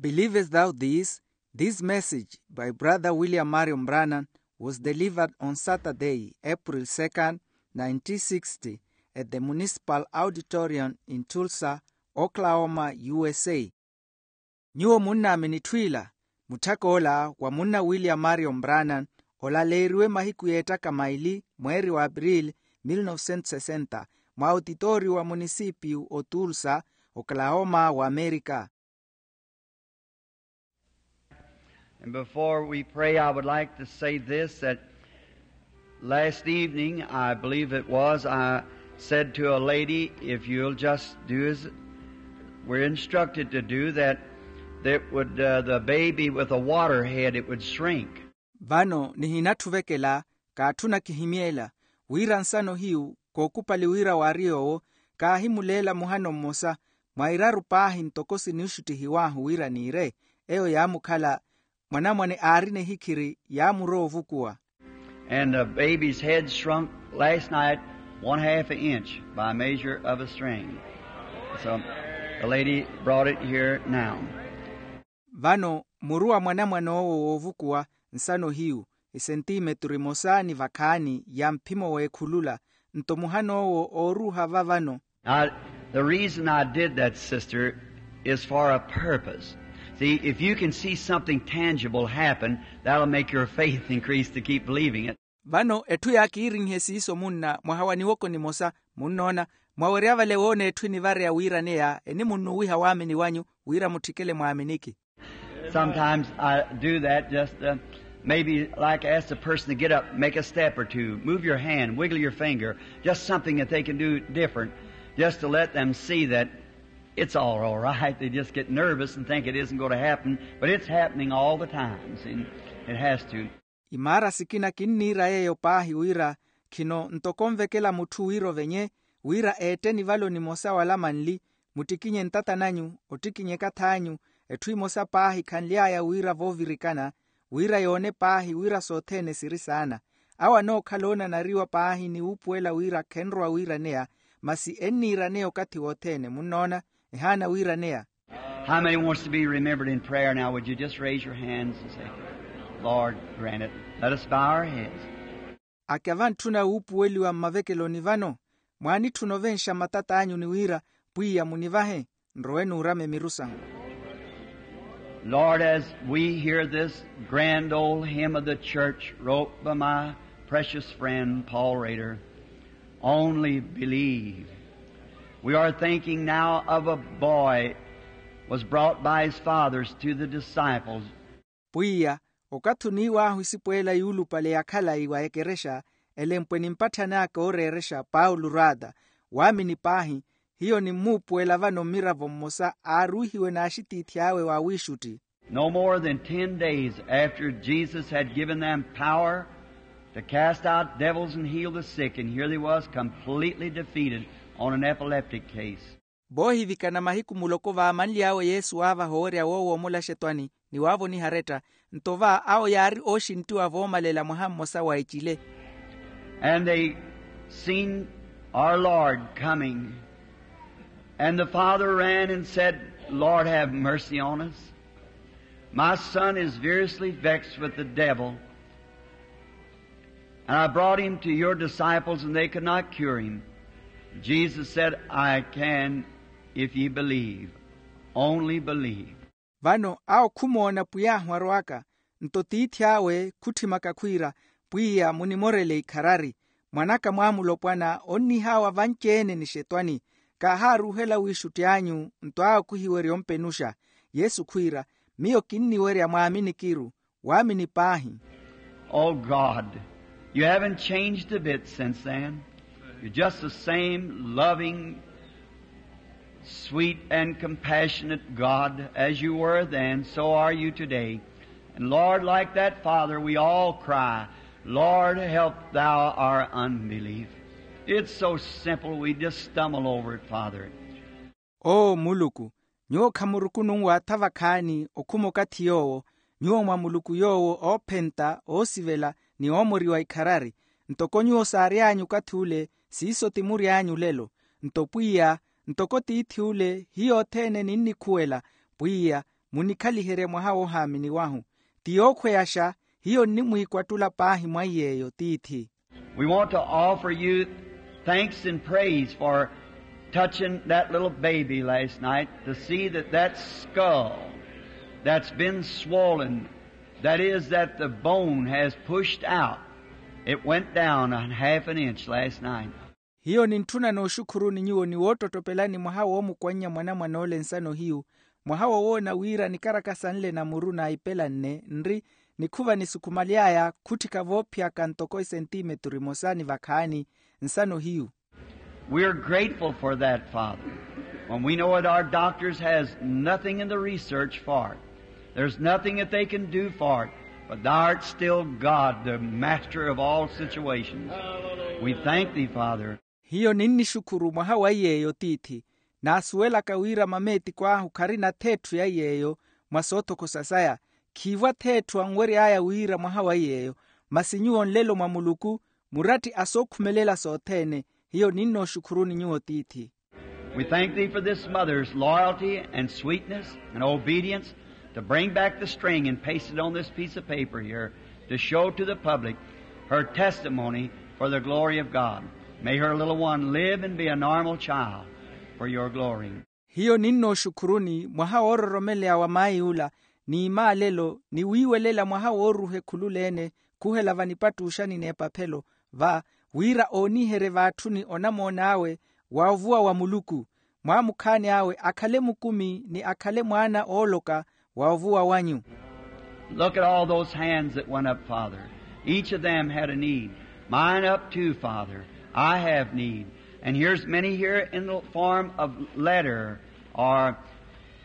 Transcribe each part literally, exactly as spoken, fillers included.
Believest thou this? This message by Brother William Marion Brannan was delivered on Saturday, April second, nineteen sixty, at the Municipal Auditorium in Tulsa, Oklahoma, U S A. Nyuwo munnaamini etthu ila, mutthak'ola wa munna William Marion Brannan, olaleeriwe mahiku y'ettaka maili, mweeri wa Aprili, mil novecentos sesenta, mwa otitooriyo wa munisipiyu o Tulsa, Oklahoma, wa Amerika. And before we pray, I would like to say this, that last evening, I believe it was, I said to a lady, "If you'll just do as we're instructed to do, that, that would, uh, the baby with a water head, it would shrink." Vano nihinatthi ovekela, kaatthuna kihimyeela, wira nsano hiyu, kookupali wira waari yoowo, kaahimuleela muhano mmosa, mwa iraru paahi ntoko siniixuttihiw'ahu wira niire, eyo yaamukhala, mwanamwane aarina ehikhiri, yaamurowa ovukuwa. And the baby's head shrunk last night one half an inch by measure of a string. So the lady brought it here now. Vano muru wa mwanamwane owo woovukuwa nsano hiyu, isentimeturu imosa ni vakhaani ya mphimo w'ekhulula, nto muhan'owo ooruuha va vano. Now, the reason I did that, sister, is for a purpose. See, if you can see something tangible happen, that'll make your faith increase to keep believing it. Vano etthu yaakiirinhe siiso munna mwaha wa niwoko nimosa, munnoona, mwawerya vale woona etthu enivareya wiiraneya enimunnuwiha waamini wanyu, wira mutthikele mwaaminiki. Sometimes I do that, just, uh, maybe like ask the person to get up, make a step or two, move your hand, wiggle your finger, just something that they can do different, just to let them see that it's all, all right. They just get nervous and think it isn't going to happen, but it's happening all the time. See, it has to. Imaara sikina kinniira yeeyo paahi wira, khino ntoko onvekela mutthu wira ovenye, wira eette nivalo nimosa wala manli, muttikinye ntata nanyu, ottikinye ekath'anyu, etthu imosa paahi khanly'aya wira voovirikana, wira yoone paahi wira sothene siri saana. Awo anookhala oonanariwa paahi ni wuupuwela wira khenrowa wiiraneya, masi enniiraneya okathi wothene. Munnoona? Ehaana wiiraneya. How many wants to be remembered in prayer now? Would you just raise your hands and say, "Lord, grant it." Let us bow our heads. Ake avantthuna wuupuweliwa mmavekeloni vano, mwaanitthuna ovenxa matat'anyu ni wira, pwiya munivahe, nrowe nuurame miru sanyu. Lord, as we hear this grand old hymn of the church wrote by my precious friend Paul Rader, "Only believe." We are thinking now of a boy was brought by his fathers to the disciples. Pwiya, okathi oniiw'ahu isipweela yuulupale ya khalayi wa ekerexa, elempwe ni mpatthani aka ooreerexa Paulo Rata, waamini paahi, hiyo nimmuupuwela vano mmiravo mmosa aaruuhiwe n'axitiithi awe wa wiixutti. No more than ten days after Jesus had given them power to cast out devils and heal the sick, and here they was completely defeated on an epileptic case. Voohivikana mahiku muloko vaamanly'awe Yesu waavaha owerya woowoomolaxa etwani ni waavoniha aretta, nto va awo yaari ooxinttiwa voomalela mwaha mmosa wa ecile. And they seen our Lord coming. And the father ran and said, "Lord, have mercy on us. My son is variously vexed with the devil. And I brought him to your disciples, and they could not cure him." Jesus said, "I can, if ye believe. Only believe." Vano awo khumoona pwiy'ahu arwaka, nto tiithi awe khutthimaka khwiira, pwiya munimorele ikharari, mwan'aka mwaamulopwana onnihawa vanci-ene nixetwani, kaahaaruuhela wiixutti anyu nto awo khuhiwerya ompenuxa. Yesu khwiira, miyo kinniwerya mwaaminikiru, waamini paahi. Oh God, you haven't changed a bit since then. You're just the same loving, sweet, and compassionate God as you were then, so are you today. And Lord, like that father, we all cry, "Lord, help thou our unbelief." It's so simple, we just stumble over it, Father. Oo muluku, nyuwo khamurukunu nwaatha vakhaani okhuma okathi yoowo, nyuwo mwa muluku yoowo oophenta oosivela ni oomoriwa ikharari. Ntoko nyuwo saary'anyu okathi ule, siiso ti mury'anyu olelo. Nto pwiya, ntoko tiithi ule hiyo othene ninnikhuwela, pwiya, munikhaliherye mwaha woohaamini wahu. Ti yookhweyaxa, hiyo nnimwiikwattula paahi mwa iy'eyo tiithi. We want to offer you thanks and praise for touching that little baby last night, to see that that skull that's been swollen, that is, that the bone has pushed out, it went down a half an inch last night. Hiyo nintthuna nooxukhuruni nyuwo ni woottottopelani mwaha woomukwannya mwanamwan'ole nsano hiyu, mwaha wowoona wira nikarakasa nle na muru naipelanne nri nikhuva nisukhumaly'aya khutthika voophiyaka ntoko esentimeturu emosa ni vakhaani nsano hiyu. We are grateful for that, Father, when we know that our doctors has nothing in the research for it. There's nothing that they can do for it, but thou art still God, the master of all situations. We thank thee, Father. Hiyo ninnixukhuru mwaha wa iy'eyo tiithi, naasuwelaka wira mameetiko ahu kharina-tho etthu ya iy'eyo mwa soothokhosa saya. Khiivwa-tho etthu anwery'aya wira mwaha wa iy'eyo, masi nyuwo nlelo mwa muluku, muratti a sookhumelela sothene. Hiyo ninnooxukhuruni nyuwo tiithi. We thank thee for this mother's loyalty and sweetness and obedience to bring back the string and paste it on this piece of paper here to show to the public her testimony for the glory of God. May her little one live and be a normal child for your glory. Hiyo ninnooxukhuruni mwaha woororomeleya wa mayi ula, ni imaalelo ni wiiwelela mwaha wooruhe khululeene khuhela vanipattuuxani n'epaphelo, va wira ooniherye vaatthuni onamoon'awe wa ovuwa wa muluku, mwaamukhaani awe akhale mukumi ni akhale mwaana ooloka wa ovuwa wanyu. Look at all those hands that went up, Father. Each of them had a need. Mine up too, Father. I have need. And here's many here in the form of letter or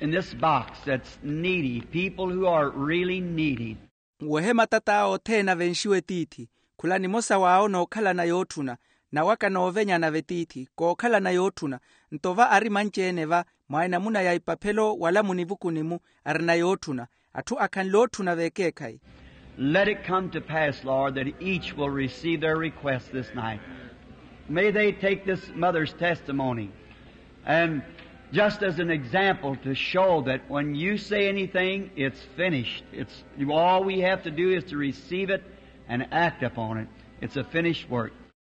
in this box that's needy, people who are really needy. Wehe matat'awe othene avenxiwe tiithi. Khula nimosa w'awo nookhalana yootthuna, nawaka noovenyana vetiithi kookhalana yootthuna. Nto va ari manci-ene va mwa enamuna ya ipaphelo wala munivukuni-mu arina yootthuna, atthu akhanle ootthuna veekeekhayi. Let it come to pass, Lord, that each will receive their request this night. May they take this mother's testimony and just as an example to show that when you say anything, it's finished. It's, all we have to do is to receive it and act upon it. It's a finished work.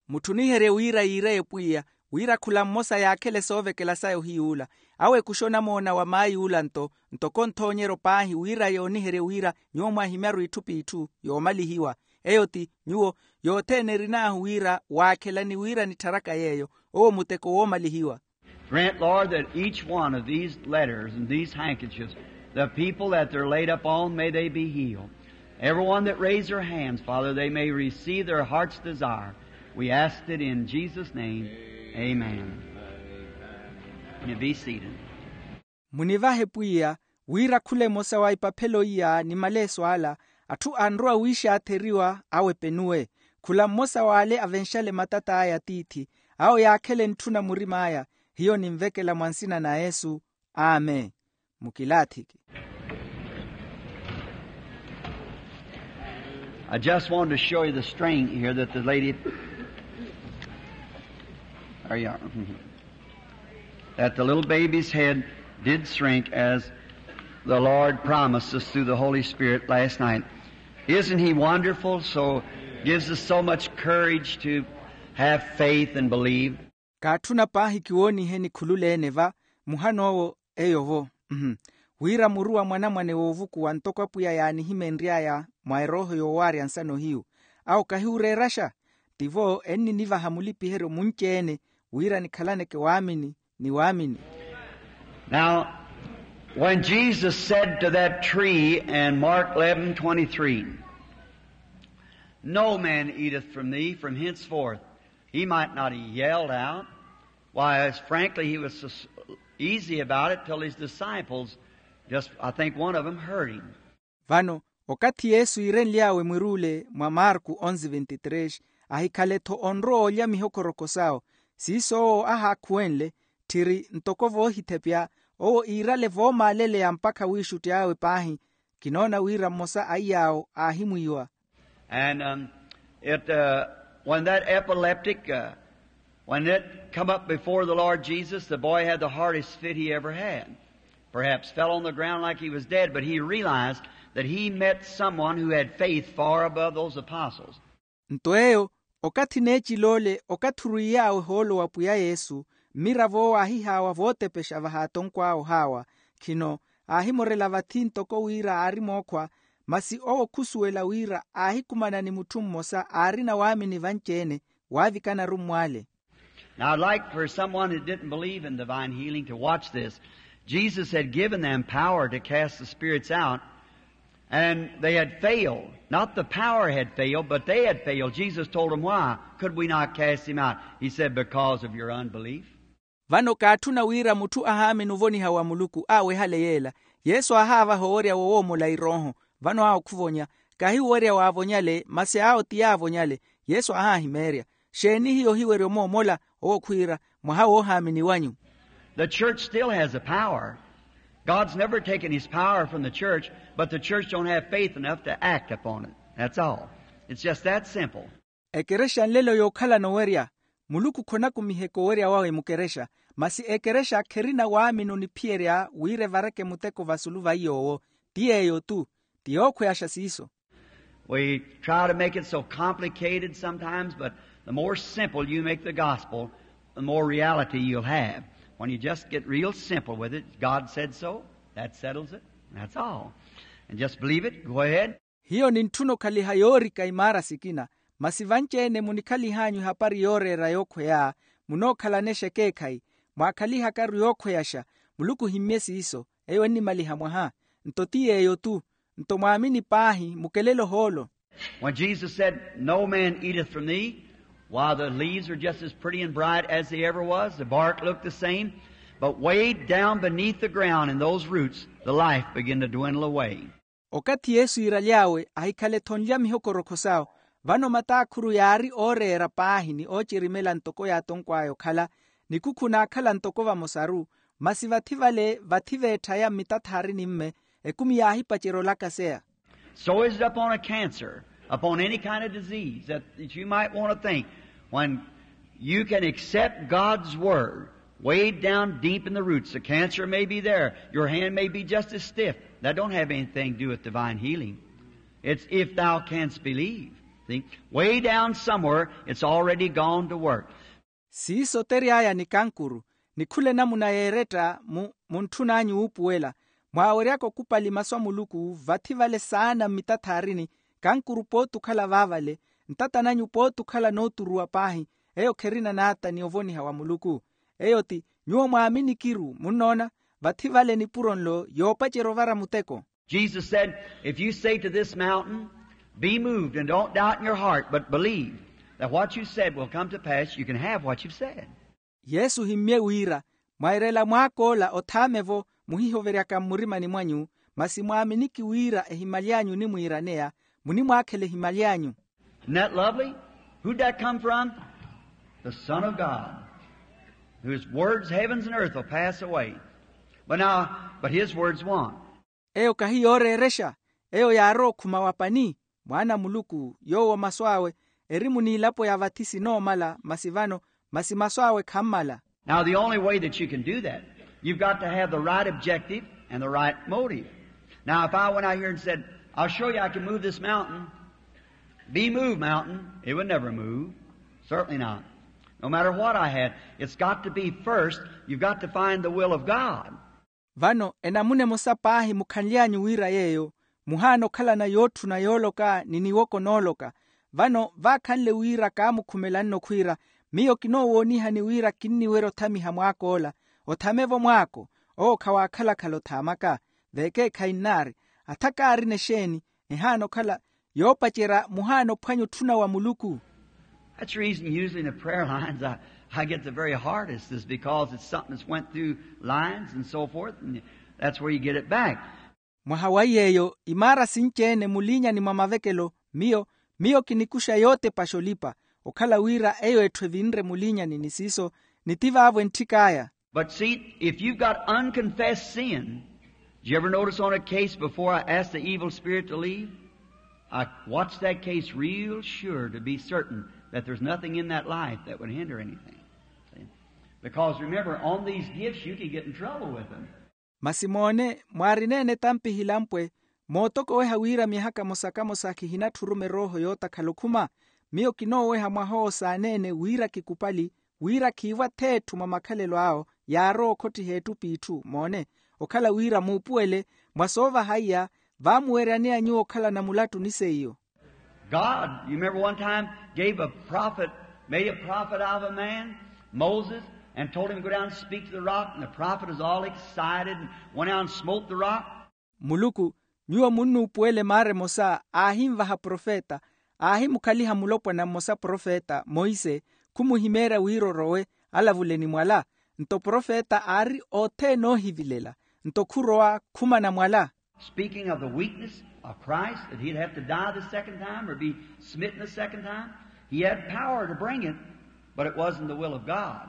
Mutthuniherye wira yiire epwiya wira khula mmosa yaakhele soovekela saya ohiy'ula, awe ekuxa onamoona wa mayi ula nto ntoko nthoonyeryo paahi wira yooniherye wira nyuwo mwaahimyaru itthu p'itthu yoomalihiwa. Eyo ti nyuwo yothene erin'ahu wira waakhelani wira nittharaka yeeyo owo muteko woomalihiwa. Grant, Lord, that each one of these letters and these handkerchiefs, the people that they're laid up on, may they be healed. Everyone that raised their hands, Father, they may receive their heart's desire. We ask it in Jesus' name. Amen. You be seated. Munivahe pwiya wira khula emosa wa ipaphelo iya ni maleeso ala, atthu anrowa wiixaatheriwa awepenuwe. Khula mmosa w'ale avenxale matat'aya tiithi, awo yaakhele ntthuna murim'aya. Hiyo ninvekela mwa nsina na yesu. Amen. Mukilaathiki. I just wanted to show you the string here that the lady, there you are. That the little baby's head did shrink as the Lord promised us through the Holy Spirit last night. Isn't he wonderful? So gives us so much courage to have faith and believe. Kaatthuna paahi kiwooniheni khululeene va muhan'owo. Eyo-vo, wira muru wa mwanamwane woovukuwa ntoko apwiya yaanihimenry'aya mwa erooho yoowaarya nsano hiyu, awo kahiwureeraxa. Tivo enninivaha mulipiheryo munci-ene wira nikhalaneke waamini ni waamini. Now, when Jesus said to that tree in Mark eleven twenty-three, "No man eateth from thee from henceforth," he might not have yelled out. Why, as frankly, he was so s-, easy about it till his disciples, just, I think one of them heard him. Vano, okathi yesu iirenly'awe mwiruule mwa marku onzi ventitres, ahikhale-tho onrowa olya mihokoroko sawo. Siiso owo ahaakhuwenle tthiri ntoko voohithepya, owo iirale voomaaleleya mpakha wiixutty'awe paahi. Kinoona wira mmosa a iy'awo aahimwiiwa. And um, it, uh, when that epileptic, uh, when it come up before the Lord Jesus, the boy had the hardest fit he ever had. Perhaps fell on the ground like he was dead, but he realized that he met someone who had faith far above those apostles. Nto eyo, okathi neecil'ole okathi orwiiy'awe ohoolo wa pwiya yesu, mmirav'owo aahihaawa vootepexa vahaatonkw'awe ohaawa. Khino, aahimorela vathi ntoko wira aari mookhwa, masi owo khusuwela wira aahikumana ni mutthu mmosa aarina waamini vanci-ene, waavikana arummw'ale. Now, I'd like for someone who didn't believe in divine healing to watch this. Jesus had given them power to cast the spirits out, and they had failed. Not the power had failed, but they had failed. Jesus told them why. Could we not cast him out? He said, because of your unbelief. Vano kaatthuna wira mutthu ahaamini ovoniha wa muluku aawehale yeela. Yesu aahaavaha owerya woowomola irooho. Vano awo khuvonya, kahi owerya waavonyale masi awo ti yaavonyale. Yesu aahaahimeerya, xeeni hiyo ohiwerya omoomola? Owo khwiira, mwaha woohaamini wanyu. The church still has a power. God's never taken his power from the church, but the church don't have faith enough to act upon it. That's all. It's just that simple. Ekerexa nlelo yookhalana owerya. Muluku khonakumiheke owerya wawe mukerexa, masi ekerexa kherina waamini oniphiyerya wira evareke muteko vasulu va iy'owo. Ti yeeyo-tu. Ti yookhweyaxa siiso. We try to make it so complicated sometimes, but the more simple you make the gospel, the more reality you'll have. When you just get real simple with it, God said so, that settles it. That's all. And just believe it, go ahead. Hiyo nintthuna okhaliha yoorika imaara sikina, masi vanci-ene munikhalih'anyu ehapari yooreera yookhweya, munookhalana exekeekhayi, mwaakhaliha akaru yookhweyaxa. Muluku ohimmye siiso, eyo ennimaliha mwaha. Nto ti yeeyo-tu. Nto mwaamini paahi, mukelele ohoolo. When Jesus said, no man eateth from thee, why, the leaves are just as pretty and bright as they ever was, the bark looked the same, but way down beneath the ground in those roots, the life began to dwindle away. Okathi yesu yiiraly'awe, ahikhale-tho nlya mihokorokho sawo. Vano mataakhuru yaari ooreera paahi ni oocerimela ntoko yaatonkw'aya okhala, nikukhu naakhala ntoko vamosaru, masi vathi vale vathi veetthaya mmitathaarini mme, ekumi yaahipacerya olakaseya. So is it upon a cancer, upon any kind of disease that, that you might want to think, when you can accept God's word, way down deep in the roots. The cancer may be there. Your hand may be just as stiff. That don't have anything to do with divine healing. It's if thou canst believe. See? Way down somewhere, it's already gone to work. Siiso otery'aya ni kankuru, ni khula enamuna yeeretta mu muntthun'anyu wuupuwela. Mwaaweryaka okupali masu a muluku vathi vale saana mmitathaarini, kankuru pooti okhala vaavale, ntatan'anyu pooti okhala nooturuwa paahi. Eyo kherina naata ni ovoniha wa muluku. Eyo ti, nyuwo mwaamini kiru munnoona, vathi vale nipuro nlo yoopacerya ovara muteko. Jesus said, if you say to this mountain, be moved, and don't doubt in your heart, but believe that what you said will come to pass, you can have what you've said. Yesu ohimmye wira, mwairela mwaak'ola othaame-vo, muhihoveryaka mmurimani mwanyu, masi mwaaminiki wira ehimaly'anyu onimwiiraneya, munimwaakhela ehimaly'anyu. Isn't that lovely? Who'd that come from? The Son of God, whose words heavens and earth will pass away, but now, but his words won't. Eyo kahi yooreerexa, eyo yaarowa okhuma wa pani, mwaana a muluku yoowo masu awe eri muniilapo ya vathi sinoomala masi vano, masi masu awe khammala. Now, the only way that you can do that, you've got to have the right objective and the right motive. Now, if I went out here and said, I'll show you I can move this mountain, be moved, mountain, it would never move. Certainly not. No matter what I had, it's got to be first, you've got to find the will of God. Vano enamuna emosa paahi mukhanly'anyu wira yeeyo, muhaana okhalana yootthuna yooloka ni niwoko nooloka. Vano vaakhanle wira kaamukhumela nno khwiira, miyo kinoowoonihani wira kinniwerya othamiha mwaak'ola. Othame-vo mwaako, owo khawaakhala-khala othaamaka. Veekeekhayi nnaari, atha kaarina exeeni, ehaana okhala yoopacerya muhaana ophwanya otthuna wa muluku. That's the reason usually in the prayer lines I, I get the very hardest, is because it's something that's went through lines and so forth, and that's where you get it back. Mwaha wa yeeyo imaara sinci-ene muliinyani mwa mavekelo, miyo miyo kinikuxa yootepaxa olipa, okhala wira eyo etthu evinre muliinyani ni siiso, ni ti vaavo entthik'aya. But see, if you've got unconfessed sin, did you ever notice on a case before I asked the evil spirit to leave? I watched that case real sure to be certain that there's nothing in that life that would hinder anything. See? Because remember, on these gifts you can get in trouble with them. Masi moone, mwaarina-ene etampi hilampwe mootokoweha wira myaha kamosa kamosa khihinatthi oruma erooho yootakhala okhuma. Miyo kinooweha mwaha owo saaneene wira kikupali wira khiivo atheetthu mwa makhalelo awo yaarowa okhottiha ettup'itthu moone, okhala wira muupuwele mwa soovaha iya vaamuweryaneya nyuwo okhalana mulattu ni seiyo. God, you remember one time, gave a prophet, made a prophet out of a man, Moses, and told him to go down and speak to the rock, and the prophet was all excited and went out and smote the rock. Muluku, nyuwo munnuupuwele maara emosa aahinvaha profeta, aahimukhaliha mulopwana mmosa profeta monse, khumuhimeerya wira orowe alavule ni mwala. Nto profeta aari othene oohivilela, nto khurowa khumana mwala. Speaking of the weakness of Christ, that he'd have to die the second time or be smitten the second time, he had power to bring it, but it wasn't the will of God.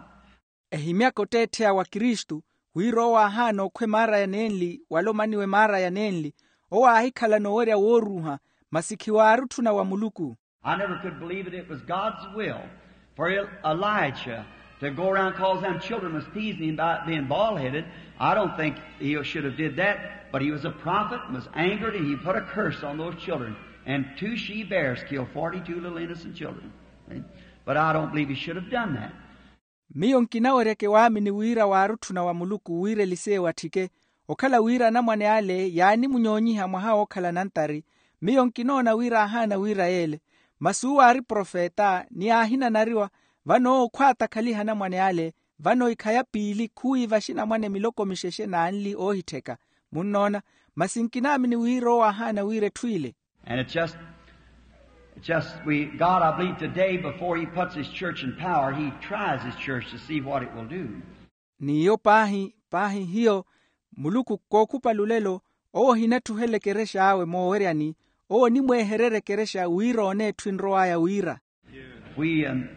Ehimyaka otteettheya wa kristu, wira owo aahaana okhwa emaaraya nenli wala omaniwa emaaraya nenli, owo aahikhalana owerya wooruuha, masi khiwaari otthuna wa muluku. I never could believe that it was God's will for Elijah to go around, cause them children was teasing him about being bald-headed. I don't think he should have did that, but he was a prophet and was angered, and he put a curse on those children, and two she-bears killed forty-two little innocent children. But I don't believe he should have done that. Miyo nkinaweryeke waamini wira waari otthuna wa muluku wira eliseya ewatthike, okhala wira anamwane ale yaanimunyoonyiha mwaha wookhala nantari. Miyo nkinoona wira aahaana wira yeele, masi uwo aari profeta ni aahinanariwa. Vano owo khwaatakhaliha anamwane ale, vano ikhaya piili khuwiiva axinamwane miloko mixexe n'anli oohittheka. Munnoona, masi nkinaamini wira owo aahaana wira etthu ile. And it's just, it's just we, God, I believe today, before he puts his church in power, he tries his church to see what it will do. N'iyo paahi paahi hiyo, muluku kookhupa lulelo, owo ohinatthuhela ekerexa awe mooweryani, owo onimweehererya ekerexa wira oone etthu enrow'aya wira. We, um,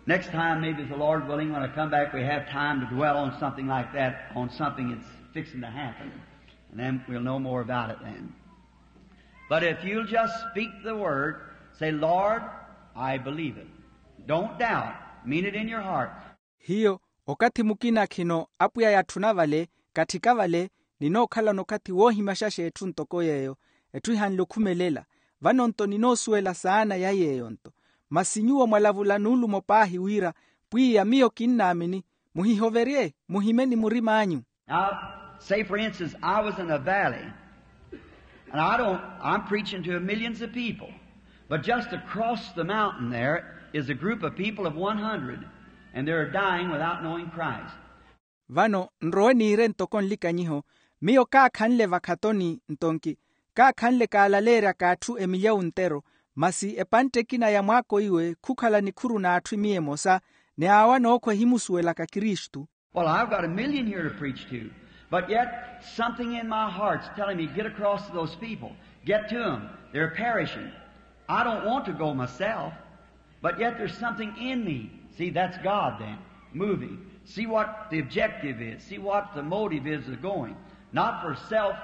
next time, maybe if the Lord willing, when I come back, we have time to dwell on something like that, on something that's fixing to happen. And then we'll know more about it then. But if you'll just speak the word, say, "Lord, I believe it." Don't doubt. Mean it in your heart. Hiyo, okathi mukina khino apwiya yatthuna vale, katthika vale, ninookhalana okathi woohimaxaxa etthu ntoko yeeyo, etthu ihanle okhumelela. Vano-nto ninoosuwela saana ya yeeyo-nto. Masi nyuwo mwalavula nuulumo paahi wira, pwiya miyo kinnaamini, muhihoverye, muhime ni murim'anyu. Now, say for instance, I was in a valley, and I don't, I'm preaching to millions of people, but just across the mountain there is a group of people of one hundred, and they're dying without knowing Christ. Vano nrowe niire ntoko nlikanyiho, miyo kaakhanle vakhatoni ntonki, kaakhanle kaalaleeryaka atthu emilyawu ntero, masi epantte ekina ya mwaako iwe khukhala nikhuru n'atthu emiya emosa, ni awo anookhwa ehimusuwelaka kristu. Well, I've got a million here to preach to, but yet something in my heart's telling me, "Get across to those people. Get to 'em. They're perishing." I don't want to go myself, but yet there's something in me. See, that's God then, moving. See what the objective is. See what the motive is of going. Not for self.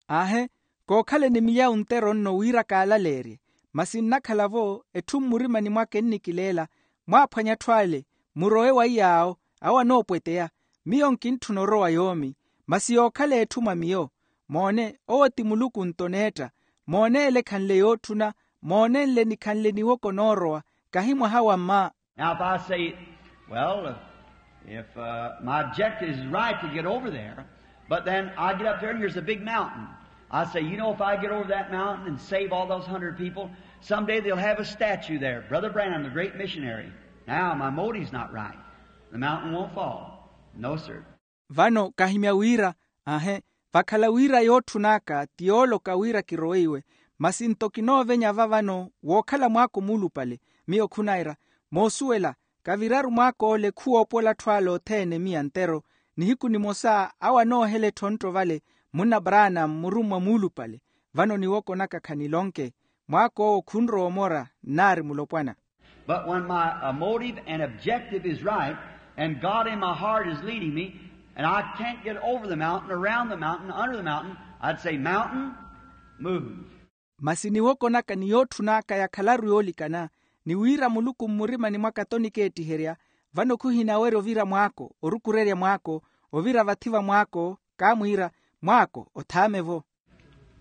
Aahe, kookhaleni milyawu ntero nno wira kaalaleerye, masi nnakhala-vo etthu mmurimani mwaka ennikileela, mwaaphwanya atthu ale, murowe wa iy'awo, awo anoopweteya. Miyo nkintthuna orowa yoomi, masi yookhala etthu mwa miyo. Moone, owo ti muluku-nto neetta. Moone ele ekhanle yootthuna, moone nle nikhanle niwoko noorowa, kahi mwaha wa mma. Now, if I say, well, if, uh, my objective is right to get over there, but then I get up there and here's a big mountain. I say, you know, if I get over that mountain and save all those hundred people, someday they'll have a statue there, Brother Branham, the great missionary. Now, my motive's not right. The mountain won't fall. No, sir. Vano kahimya wira, aahe, vakhala wira yootthun'aka ti yooloka wira kirowe iwe, masi nto kinoovenya va vano wookhala mwaako muulupale. Miyo khunaira, moosuwela, kaviraru mwaak'ole khuwoopola atthu ale othene miya ntero. Nihiku nimosa awo anoohela ettontto vale, munna branham murummwa muulupale. Vano niwoko naka khanilonke, mwaak'owo khunrowa omora nnaari mulopwana. But when my, uh, motive and objective is right, and God in my heart is leading me, and I can't get over the mountain, around the mountain, under the mountain, I'd say, "Mountain, move." Masi niwoko naka ni yootthun'aka yakhalaru yoolikana, ni wira muluku mmurimani mwaka t'onikeettiherya, vano khuhinawerya ovira mwaako, orukurerya mwaako, ovira vathi va mwaako, kaamwiira, mwaako othaame-vo.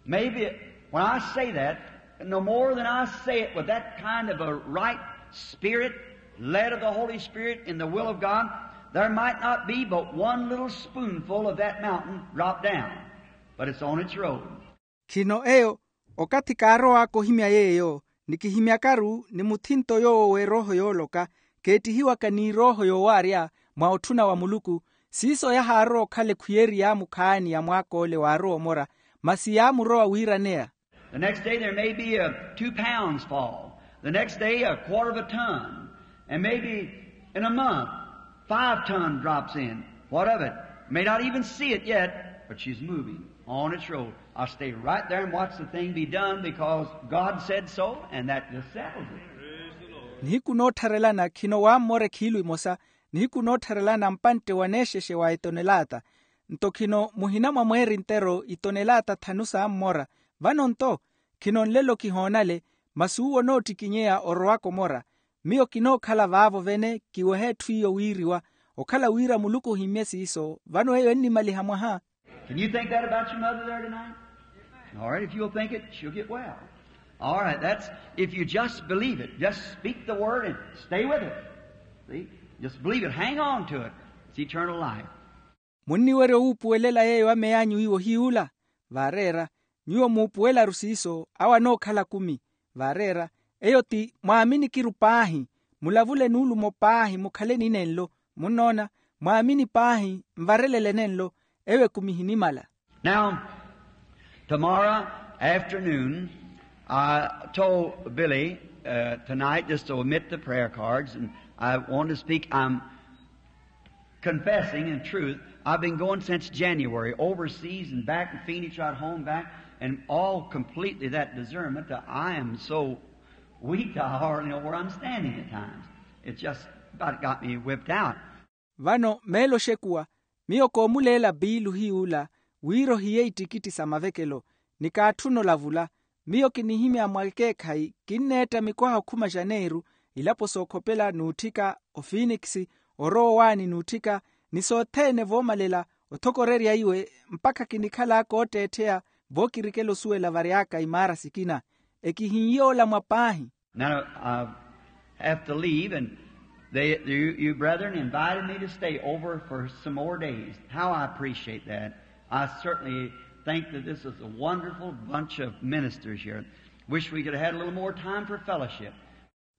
Maybe when I say that, no more than I say it with that kind of a right spirit, led of the Holy Spirit in the will of God, there might not be but one little spoonful of that mountain drop down, but it's on its road. Khino eyo, okathi kaarowaka ohimya yeeyo, ni kihimyakaru ni muthinto yoowo w'erooho yooloka, keettihiwaka n'irooho yoowaarya mwa otthuna wa muluku, siiso yahaarowa okhala ekhwiyeri yaamukhaani ya mwaak'ole waarowa omora, masi yaamurowa wiiraneya. The next day there may be a two pounds fall, the next day a quarter of a ton, and maybe in a month five ton drops in. What of it? May not even see it yet, but she's moving on its road. I'll stay right there and watch the thing be done because God said so, and that just settles it. Nihiku noottharelana khino waammora ekhiilu imosa, nihiku noottharelana mpantte waneexexe wa etonelaata. Nto khino muhina mwa mweeri ntero itonelaata thanu saammora. Vano nto, khino nlelo kihoonale, masi uwo onoottikinyeya orowaka omora. Miyo kinookhala vaavo vene kiweha etthu iyo wiiriwa, okhala wira muluku ohimmye siiso vano eyo ennimaliha mwaha. Can you think that about your mother there tonight? All right, if you'll think it, she'll get well. All right, that's, if you just believe it, just speak the word and stay with it. See? Just believe it, hang on to it. It's eternal life. Munniwerya owuupuwelela yeeyo ameyanyu iwo hiy'ula? Vaareera, nyuwo muupuwelaru siiso awo anookhala kumi. Vaareera, eyo ti mwaaminikiru paahi. Mulavule nuulumo paahi mukhale ni nenlo. Munnoona, mwaamini paahi, nvarelele nenlo. Eyo ekumi ehinimala. Now, tomorrow afternoon, I told Billy, uh, tonight just to omit the prayer cards, and I want to speak. I'm confessing in truth, I've been going since January, overseas and back in Phoenix, right home back, and all completely that discernment that I am so weak, I hardly know where I'm standing at times. It's just about got me whipped out. Vano meelo oxekuwa, miyo koomuleela piilu hiy'ula, wira ohiye ittikitti sa mavekelo, ni kaatthuna olavula. Miyo kinihimya mwa ekeekhayi, kinneetta mikwaha okhuma janeiru, ilapo sookhopela n'utthika, ofinikisi, orowa owaani n'utthika, ni sothene voomalela, othokorerya iwe, mpakha kinikhal'aka ootteettheya, vookirikela osuwela vary'aka imaara sikina. Ekihin'ye olamwa paahi. Now, I have to leave, and they, you, you brethren invited me to stay over for some more days. How I appreciate that. I certainly think that this is a wonderful bunch of ministers here. Wish we could have had a little more time for fellowship.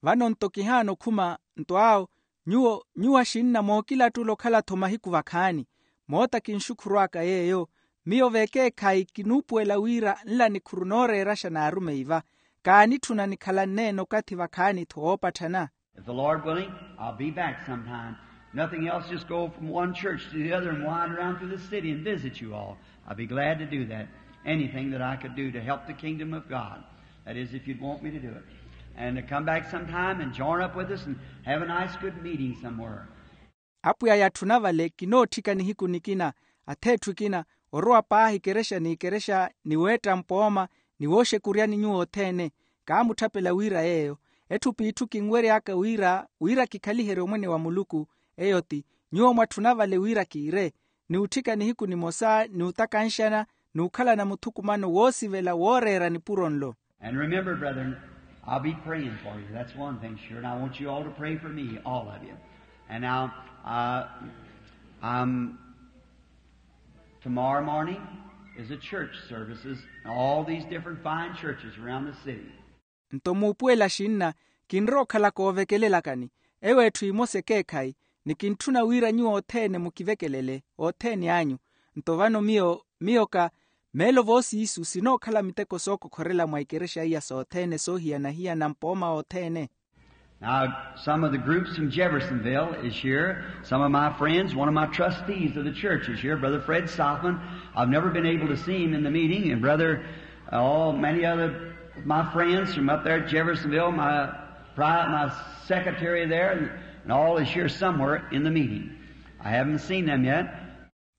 Vano nto kihaana okhuma, nto awo, nyuwo, nyuwo axinna mookilattula okhala-tho mahiku vakhaani. Moota kinxukhurw'aka yeeyo, miyo vekeekhayi kinuupuwela wira nla nikhuru nooreeraxa n'arumeyi va, kaanitthuna nikhalanneene okathi vakhaani-tho woopatthana. If the Lord willing, I'll be back sometime. Nothing else, just go from one church to the other and wander around through the city and visit you all. I'll be glad to do that. Anything that I could do to help the kingdom of God. That is, if you'd want me to do it. And to come back sometime and join up with us and have a nice good meeting somewhere. Apwiya yatthuna vale kinootthika nihiku nikina, atheetthu ekina, orowa paahi ekerexa n'ikerexa, ni weetta mpooma, ni wooxekuryani nyuwo othene. Kaamutthapela wira yeeyo. Etthu p'itthu kinwery'aka wira, wira kikhaliherye omwene wa muluku. Eyo ti, nyuwo mwatthuna vale wira kiire, ni utthika nihiku nimosa, ni utakanxana, ni ukhalana muthukumano woosivela wooreera nipuro nlo. And remember, brethren, I'll be praying for you. That's one thing sure. And I want you all to pray for me, all of you. And now, uh, um, tomorrow morning is a church services in all these different fine churches around the city. Nto muupuwela axinna, kinrowa okhalaka oovekelelakani. Eyo etthu imosa ekeekhayi, ni kintthuna wira nyuwo othene mukivekelele othene anyu. Nto vano miyo, miyo ka, meelo voosiisu sinookhala miteko sookokhorela mwa ikerexa iya sothene soohiyana-hiyana mpooma othene. Now, some of the groups from Jeffersonville is here. Some of my friends, one of my trustees of the church is here, Brother Fred Sothmann. I've never been able to see him in the meeting, and Brother, uh, all many other of my friends from up there at Jeffersonville, my pri-, my secretary there, and, and all is here somewhere in the meeting. I haven't seen them yet.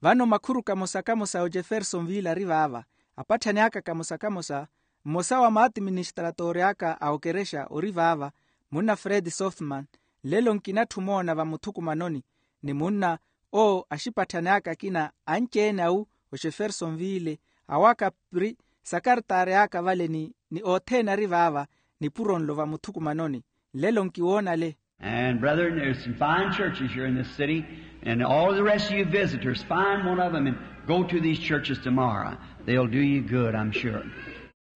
Vano makhuru kamosa-kamosa a ojefersonville ari vaava, apatthani aka kamosa-kamosa, mmosa wa maatiministratori aka a okerexa ori vaava, munna fred sothmann. Lelo nkinatthu omoona vamuthukumanoni, ni munna owo axipatthani aka akina anci-ene awu, oxeferson viile, awaka pri sakartaari aka vale ni othene ari vaava nipuro nlo vamuthukumanoni. Nlelo nkiwoona ale. And brethren, there's some fine churches here in this city, and all the rest of you visitors, find one of them and go to these churches tomorrow. They'll do you good, I'm sure.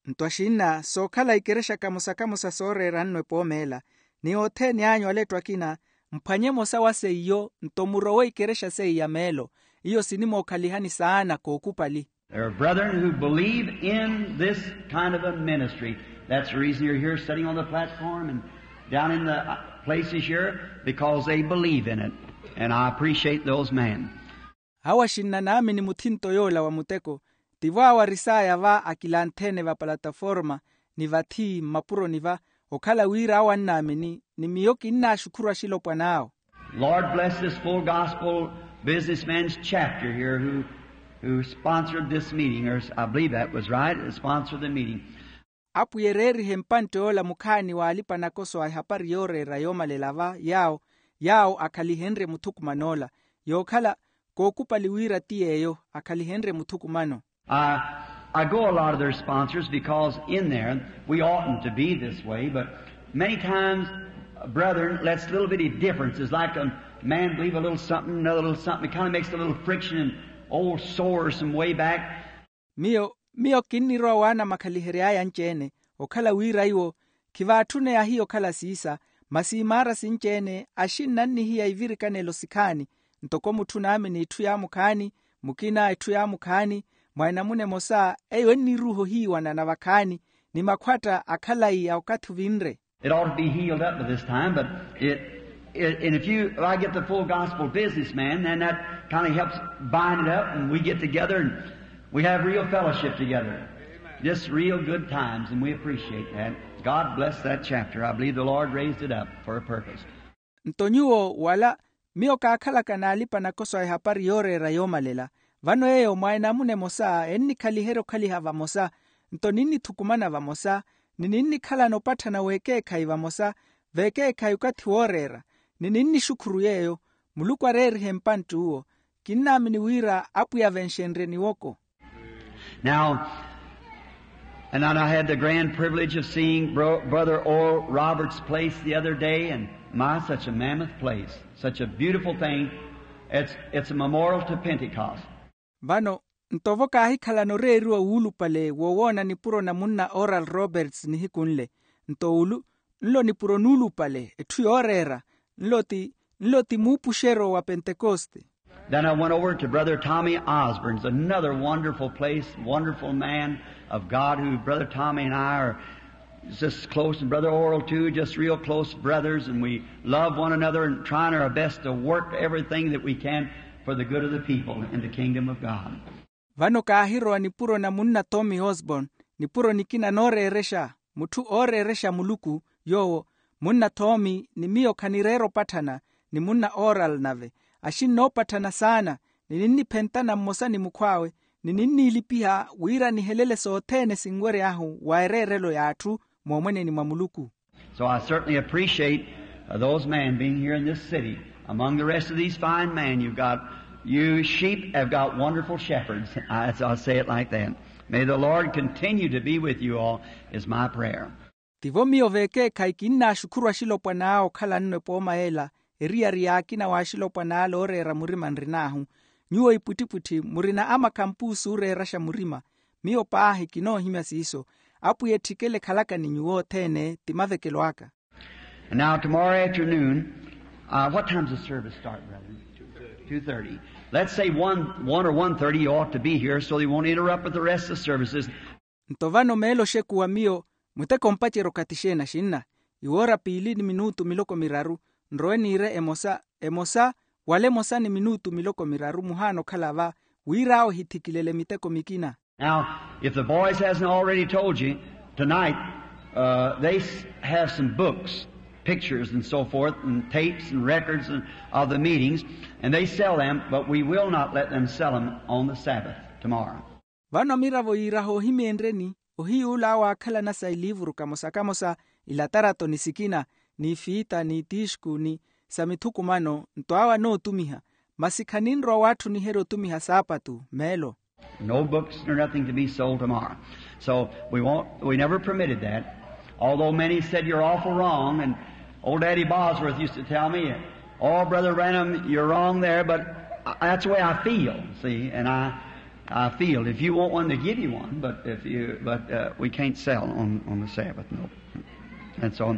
Nto axinna sookhala ikerexa kamosa kamosa sooreera nno epoomeela, ni othene anyu ale ettu akina, mphwanye emosa wa seiyo nto murowe ikerexa seiya meelo. Iyo sinimookhalihani saana kookupali. There are brethren who believe in this kind of a ministry. That's the reason you're here sitting on the platform and down in the places here, because they believe in it. And I appreciate those men. Awo axinna naamini muthinto yoola wa muteko. Tivo awo arisaya va akilanthene va palataforma ni vathi mmapuroni va, okhala wira awo annaamini ni miyo kinnaaxukhuru axilopwana awo. Lord bless this full gospel businessman's chapter here who sponsored this meeting, or I believe that was right, sponsored the meeting. Apwiya ereerihe mpantte yoola mukhaani w'alipa nakoso a ehapari yooreera yoomalela va yaawo yaawo akhalihenrye muthukuman'ola. Yookhala kookupali wira ti yeeyo akhalihenrye muthukumano. I go a lot of their sponsors because in there we oughtn't to be this way, but many times brethren lets little bitty differences like a man believe a little something, another little something, it kind of makes a little friction and old sores some way back. Miyo miyo kinnirowa waana makhalihery'aya anci-ene, okhala wira iwo khivaatthune ahiya okhala siisa. Masi imaara sinci-ene axinna annihiya ivirikanelo sikhaani, ntoko mutthu naamini itthu yaamukhaani, mukina itthu yaamukhaani, mwa enamuna emosa eyo enniruuha ohiiwana na vakhaani, ni makhwatta a khalayi a okathi ovinre. It ought to be healed up by this time, but it, it and if you if I get the full gospel businessman, then that kind of helps bind it up and we get together and we have real fellowship together. Just real good times, and we appreciate that. God bless that chapter. I believe the Lord raised it up for a purpose. Nto nyuwo wala miyo kaakhalaka n'alipa nakoso a ehapari yooreera yoomalela. Vano eyo mwa enamuna emosa ennikhaliherya okhaliha vamosa, nto ninnithukumana vamosa, ni ninnikhalana opatthana w'ekeekhayi vamosa, v'ekeekhayi okathi wooreera, ni ninnixukhuru yeeyo. Muluku areerihe mpantti uwo. Kinnaamini wira apwiya venxenryeni woko. Now, and I had the grand privilege of seeing Brother Oral Roberts' place the other day, and my, such a mammoth place, such a beautiful thing. It's a memorial to Pentecost. Vano nto vo kaahikhalana oreeriwa wuulupale wowoona nipuro na munna Oral Roberts nihiku nle. Nto ulu nlo nipuro nuulupale etthu yooreera. Nlo ti nlo ti muupuxeryo wa pentekoste. Then I went over to Brother Tommy Osborne's, another wonderful place, wonderful man of God, who Brother Tommy and I are just close, and Brother Oral too, just real close brothers, and we love one another and trying our best to work everything that we can for the good of the people in the kingdom of God. Vano kaahirowa nipuro na munna Tommy Osborne, nipuro nikina nooreerexa, mutthu ooreerexa Muluku. Yoowo munna Tommy ni miyo khanireera opatthana, ni munna Oral nave, axinnoopatthana saana, ni ninniphentana mmosa ni mukhw'awe, ni ninniilipiha wira nihelele sothene sinwery'ahu wa ereerelo y'atthu moomweneni mwa Muluku. So I certainly appreciate those men being here in this city. Among the rest of these fine men you've got, you sheep have got wonderful shepherds. I'll say it like that. May the Lord continue to be with you all, is my prayer. Tivo miyo vekeekhayi kinnaaxukhuru axilopwan'awe okhala nno epooma ela, eriyari y'akina w'axilopwan'ale ooreera murima nrin'ahu. Nyuwo ipwittipwitthi murina amakhampuusi ooreeraxa murima. Miyo paahi kinoohimya siiso. Apwiya etthikele ekhalaka ni nyuwo othene ti mavekelo aka. And now tomorrow afternoon, what time's the service start, brethren? Two thirty. Let's say one or one thirty you ought to be here so they won't interrupt with the rest of the services. Nto vano meelo oxekuwa miyo muteko ompacerya okathi xeeni axinna? Iwoora piili ni minutu miloko miraru. Nrowe niire emosa emosa wala emosa ni minutu miloko miraru muhaana okhala va, wira awo ehithikilele miteko mikina. Now, if the boys hasn't already told you, tonight they have some books, pictures and so forth, and tapes and records of the meetings, and they sell them, but we will not let them sell them on the Sabbath tomorrow. Vano miravo yiiraha oohimeenryeni ohiy'ula awo aakhalana sa iliivuru kamosa kamosa, ilatarato ni sikina, n'ifiita n'itiixku ni sa mithukumano, nto awo anootumiha. Masi khaninrowa waatthuniherya otumiha saapatu meelo. No books nor nothing to be sold tomorrow. So we won't, we never permitted that. Although many said, "You're awful wrong," and old Daddy Bosworth used to tell me, "Oh, Brother Branham, you're wrong there, but I, that's the way I feel, see, and I, I feel. If you want one, to give you one, but if you, but, uh, we can't sell on, on the Sabbath, no." And so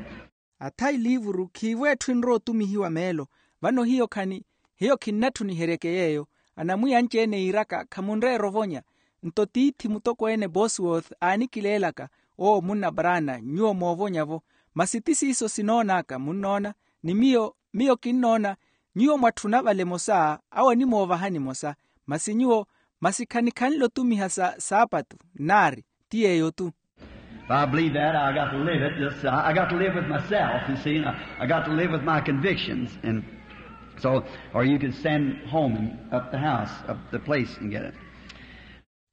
Atha iliivuru khiivo etthu enrowa otumihiwa meelo. Vano hiyo khani, hiyo khinnatthuniheryeke yeeyo. Anamwiya anci-ene yiiraka khamunreera ovonya. Nto tiithi mutokweene Bosworth aanikileelaka, owo munna Brana nyuwo moovonyavo. Masi ti siiso sinoon'aka munnoona. Ni miyo, miyo kinnoona nyuwo mwatthuna vale emosa, awo animoovahani emosa. Masi nyuwo, masi khanikhanle otumiha sa saapatu nnaari. Ti yeeyo-tu. If I believe that, I got to live it. Just, I got to live with myself, you see. And I, I got to live with my convictions. And so, or you can send home and up the house, up the place and get it.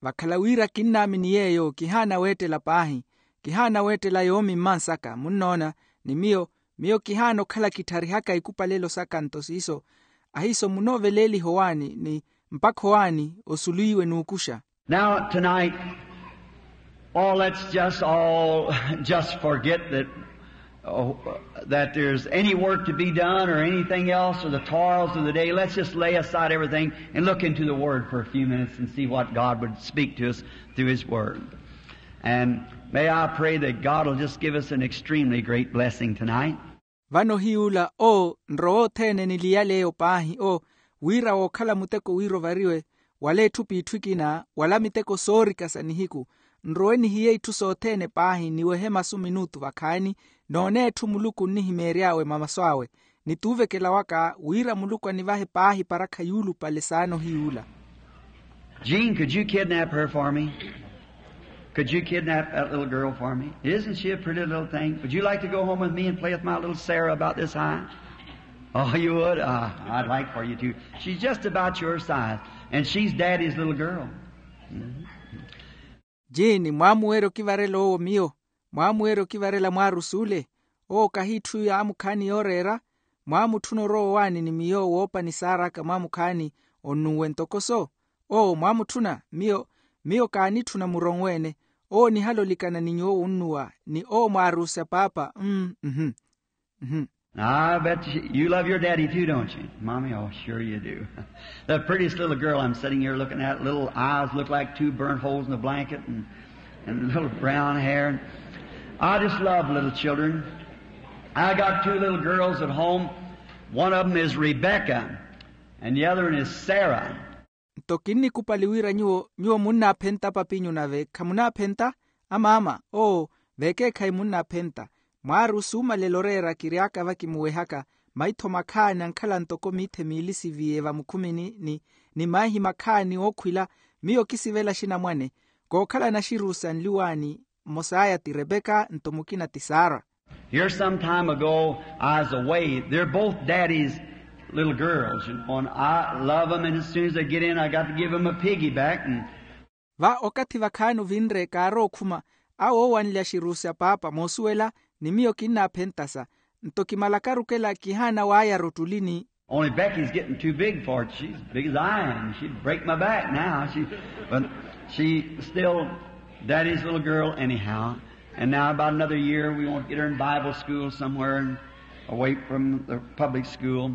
Vakhala wira kinnaamini yeeyo kihaana weettela paahi. Kihaana weettela yoomi mmansaka munnoona. Ni miyo, miyo kihaana okhala kitharihaka ikupalelo saka nto siiso. Ahiiso munooveleeliha owaani ni mpakha owaani osuliiwe n'ukuxa. Now, tonight, oh, let's just all just forget that, oh, that there's any work to be done or anything else or the toils of the day. Let's just lay aside everything and look into the Word for a few minutes and see what God would speak to us through His Word. And may I pray that God will just give us an extremely great blessing tonight. Vano hiy'ula, owo nrowa othene niliyale eyo paahi, owo wira wookhala muteko wira ovariwe wala etthu p'itthu ekina wala miteko soorika sa nihiku. Nrowe nihiye itthu sothene paahi niwehe masu minutu vakhaani, noone etthu muluku onnihimeery'awe mamasu awe. Ni tuuvekela waka wira muluku anivahe paahi parakha yuulupale saana ohiy'ula. Jean, could you kidnap her for me? Could you kidnap that little girl for me? Isn't she a pretty little thing? Would you like to go home with me and play with my little Sarah about this high? Oh, you would? Ah, I'd like for you to. She's just about your size, and she's Daddy's little girl. Jiini, mwaamuwerya okivarela owo miyo? Mwaamuwerya okivarela mwaarusi ole? Owo kahi itthu yaamukhaani yooreera. Mwaamutthuna orowa owaani ni miyo woopa ni saar'aka mwaamukhaani onnuwe ntoko so? Owo mwaamutthuna. Miyo, miyo kaanitthuna muronwe-ene. Owo nihala olikana ni nyuwo wunnuwa ni owo mwaarusi a paapa. Mmm. Mmm. Now, I bet you, you love your daddy too, don't you, Mommy? Oh, sure you do. The prettiest little girl I'm sitting here looking at, little eyes look like two burnt holes in a blanket and, and little brown hair. I just love little children. I got two little girls at home. One of them is Rebecca, and the other one is Sarah. Nto kinnikupali wira nyuwo, nyuwo munnaaphenta papinyu nave khamunaaphenta? Amaama, owo, vekeekhayi munnaaphenta. Mwaarusi umalela oreera kiry'aka vakimuwehaka maitho makhaani ankhala ntoko miithe miili siviye vamukhumini ni, ni maihi makhaani ookhwila. Miyo kisivela xinamwane. Kookhala naxirusi anli owaani, mmos'aya ti Rebeka nto mukina ti Sara. Here some time ago, I was away. They're both Daddy's little girls, you know, and I love 'em, and as soon as they get in, I got to give 'em a piggyback, and Va okathi vakhaani ovinre kaarowa okhuma, awo oowanle axirusi a paapa moosuwela, ni miyo kinnaaphentasa. Nto kimalakaru okela kihaana waayara ottulini. Only Becky's getting too big for it. She's as big as I am. She'd break my back now. She, but she's still Daddy's little girl anyhow. And now about another year, we want to get her in Bible school somewhere and away from the public school.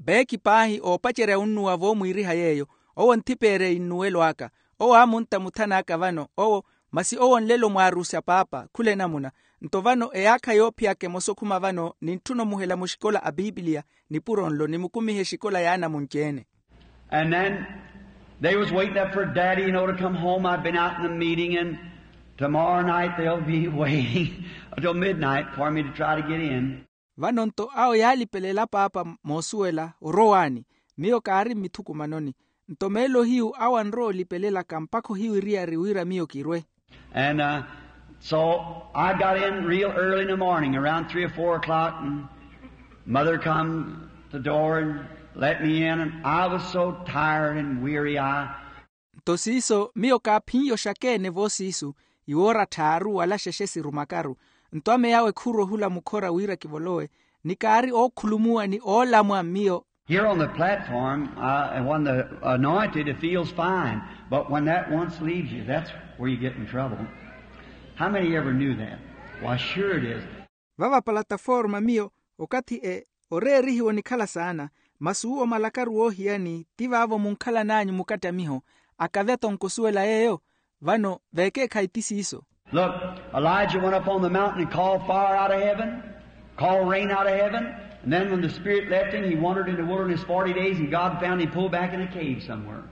Beeki paahi oopacerya onnuwa voomwiiriha yeeyo, owo nthipeerya innuwelo aka. Owo aamuntta muthan'aka vano owo, masi owo nlelo mwaarusi a paapa khula enamuna. Nto vano eyaakha yoophiyaka emosa okhuma vano nintthuna omuhela muxikola a pipiliya nipuro nlo nimukumihe exikola y'anamunci-ene. And then they was waiting up for Daddy, you know, to come home. I've been out in the meeting, and tomorrow night they'll be waiting until midnight for me to try to get in. Vano nto awo yaalipelela paapa moosuwela orowaani. Miyo kaari mmithukumanoni. Nto meelo hiyu awo anrowa olipelelaka mpakha ohiwiriyari wira miyo kirwe. And, uh, so I got in real early in the morning, around three or four o'clock, and Mother come to the door and let me in, and I was so tired and weary, I Nto siiso miyo kaaphin'ya oxakeene voosiisu, iwoora tthaaru wala xexe sirumakaru. Nto ameyawe khurwa ohula mukhora wira kivolowe, ni kaari ookhulumuwa ni oolamwa miyo. Here on the platform, uh, and when the anointed, it feels fine. But when that once leaves you, that's where you get in trouble. How many ever knew that? Why, sure it is. Vava palataforma miyo, okathi e oreerihiwa onikhala saana, masi uwo malakaru woohiyani ti vaavo munkhalan'anyu mukattamiho, akavya tonkosuwela yeeyo. Vano veekeekhayi ti siiso. Look, Elijah went up on the mountain and called fire out of heaven, called rain out of heaven, and then when the Spirit left him, he wandered in the wilderness forty days, and God found him pulled back in a cave somewhere.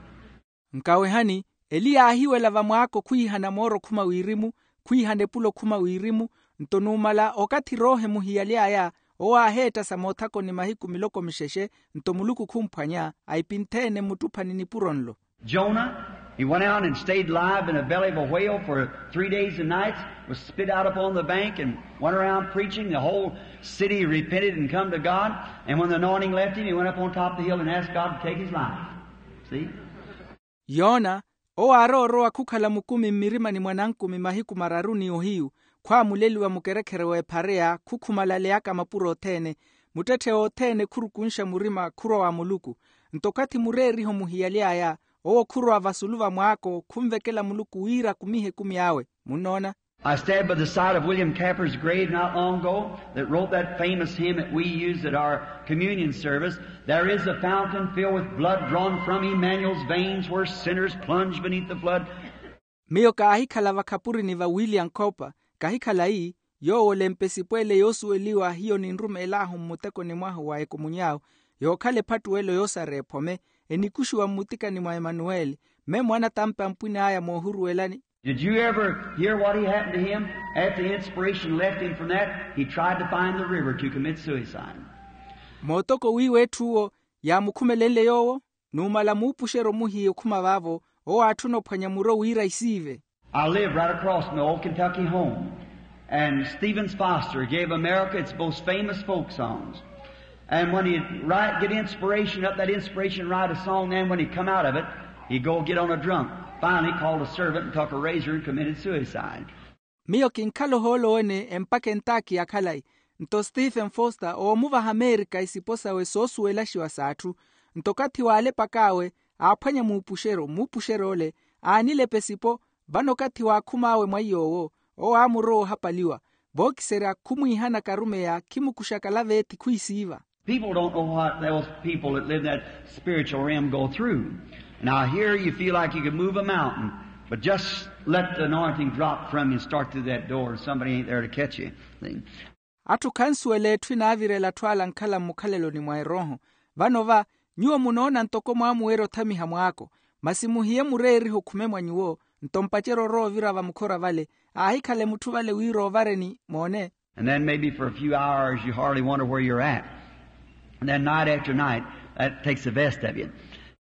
Nkawehani, eliya aahiwela vamwaako khwiihana mooro khuma wirimu, khwiihana epulo khuma wirimu. Nto numala okathi roohe muhiyaly'aya, owo aaheettasa moothakoni mahiku miloko mixexe. Nto muluku khumphwanya, aipintheene mmuttuphani nipuro nlo. Jonah, he went out and stayed alive in the belly of a whale for three days and nights, was spit out upon the bank, and went around preaching. The whole city repented and come to God. And when the anointing left him, he went up on top of the hill and asked God to take his life. See? Yoona, owo aarowa orowa khukhala mukumi mmirimani mwa nankumi mahiku mararu ni ohiyu, khwaamuleliwa mukerekhere w'ephareya, khukhumalaleyaka mapuro othene. Muttetthe othene khurukunxa murima khurowa wa muluku. Nto okathi mureeriho muhiyaly'aya, owo khurowa vasulu va mwaako khunvekela muluku wira akumihe ekumi awe. Munnoona? I stand by the side of William Camper's grave not long ago that wrote that famous hymn that we use at our communion service. There is a fountain filled with blood drawn from Emmanuel's veins where sinners plunge beneath the flood. Miyo kaahikhala vakhapurini va william cooper, kahikhala ii, yoowo olempesipo ele yoosuweliwa hiyo ninrumeel'ahu mmutekoni mwahu wa ekumunyahu, yookhala ephattuwelo yoosareya ephome, enikuxiwa mmutikani mwa emanuweli, mme mwaanatampe a mpwini aya moohuruwelani. Did you ever hear what he happened to him? After the inspiration left him from that, he tried to find the river to commit suicide. Mootoko wiiwa etthu owo yaamukhumelenle yoowo. Numala muupuxeryo muhiya okhuma vaavo, owo aatthuna ophwanya muro wira isiive. I live right across from the old Kentucky home. And Stephen's Foster gave America its most famous folk songs. And when he'd write, get inspiration up, that inspiration write a song, then when he come out of it, he'd go get on a drunk. Finally called a servant and took a razor and committed suicide. Miyo kinkhala ohoolo wene empakha entaakhi ya khalayi. Nto stephen foster oomuvaha amerika isipo sawe soosuwelaxiwa s'atthu. Nto okathi waalepak'awe, aaphwanya muupuxeryo muupuxeryo ole, aanilepa esipo. Vano okathi waakhum'awe mwa iy'owo, owo aamurowa ohapaliwa. Vookiserya khumwiihana karumeya khimukuxaka laveethi khwiisiiva. People don't know what those people that live in that spiritual realm go through. Now here you feel like you could move a mountain, but just let the anointing drop from you and start through that door and somebody ain't there to catch you. See? Atthu khansuwela etthu enaavirela atthu ala ankhala mmukhaleloni mwa erooho. Vano va, nyuwo munoona ntoko mwaamuwerya othamiha mwaako. Masi muhiye mureerihe okhume mwa nyuwo. Nto mpacerya orowa ovira vamukhora vale, aahikhala emutthu vale wira ovareni moone. And then maybe for a few hours you hardly wonder where you're at. And then night after night, that takes the best of you.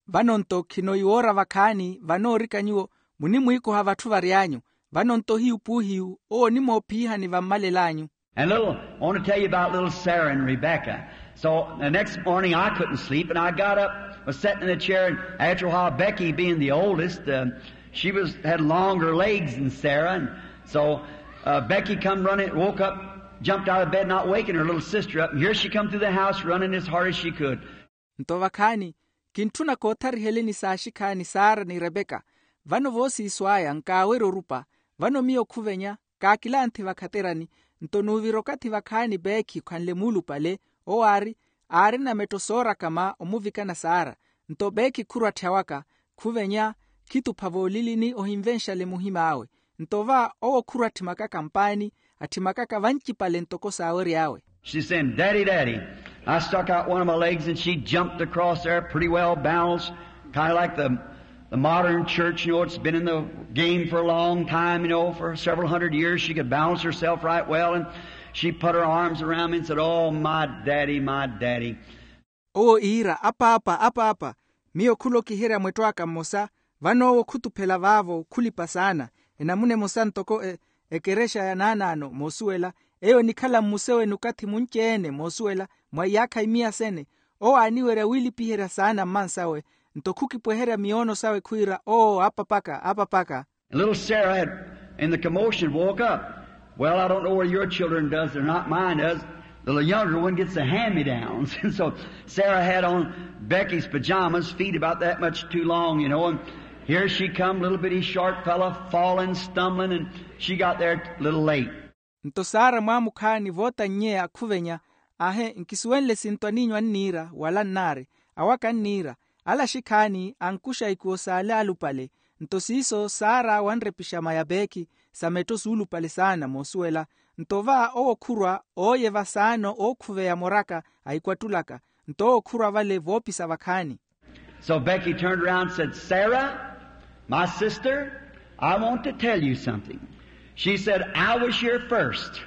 Vano nto khino iwoora vakhaani vanoorika nyuwo, munimwiikoha vatthu vary'anyu. Vano nto hiyu puuhiyu owo onimoophiihani vammalel'anyu. And little, I want to tell you about little Sarah and Rebecca. So the next morning I couldn't sleep, and I got up, was sitting in a chair, and after a while Becky, being the oldest, uh, she was had longer legs than Sarah, and so uh, Becky come running, woke up, jumped out of bed, not waking her little sister up, and here she come through the house running as hard as she could. Nto vakhaani, kintthuna koothariheleni saaxikhaani sara ni rebeka. Vano voosiiso aya nkaawerya orupa. Vano miyo khuvenya, kaakilanthi vakhaterani. Nto nuuvira okathi vakhaani beekhi okhanle muulupale, owo aari, aarina metto soorakama omuvikana sara. Nto beekhi khurwatthe awaka, khuvenya, khitupha voolilini ohinvenxale muhim'awe. Nto va owo khurwa atthimakaka mpaani, atthimakaka vancipale ntoko saawery'awe. She's saying, "Daddy, Daddy." I stuck out one of my legs and she jumped across there, pretty well balanced, kind of like the, the modern church, you know, it's been in the game for a long time, you know, for several hundred years. She could balance herself right well, and she put her arms around me and said, "Oh, my daddy, my daddy." Owo iira, "Apaapa, apaapa." Miyo khulokiherya mwetto aka mmosa. Vano owo khutuphela vaavo khulipa saana. Enamuna emosa ntoko e, ekerexa ya naanaano moosuwela, eyo enikhala mmusewene okathi munci-ene moosuwela, mwa iyaakha imiya sene. Owo aaniwerya wiilipiherya saana mmansawe. Nto khukipweherya miyoono sawe khwiira, "Oo, apapaka, apapaka." And little Sarah had, in the commotion, woke up. Well, I don't know whether your children does or not, mine does. The little younger one gets the hand-me-downs. And so Sarah had on Becky's pajamas, feet about that much too long, you know, and here she come, little bitty short fella, falling, stumbling, and she got there a little late. Nto sara mwaamukhaani voota nnye akhuvenya, ahe nkisuwenle sinto aniinyu anniira wala nnaari, awaka anniira. Ala axikhaani ankuxa ikuwo s'ale alupale. Nto siiso sara wanrepixa maya peekhi sa metto suulupale saana moosuwela. Nto va owo khurwa ooyeva saana ookhuveya moraka ahikwattulaka. Nto owo khurwa vale voopisa vakhaani. So Becky turned around and said, "Sarah, my sister, I want to tell you something." She said, "I was here first,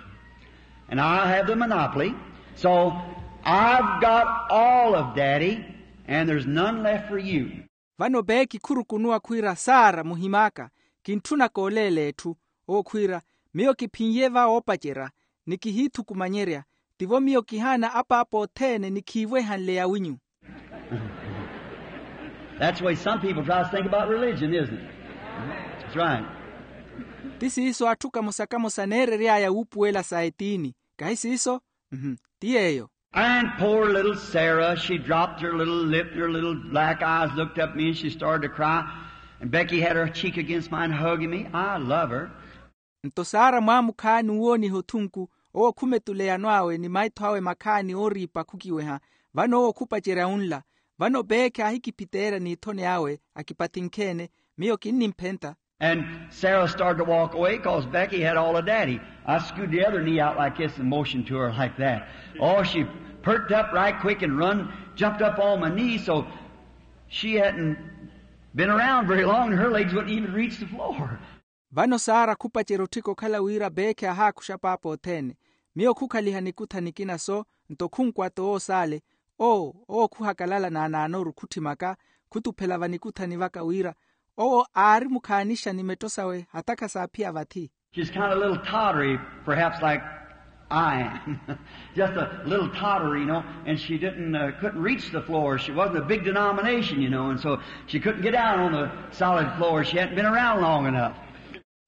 and I have the monopoly, so I've got all of Daddy, and there's none left for you." Vano peekhi khurukunuwa khwiira, "Sara, muhim'aka, kintthunaka oleela etthu." Owo khwiira, "Miyo kiphin'ye va oopacerya, ni kihiithukumanyerya, tivo miyo kihaana apaapa othene ni khiivwehanle yawinyu." That's the way some people try to think about religion, isn't it? That's right. Ti siiso atthu kamosa-kamosa neerery'aya wuupuwela sa etiini, kahi siiso? Mhm, ti yeeyo. And poor little Sarah, she dropped her little lip, and her little black eyes looked up at me, and she started to cry. And Becky had her cheek against mine, hugging me. I love her. Nto sara mwaamukhaani owooniha othunku, owo khumetuleya anw'awe ni maitho awe makhaani ooriipa khukiweha. Vano owo khupacerya unla. Vano peekhi aahikiphiteerya n'ithoni awe, akipathinkheene, miyo kinnimphenta. And Sarah started to walk away 'cause Becky had all of Daddy. I scooted the other knee out like this and motioned to her like that. Oh, she perked up right quick and run, jumped up on my knee, so she hadn't been around very long, and her legs wouldn't even reach the floor. Vano sara khupacerya otthika okhala wira peekhi aahaakuxa paapa othene. Miyo khukhaliha nikutha nikina so, nto khunkwata owo s'ale. Owo owo khuhakalala naanaanoru khutthimaka, khutuphela vanikuthani vaka wira owo aari mukhaanixa ni metto sawe hata khasaaphiya vathi. She's kind of a little tottery, perhaps like I am. Just a little tottery, you know, and she didn't, uh, couldn't reach the floor. She wasn't a big denomination, you know, and so she couldn't get down on the solid floor. She hadn't been around long enough.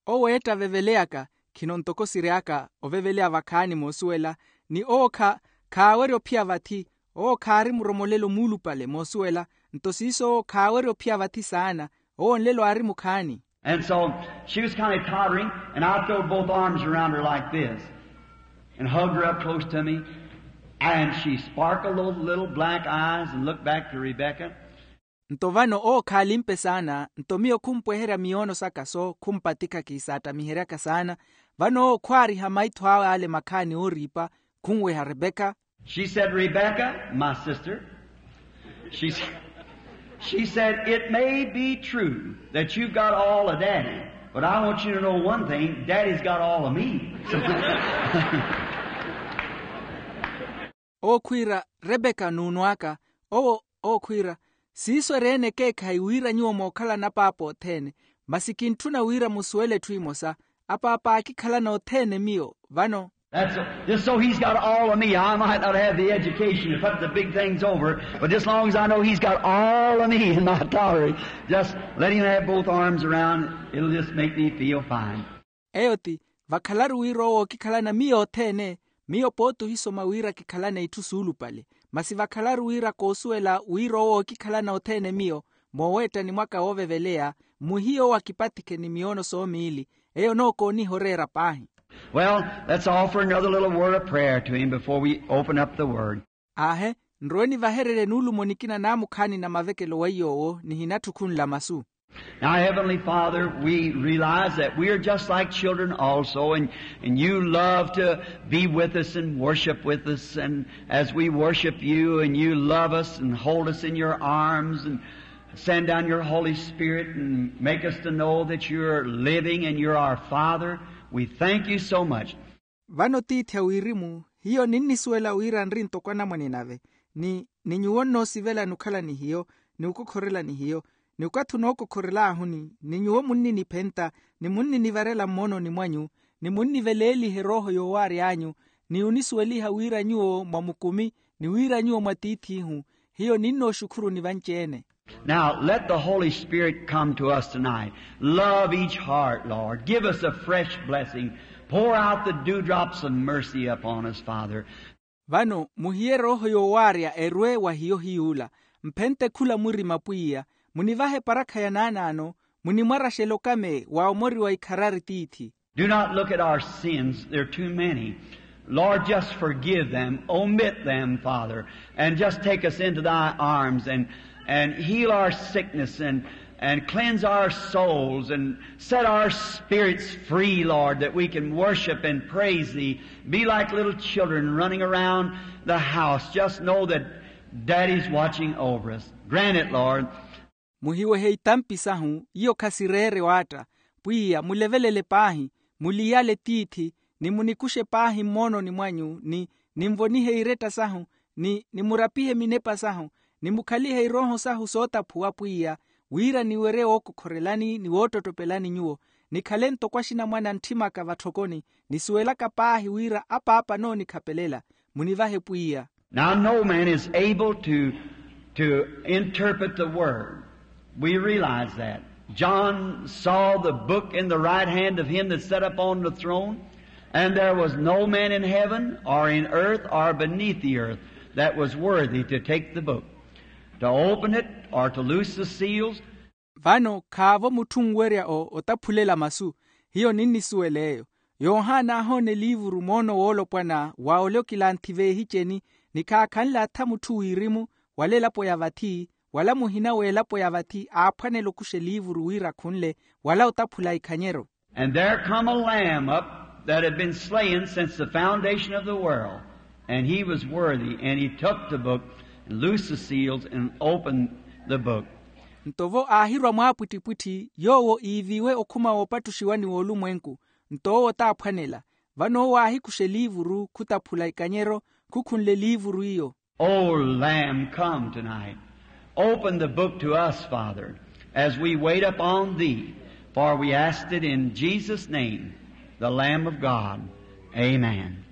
Owo eetta aveveleyaka, khino ntoko siry'aka oveveleya vakhaani moosuwela, ni owo kha- khaawerya ophiya vathi. Owo khaari muromolelo muulupale moosuwela, nto siiso owo khaawerya ophiya vathi saana. Owo nlelo aari mukhaani. And so she was kind of tottering, and I throwed both arms around her like this and hugged her up close to me. And she sparkled those little black eyes and looked back to Rebecca. Nto vano owo khaalimpe saana, nto miyo khumpweherya miyoono saka so khumpatikha kiisaattamiheryaka saana. Vano owo khwaariha maitho awe ale makhaani ooriipa, khunweha Rebeka. She said, "Rebecca, my sister," she, s- she said, "it may be true that you've got all of Daddy, but I want you to know one thing, Daddy's got all of me." Owo khwiira, "Rebeka nuunw'aka." Owo owo khwiira, "Siiso eri-ene ekeekhayi wira nyuwo mookhalana apaapa othene, masi kintthuna wira musuwele etthu emosa. Apaapa aakikhalana othene miyo vano." That's just so he's got all of me. I might not have the education to put the big things over, but just as long as I know he's got all of me in my tolerance, just let him have both arms around. It'll just make me feel fine. Eyo ti, vakhalaru wira owo ookikhalana miyo othene, miyo pooti ohisoma wira kikhalane itthu suulupale. Masi vakhalaru wira koosuwela wira owo ookikhalana othene miyo, mooweettani mwaka wooveveleya, mwihiye owo akipatikhe ni miyoono soomiili. Eyo nookooniha oreera paahi. Well, let's offer another little word of prayer to him before we open up the word. Aahe, nrowe nivahererye nuulumo nikina naamukhaani na mavekelo weiyo owo nihinatthu khunla masu. Now, Heavenly Father, we realize that we are just like children also, and, and you love to be with us and worship with us, and as we worship you, and you love us and hold us in your arms, and send down your Holy Spirit and make us to know that you're living and you're our Father. We thank you so much. Vano tiithi a wirimu, hiyo ninnisuwela wira nri ntoko anamwane nave, ni, ni nyuwo nnoosivelani okhala ni hiyo, ni okokhorela ni hiyo, ni okathi onookokhorel'ahuni, ni nyuwo munniniphenta, ni munninivarela mmoononi mwanyu, ni munniveleeliha erooho yoowary'anyu, ni onisuweliha wira nyuwo mwa mukumi, ni wira nyuwo mwa tiith'ihu. Hiyo ninnooxukhuruni vanci-ene. Now, let the Holy Spirit come to us tonight. Love each heart, Lord. Give us a fresh blessing. Pour out the dewdrops of mercy upon us, Father. Vano muhiye rooho yoowaarya erwe wa hiyo hiy'ula. Mphente khula murima pwiya, munivahe eparakha ya naanaano, munimwaraxele okame wa omoriwa ikharari tiithi. Do not look at our sins, they're too many. Lord, just forgive them, omit them, Father, and just take us into thy arms and, and heal our sickness and, and cleanse our souls and set our spirits free, Lord, that we can worship and praise thee, be like little children running around the house. Just know that Daddy's watching over us. Grant it, Lord. Muhiwehe itampi sahu, iyo khasireere waatta. Pwiya, mulevelele paahi, muliyale tiithi, ni munikuxe paahi mmoononi mwanyu, ni ninvonihe iretta sahu, ni nimurapihe minepa sahu, ni mukhalihe irooho sahu sootaphuwa pwiya, wira niwerye wookokhorelani ni woottottopelani nyuwo, nikhale ntoko axinamwane a ntthimaka vatthokoni, nisuwelaka paahi wira apaapa anoonikhaphelela. Munivahe pwiya. Now, no man is able to, to interpret the word. We realize that. John saw the book in the right hand of him that sat upon the throne, and there was no man in heaven or in earth or beneath the earth that was worthy to take the book, to open it or to loose the seals. Vano khaavo mutthu onwerya o otaphulela masu. Hiyo ninnisuwela eyo. Yohana aahoona eliivuru moono woolopwana wa ole okilanthi veehiceni, ni khaakhanle atha mutthu wirimu, wala elapo ya vathi, wala muhina w'elapo ya vathi aaphwanela okuxa eliivuru wira akhunle, wala otaphula ikhanyeryo. And there come a lamb up that had been slain since the foundation of the world, and he was worthy, and he took the book and loosed the seals and opened the book. Nto vo aahirwa mwaapwittipwitthi yoowo iiviiwe okhuma woopattuxiwani w'olumwenku, nto owo taaphwanela. Vano owo aahikuxa eliivuru khutaphula ikanyeryo, khukhunle eliivuru iyo. O Lamb, come tonight. Open the book to us, Father, as we wait upon thee, for we asked it in Jesus' name, the Lamb of God. Amen.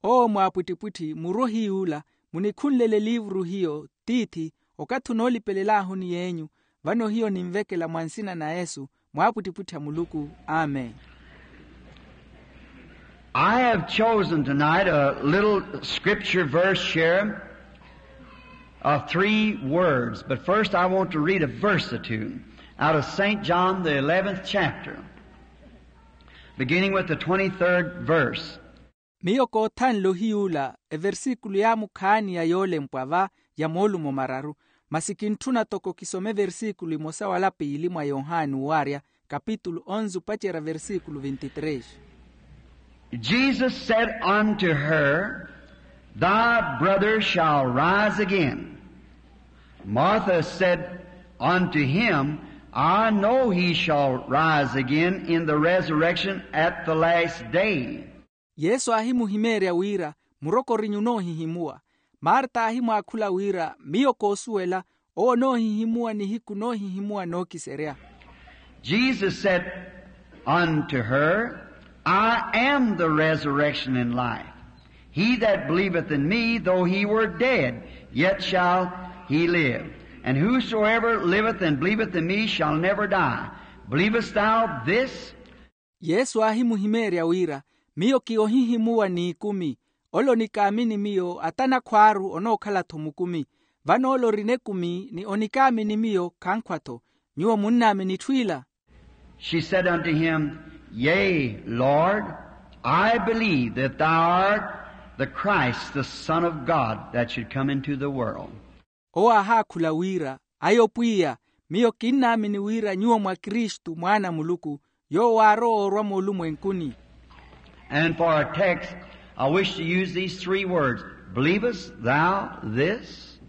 Owo mwaapwittipwitthi murwe ohiy'ula, munikhunlele eliivuru hiyo tiithi, okathi onoolipelelaahu ni yeenyu. Vano hiyo ninvekela mwa nsina na yesu, mwaapwittipwitthi a muluku. Amen. I have chosen tonight a little scripture verse here of three words, but first I want to read a verse or two out of Saint John, the eleventh chapter, beginning with the twenty-third verse. Miyo koothanle ohiy'ula eversikulu yaamukhaani ya yoolempwa va ya moolumo mararu, masi kintthuna toko kisome eversikulu emosa wala piili mwa yohani owaarya, kapitulu onze opacerya versikulu vinte e três. Jesus said unto her, thy brother shall rise again. Martha said unto him, I know he shall rise again in the resurrection at the last day. Yesu aahimuhimeerya wira, murokoriny'u onoohihimuwa. Marta aahimwaakhula wira, miyo koosuwela, owo onoohihimuwa nihiku noohihimuwa nookiserya. Jesus said unto her, I am the resurrection and life. He that believeth in me, though he were dead, yet shall he live. And whosoever liveth and believeth in me shall never die. Believest thou this? Yesu aahimuhimeerya wira, miyo ki ohihimuwa n'ikumi. Ole onikaamini miyo ata nakhwaaru onookhala-tho mukumi. Vano ole orina ekumi ni onikaamini miyo khankhwa-tho. Nyuwo munnaamini etthu ila? She said unto him, yea, Lord, I believe that thou art the Christ, the Son of God, that should come into the world. Owo aahaakhula wira, ayo pwiya, miyo kinnaamini wira nyuwo mwa kristu mwaana a muluku, yoowo aarowa oorwa moolumwenkuni. And for a text, I wish to use these three words. Believest thou this?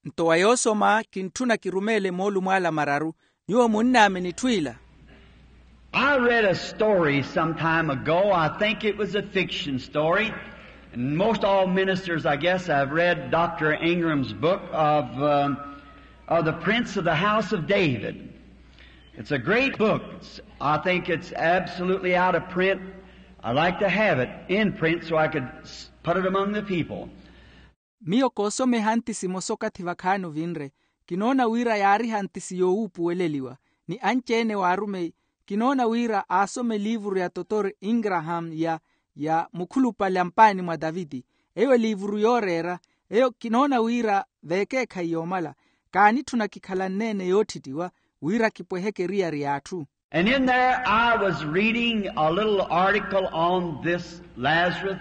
Nto wa yoosoma kintthuna kirumeele moolumo ala mararu, nyuwo munnaamini etthu ila? I read a story some time ago. I think it was a fiction story. And most all ministers, I guess, have read Doctor Ingram's book of, um, of the Prince of the House of David. It's a great book. It's, I think it's absolutely out of print. I'd like to have it in print so I could s-, put it among the people. Miyo koosoma ehantisi emosa okathi vakhaani ovinre. Kinoona wira yaari ehantisi yoowuupuweleliwa ni anci-ene waarumeyi. Kinoona wira aasoma eliivuru ya totor ingraham ya, ya mukhulupale a mpaani mwa taviti. Eyo eliivuru yooreera. Eyo kinoona wira veekeekhayi yoomala, kaanitthuna kikhalanne-ene yoottittiwa wira kipweheke eriyari y'atthu. And in there I was reading a little article on this Lazarus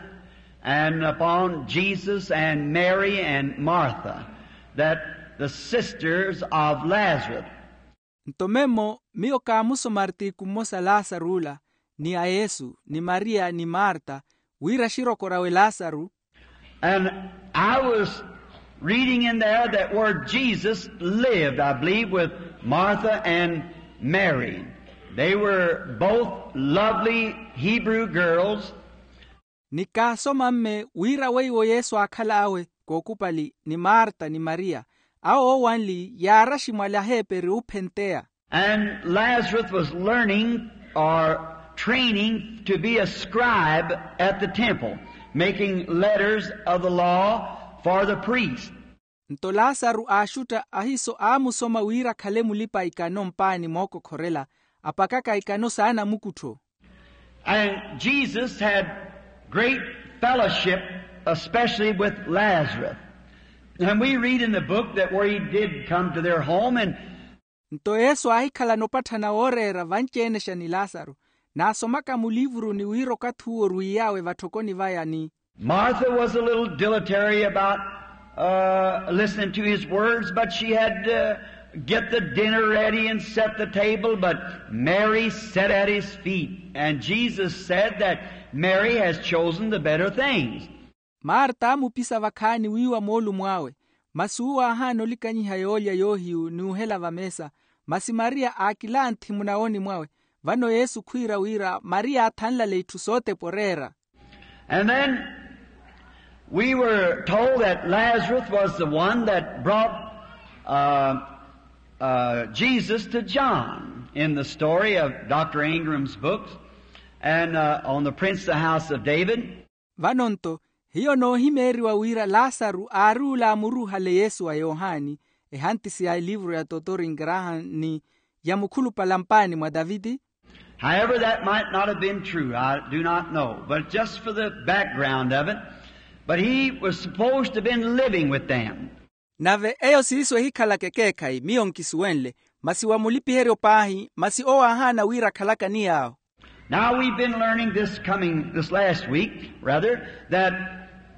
and upon Jesus and Mary and Martha, that the sisters of Lazarus. Nto memmo miyo kaamusoma artiku mmosa lasaru ola, ni a yesu ni mariya ni marta, wira xirokorawe lasaru. And I was reading in there that where Jesus lived, I believe, with Martha and Mary. They were both lovely Hebrew girls. Ni kaasoma mme wira weiwo yesu aakhal'awe kookupali ni marta ni mariya, awo oowanli yaaraxi mwali aheeperi oophenteya. And Lazarus was learning or training to be a scribe at the temple, making letters of the law for the priest. Nto lasaru aaxutta ahiiso aamusoma wira akhale mulipa-ikano mpaani mookokhorela, apakaka ikano saanamukuttho. And Jesus had great fellowship, especially with Lazarus. And we read in the book that where he did come to their home and. Nto yesu aahikhalana opatthana wooreera vanci-enexa ni lasaru, naasomaka muliivuruni wira okathi uwo orwiiy'awe vatthokoni vaya ni. Martha was a little dilatory about listening to his words, but she had to get the dinner ready and set the table, but Mary sat at his feet. And Jesus said that Mary has chosen the better things. Marta aamupisa vakhaani wiiwa moolumo awe, masi uwo aahaana olikanyiha yoolya yoohiyu ni ohela vameesa. Masi mariya aakilanthi munawooni mwawe. Vano yesu khwiira wira mariya aathanlale itthu sootepa oreera. And then we were told that Lazarus was the one that brought uh, uh, Jesus to John in the story of Doctor Ingram's books and uh, on the prince of the house of David. Vano nto hiyo noohimeeriwa wira lasaru aari ula aamuruuhale yesu wa yohani, ehantisi ya eliivuru ya totori ngrahan ni ya mukhulupale mpaani mwa taviti. However that might not have been true, I do not know, but just for the background of it. But he was supposed to have been living with them. Nave eyo siiso ehikhalaka ekeekhayi miyo nkisuwenle, masi wa mulipiheryo paahi masi owo aahaana wira akhalaka ni yaawo. Now we've been learning this coming this last week, rather, that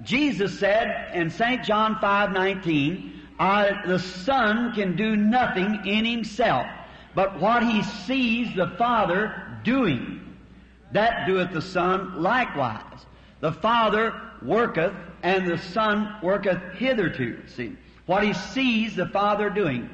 Jesus said in St John five nineteen, I, the Son can do nothing in himself, but what he sees the Father doing, that doeth the Son likewise. The Father worketh, and the Son worketh hitherto. See, what he sees the Father doing.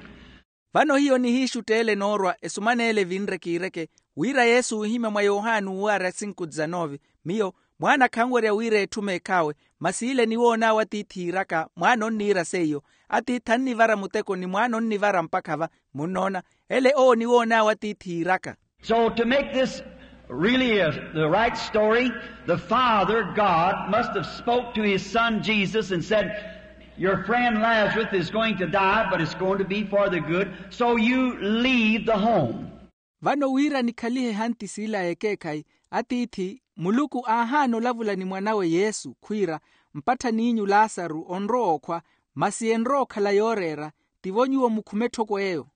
Vano hiyo nihiixutteele noorwa esuman'ele evinre kiireke, wira yesu oohimya mwa yohani uwo ari asinku desanove, miyo mwaana khanwerya wira etthu meekh'awe, masi ile niwoon'awe atiithi iiraka mwaana onniira seiyo. Atiithi annivara muteko ni mwaana onnivara mpakha va. Munnoona, ele owo niwoon'awe atiithi iiraka. So to make this really a, the right story, the Father God must have spoke to his son Jesus and said, your friend Lazarus is going to die, but it's going to be for the good, so you leave the home. Vano wira nikhalihe ehantisi ila y'ekeekhayi, atiithi muluku aahaana olavula ni mwan'awe yesu khwiira, mpattha n'inyu lasaru onrowa okhwa, masi enrowa okhala yooreera, tivo nyuwo mukhume etthoko eyo.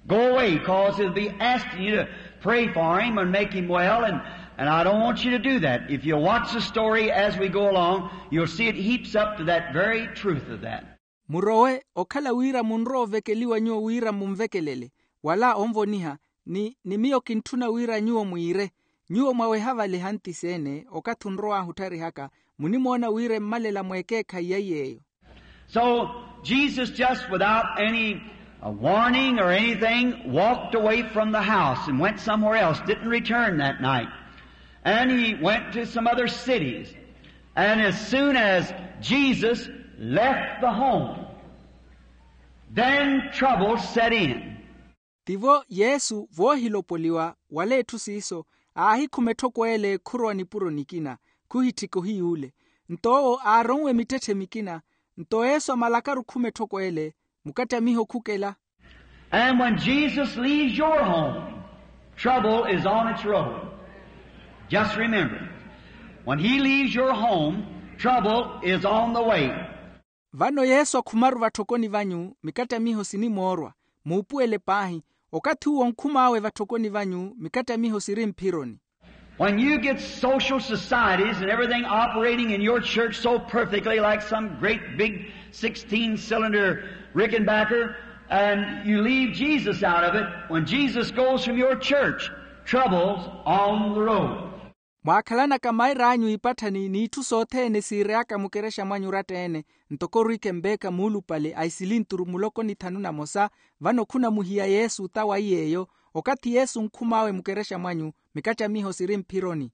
Go away, cause he'll be asking you to pray for him and make him well, and, and I don't want you to do that. If you'll watch the story as we go along, you'll see it heaps up to that very truth of that. Murowe, okhala wira munrowa ovekeliwa nyuwo wira munvekelele, wala onvoniha, ni, ni miyo kintthuna wira nyuwo mwiire. Nyuwo mwaweha vale ehantisi ene okathi onrow'ahu ottarihaka, munimoona wira emmalela mweekeekhayi ya iy'eyo. So Jesus, just without any uh, warning or anything, walked away from the house and went somewhere else, didn't return that night. And he went to some other cities. And as soon as Jesus left the home, then trouble set in. Tivo yesu voohilopoliwa wala etthu siiso, aahikhuma etthoko ele khurowa nipuro nikina, khuhitthika ohiy'ule. Nto owo aaronwe mittetthe mikina. Nto yesu amalakaru okhuma etthoko ele, mukattamiho khukela. And when Jesus leaves your home, trouble is on its road. Just remember, when he leaves your home, Trouble is on the way. Vano yesu akhumaru vatthokoni vanyu mikattamiho sinimoorwa. Muupuwele paahi. Okathi uwo onkhum'awe vatthokoni vanyu mikattamiho siri mphironi. When you get social societies and everything operating in your church so perfectly, like some great big sixteen cylinder Rickenbacker, and you leave Jesus out of it, when Jesus goes from your church, trouble's on the road. Mwaakhalanaka maira anyu iipatthani n'itthu sothene siiry'aka mukerexa mwanyu oratta-ene, ntoko orikempeka muulupale a isilinturu muloko ni thanu na mosa. Vano khunamuhiya yesu tawa iy'eyo. Okathi yesu onkhum'awe mukerexa mwanyu mikattamiho siri mphironi.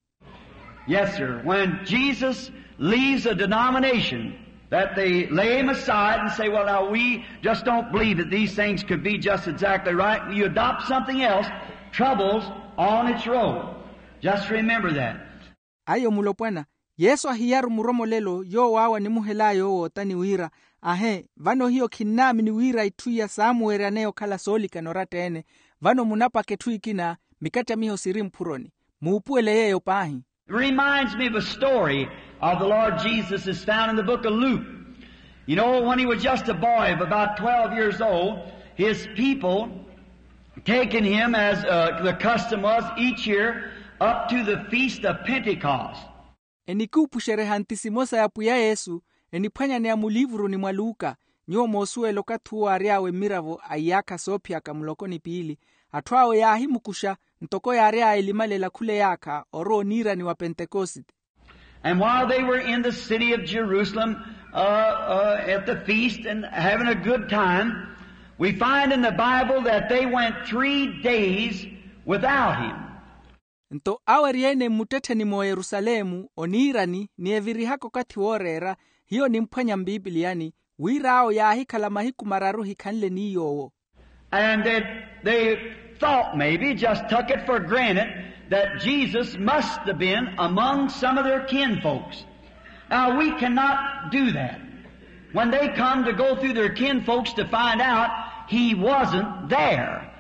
Yes sir, when jesus leaves a denomination that they lay him aside and say, well now we just don't believe that these things could be just exactly right, you adopt something else, trouble's on its road. Just remember that. Ayo mulopwana, yesu ahiyaru muromolelo yoowo awo animuhel'aya owoota ni wira, ahe vano hiyo khinnaamini wira itthu iya saamuweryaneya okhala soolikana oratta-ene. Vano munapaka etthu ekina mikattamiho siri mphuroni. Muupuwele yeeyo paahi. Reminds me of a story of the lord jesus is found in the book of luke. You know when he was just a boy of about twelve years old, his people taken him as uh, the custom was each year up to the feast of pentecost. Enikuupuxerya ehanti simosa ya pwiya yesu, eniphwanyaneya muliivuruni mwa luka. Nyuwo moosuwela okathi uwo aary'awe mmiravo a iyaakha soophiyaka muloko ni piili, atthu awe yaahimukuxa ntoko yaary'aya elimalela khula eyaakha orwa oniirani wa pentekosite. And while they were in the city of jerusalem uh, uh, at the feast and having a good time, we find in the bible that they went three days without him. Nto awo eri-ene mmuttettheni m'oyerusalemu oniirani ni evirihaka okathi wooreera, hiyo nimphwanya mpipiliyani wira awo yaahikhala mahiku mararu hikhanle n'iy'owo. And they thought maybe just took it for granted that jesus must have been among some of their kinfolks. Now we cannot do that. When they come to go through their kinfolks to find out, he wasn't there.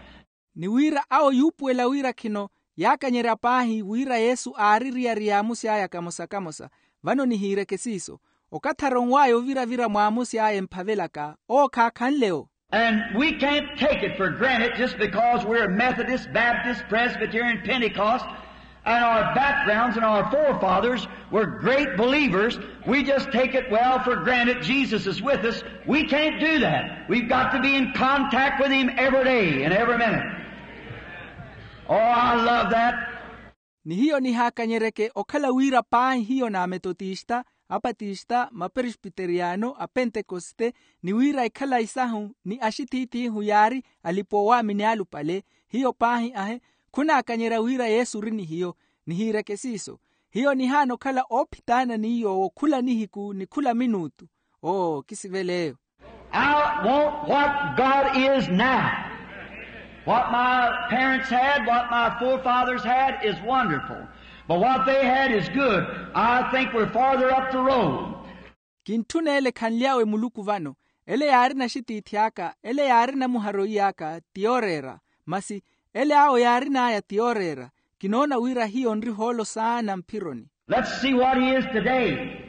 Ni wira awo yuupuwela wira khino yaakanyerya paahi wira yesu aari eriyari y'amusi aya kamosa-kamosa. Vano nihiireke siiso, okathi aronw'aya ovira-vira mw'amusi aya emphavelaka owo khaakhanle-o. And we can't take it for granted just because we're methodist baptist presbyterian pentecost, and our backgrounds and our forefathers were great believers. We just take it well for granted jesus is with us. We can't do that. We've got to be in contact with him every day and every minute. Oh, I love that. Ni hiyo nihaakanyereke okhala wira paahi hiyo n'ametotista, apatista, maperesbiteriyano, apentekosite, ni wira ekhala isahu ni axithiithihu yaari alipa owaamini alupale. Hiyo paahi ahe khunaakanyerya wira yesu ori ni hiyo. Nihiireke siiso, hiyo nihaana okhala oophitaana n'iy'owo khula nihiku ni khula minuutu. Oo kisivela eyo. I want what god is now. What my parents had, what my forefathers had is wonderful, but what they had is good. I think we're farther up the road. Kintthuna ele ekhanly'awe muluku vano. Ele yaari naxitiithi aka, ele yaari namuharo iy'aka ti yooreera. Masi ele awo yaarin'aya ti yooreera. Kinoona wira hiyo nri ohoolo saana mphironi. Let's see what he is today.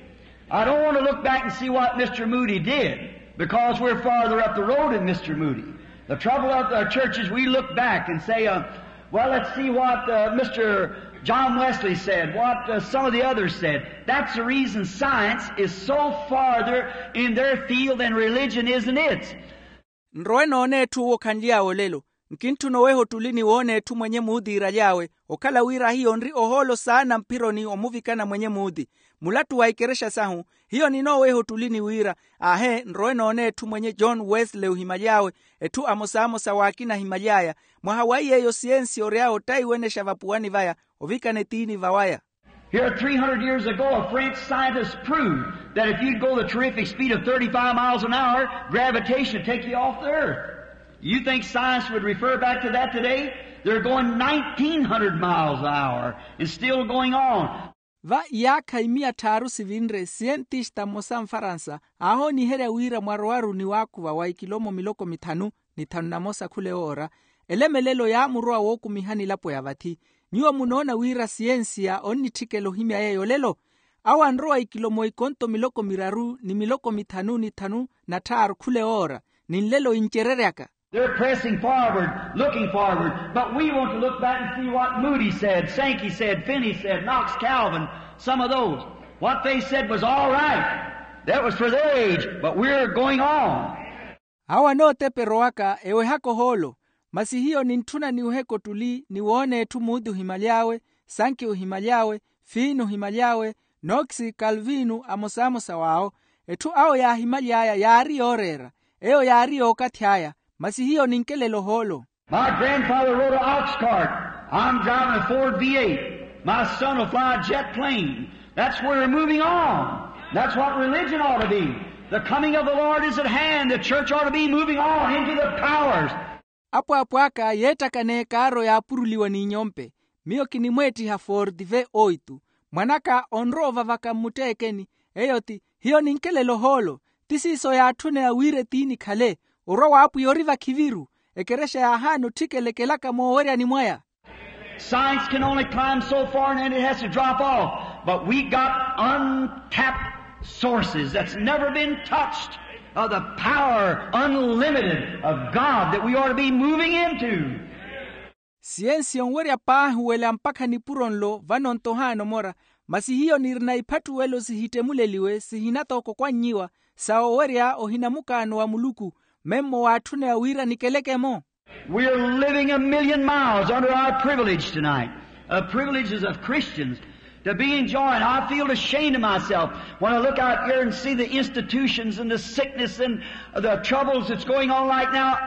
I don't want to look back and see what mr moody did, because we're farther up the road than mr moody. The trouble of our churches, we look back and say uh, well let's see what uh, mr john wesley said, what uh, some of the others said. That's the reason science is so farther in their field than religion is in its. Nrowe noona etthu owo khanly'awe olelo. Nkintthuna oweha ottuli ni woona etthu mwenye muutiiraly'awe, okhala wira hiyo nri ohoolo saana mphironi omuvikana mwenye muuti. Mulattu wa ikerexa sahu, hiyo ninooweha ottuli ni wira, aahe nrowe noona etthu mwenye john wesley ohimaly'awe, etthu amosa-amosa w'akina ahimaly'aya. Mwaha wa iy'eyo siyensi ory'awe ottaiwenexa vapuwani vaya ovikana etiini vawaya. Here three hundred years ago a french scientist proved that if you'd go the terrific speed of thirty-five miles an hour, gravitation would take you off the earth. You think science would refer back to that today? They're going nineteen hundred miles an hour and still going on. Va iyaakha imiya tthaaru sivinre siyentista mmosa mfaransa aahooniherya wira mwarowaru ni waakuva wa ikilomo miloko mithanu ni thanu na mosa khula ewoora. Elemelelo yaamurowa wookumiha nilapo ya vathi. Nyuwo munoona wira siyensiya onnitthikela ohimya yeeyo olelo? Awo anrowa ikilomo ikonto miloko miraru ni miloko mithanu ni thanu na tthaaru khula ewoora, ni nlelo incereryaka. They're pressing forward, looking forward, but we want to look back and see what Moody said, Sankey said, Finney said, Knox, Calvin, some of those. What they said was all right. That was for their age, but we're going on. Awo anooteperowaka ewehaka ohoolo. Masi hiyo nintthuna niweheke ottuli ni woona etthu muudi ohimaly'awe, sanki ohimaly'awe, fiini ohimaly'awe, nookisi kalviinu amosamosa w'awo. Etthu awo yaahimaly'aya yaari yooreera, eyo yaari y'okathi aya. Masi hiyo ninkelela ohoolo. My grandfather rode a ox cart. I'm driving a ford v eight. My son will fly a jet plane. That's where we're moving on. That's what religion ought to be. The coming of the Lord is at hand. The church ought to be moving on into the powers. Apwaapw'aka yeettakana ekaaro yaapuruliwa n'inyompe. Miyo kinimweettiha forti ve oitu. Mwan'aka onrowa ovavaka mmutteekeni. Eyo ti hiyo ninkelela ohoolo. Ti siiso yaatthuneya wira etiini khale. Orwa w'apwiya ori vakhiviru. Ekerexa yaahaana otthikelekelaka mooweryani mwaya. Science can only climb so far and then it has to drop off. But we got untapped sources that's never been touched of the power unlimited of God that we ought to be moving into. Siyensi yonwerya paahi wela mpakha nipuro nlo vano nto ohaana omora. Masi hiyo nirina iphatthuwelo sihittemuleliwe sihinatookokwanyiwa sa owerya ohina mukaano wa muluku. Memmo waatthuneya wira nikeleke-mo. We're living a million miles under our privilege tonight, uh, privileges of Christians to be enjoying. I feel ashamed of myself when I look out here and see the institutions and the sickness and the troubles that's going on right now.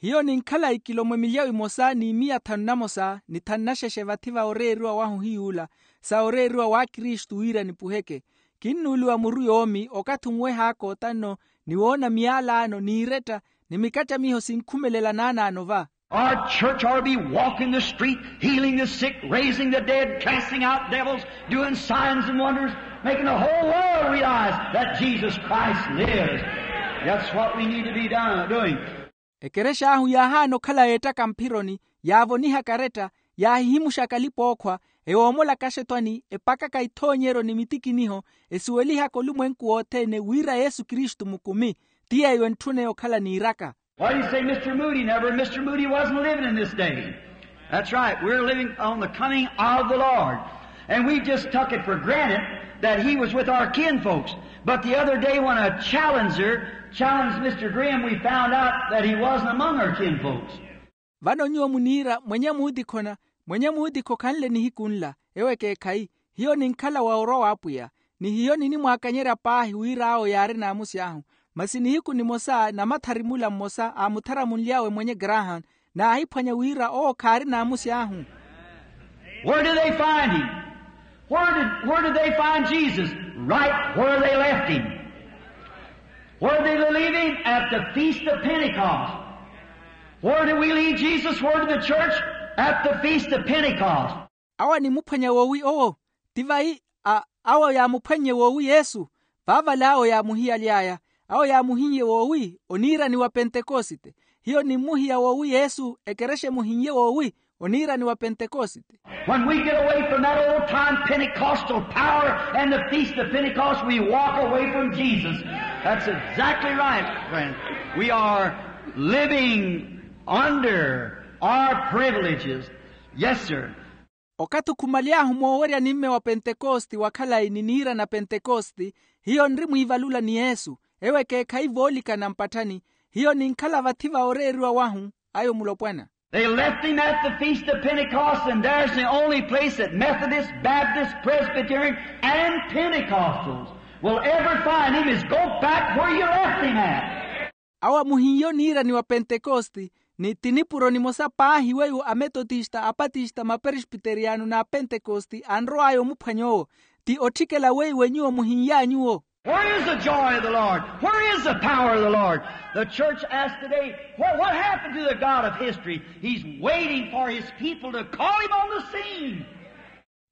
Hiyo ninkhala ikilomo emilyawo emosa ni miya thanu namosa ni thanu naxexe vathi va oreeriwa wahu hiy'ula, sa oreeriwa w'akristu wira nipuheke. Kinnuuliwa muru yoomi okathi onweh'aka otanno, ni woona miyalaano n'iretta, ni mikattamiho sinkhumelela naanaano va. Our church ought to be walking the street, healing the sick, raising the dead, casting out devils, doing signs and wonders, making the whole world realize that Jesus Christ lives. That's what we need to be done, doing. Ekerexa ahu yaahaana okhala yeettaka mphironi, yaavonihaka aretta, yaahihimuxaka alipa-ookhwa, ewoomolaka axetwani, epakaka ithoonyeryo ni mitikiniho, esuwelihaka olumwenku wothene wira yesu kristu mukumi. Ti yeeyo entthuna eyo okhala niiraka. Why do you say Mister Moody never? Mister Moody wasn't living in this day. That's right. We're living on the coming of the Lord. And we just took it for granted that he was with our kinfolks. But the other day when a challenger challenged Mister Graham, we found out that he wasn't among our kinfolks. Vano nyuwo muniira mwenye muutikho na mwenye muutikho khanle nihiku nla. Ewo ekeekhayi, hiyo ninkhala wa orwa w'apwiya, ni hiyo ninimwaakanyerya paahi wira awo yaari naamusi ahu. Masi nihiku nimosa namathari mula mmosa aamutharamunly'awe mwenye graham, naahiphwanya wira owo khaari naamusi ahu. Where did they find him? Where did, where did they find Jesus? Right where they left him. Where did they leave him? At the Feast of Pentecost. Where did we leave Jesus? Where did the church? At the Feast of Pentecost. Awo animuphwanya woowi owo? Ti vayi a awo yaamuphwannye woowi yesu. Vaavale awo yaamuhiyaly'aya. Awo yaamuhinnye woowi oniirani wa pentekosite. Hiyo nimmuhiya woowi yesu ekerexa emuhinnye woowi oniirani wa pentekosite. When we get away from that old time pentecostal power and the feast of pentecost we walk away from jesus. That's exactly right, friend. We are living under our privileges. Yes sir. Okathi okhumale ahu moowerya nimme wa pentekosti wa khalayi ni niira na pentekosti, hiyo nri mwiivalula ni yesu. Ewo ekeekhayi voolikana mpatthani. Hiyo ninkhala vathi va oreeriwa wahu ayo mulopwana. They left him at the feast of pentecost and there's the only place that methodists, baptists, presbyterians, and pentecostals will ever find him is go back where you left him at. Awo amuhin'ye oniirani wa pentekosti. Ni ti nipuro nimosa paahi weiwo ametotista apatista maperesbiteriyano n'apentekosti anrow'aya omuphwanya owo. Ti otthikela weiwo nyuwo muhin'ya nyuwo. Where is the joy of the lord? Where is the power of the lord? The church asked today, what happened to the god of history? He's waiting for his people to call him on the scene.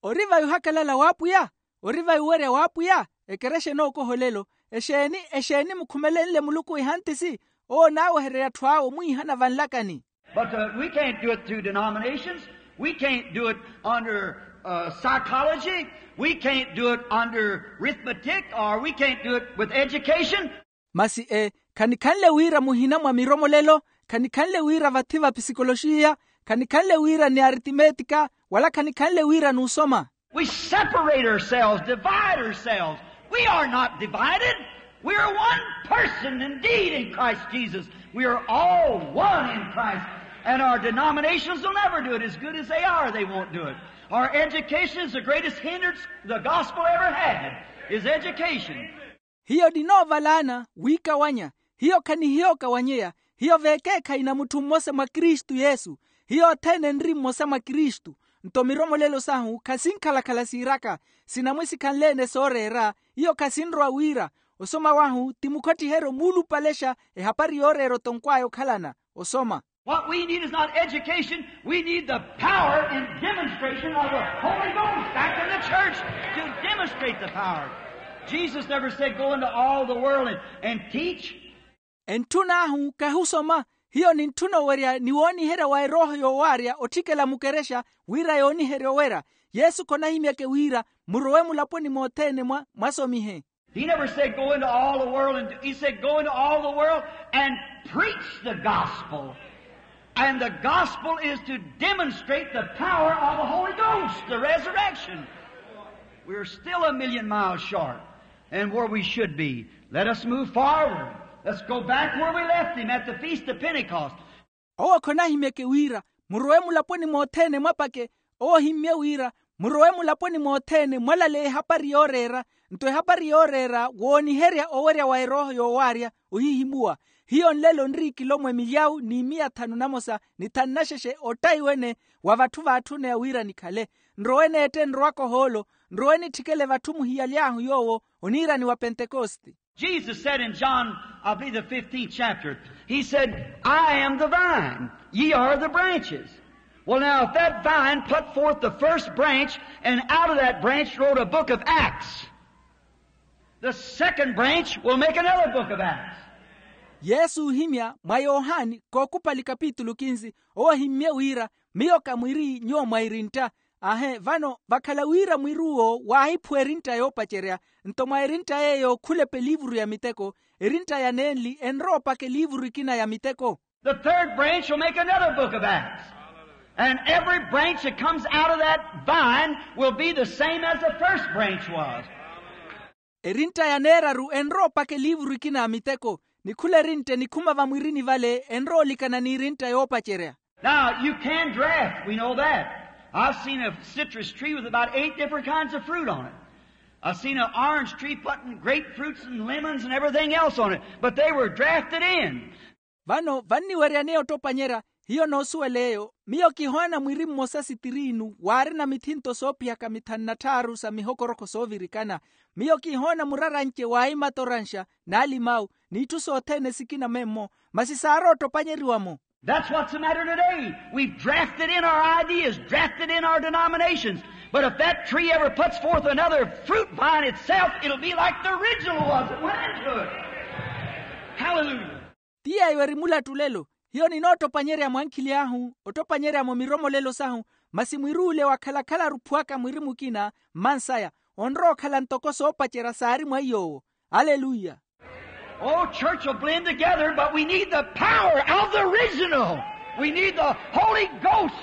Ori vayi ohakalala w'apwiya? Ori vayi owerya w'apwiya? Ekerexa enookoha olelo. Exeeni exeeni mukhumelenle muluku ehantisi? Owo onaawehererya atthu awe omwiihana vanlakani. But we can't do it through denominations. We can't do it under uh, psychology. We can't do it under arithmetic, or we can't do it with education. Masi e, khanikhanle wira muhina mwa miromolelo, khanikhanle wira vathi va pisikoloxiya, khanikhanle wira ni aritimetika, wala khanikhanle wira n'usoma. We separate ourselves, divide ourselves. We are not divided. We are one person indeed in Christ Jesus. We are all one in Christ. And our denominations will never do it. As good as they are, they won't do it. Our education is the greatest hindrance the gospel ever had, is education. Hiyo ninoovalaana wiikawanya. Hiyo khanihiyo okawanyeya. Hiyo veekeekhayi na mutthu mmosa mwa kristu yesu. Hiyo othene enri mmosa mwa kristu. Nto miromolelo sahu khasinkhala-khala siiraka, sinamwisikhanle-ene sooreera. Hiyo khasinrowa wira osoma wahu ti mukhottiheryo muulupalexa ehapari yooreera otonkw'aya okhalana osoma. What we need is not education. We need the power and demonstration of the Holy Ghost back in the church to demonstrate the power. Jesus never said, "Go into all the world and, and teach." Entthun'ahu khahi osoma. Hiyo nintthuna owerya ni wooniherya wa erooho yoowaarya otthikela mukerexa wira yooniherye owera. Yesu khonahimyeke wira murowe mulaponi mothene mwa mwasomihe. He never said, "Go into all the world," and he said, "Go into all the world and preach the gospel." And the gospel is to demonstrate the power of the Holy Ghost, the resurrection. We're still a million miles short and where we should be. Let us move forward. Let's go back where we left him at the Feast of Pentecost. Owo khonahimyeke wira murowe mulaponi mothene mwapake. Owo ohimmye wira murowe mulaponi mothene mwalale ehapari yooreera. Nto ehapari yooreera wooniherya owerya wa erooho yoowaarya ohihimuwa. Hiyo nlelo nriikilomwe milyawu ni miya thanu namosa ni thanu naxexe ottayi wene wa vatthu vaatthuneya wira nikhale. Nrowe neette nrowaka ohoolo. Nrowe nitthikele vatthu muhiyaly'ahu yoowo oniirani wa pentekoste. Jesus said in John, I believe the fifteenth chapter, he said, "I am the vine, ye are the branches." Well, now, if that vine put forth the first branch, and out of that branch wrote a book of Acts, the second branch will make another book of Acts. Yesu ohimya mwa yohani kookupali kapitulu kinzi, owo ohimmye wira, miyo ka mwiri nyuwo mwairintta. Ahe vano vakhala wira mwiri uwo waahiphuwa erintta yoopacerya. Nto mwa erintta yeeyo khulapa eliivuru ya miteko. Erintta ya nenli enrowa opaka eliivuru ekina ya miteko. The third branch will make another book of Acts. And every branch that comes out of that vine will be the same as the first branch was. Erintta ya neeraru enrowa opaka eliivuru ekina ya miteko. Ni khula erintta enikhuma vamwirini vale enrowa olikana n'erintta yoopacerya. Now, you can draft, we know that. I've seen a citrus tree with about eight different kinds of fruit on it. I've seen an orange tree putting grapefruits and lemons and everything else on it, but they were drafted in. Vano vanniweryaneya ottopanyeerya. Hiyo noosuwela eyo. Miyo kihoona mwiri mmosa sitiriinu waarina mithinto soophiyaka mithanu na tthaaru sa mihokorokho soovirikana. Miyo kihoona muraranci wa imatoranxa n'alimawu n'itthu sothene sikina memmo. Masi saarowa ottopanyeriwa-mo. That's what's the matter today. We've drafted in our ideas, drafted in our denominations. But if that tree ever puts forth another fruit by itself, it'll be like the original was that went into it. Hallelujah. Ti yeeyo eri mulattu lelo. Hiyo ninoottopanyereya mwankhili ahu, ottopanyereya-mo miromolelo sahu. Masi mwiri ule wakhala-khalaru ophuwaka mwiri mukina mmansaya, onrowa okhala ntoko soopacerya saari mwa iy'owo. Aleluya. Oh, church will blend together, but we need the power of the original. We need the Holy Ghost,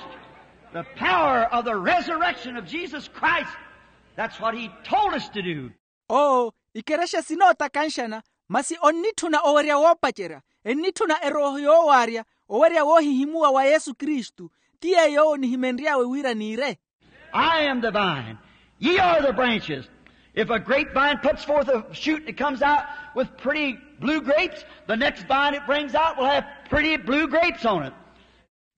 the power of the resurrection of Jesus Christ. That's what he told us to do. Oo, ikerexa sinootakanxana, masi onnitthuna owerya woopacerya. Ennitthuna erooho yoowaarya, owerya woohihimuwa wa yesu kristu. Ti yeeyo owo nihimenry'awe wira niire. I am the vine. Ye are the branches. If a grapevine puts forth a shoot that comes out with pretty blue grapes, the next vine it brings out will have pretty blue grapes on it.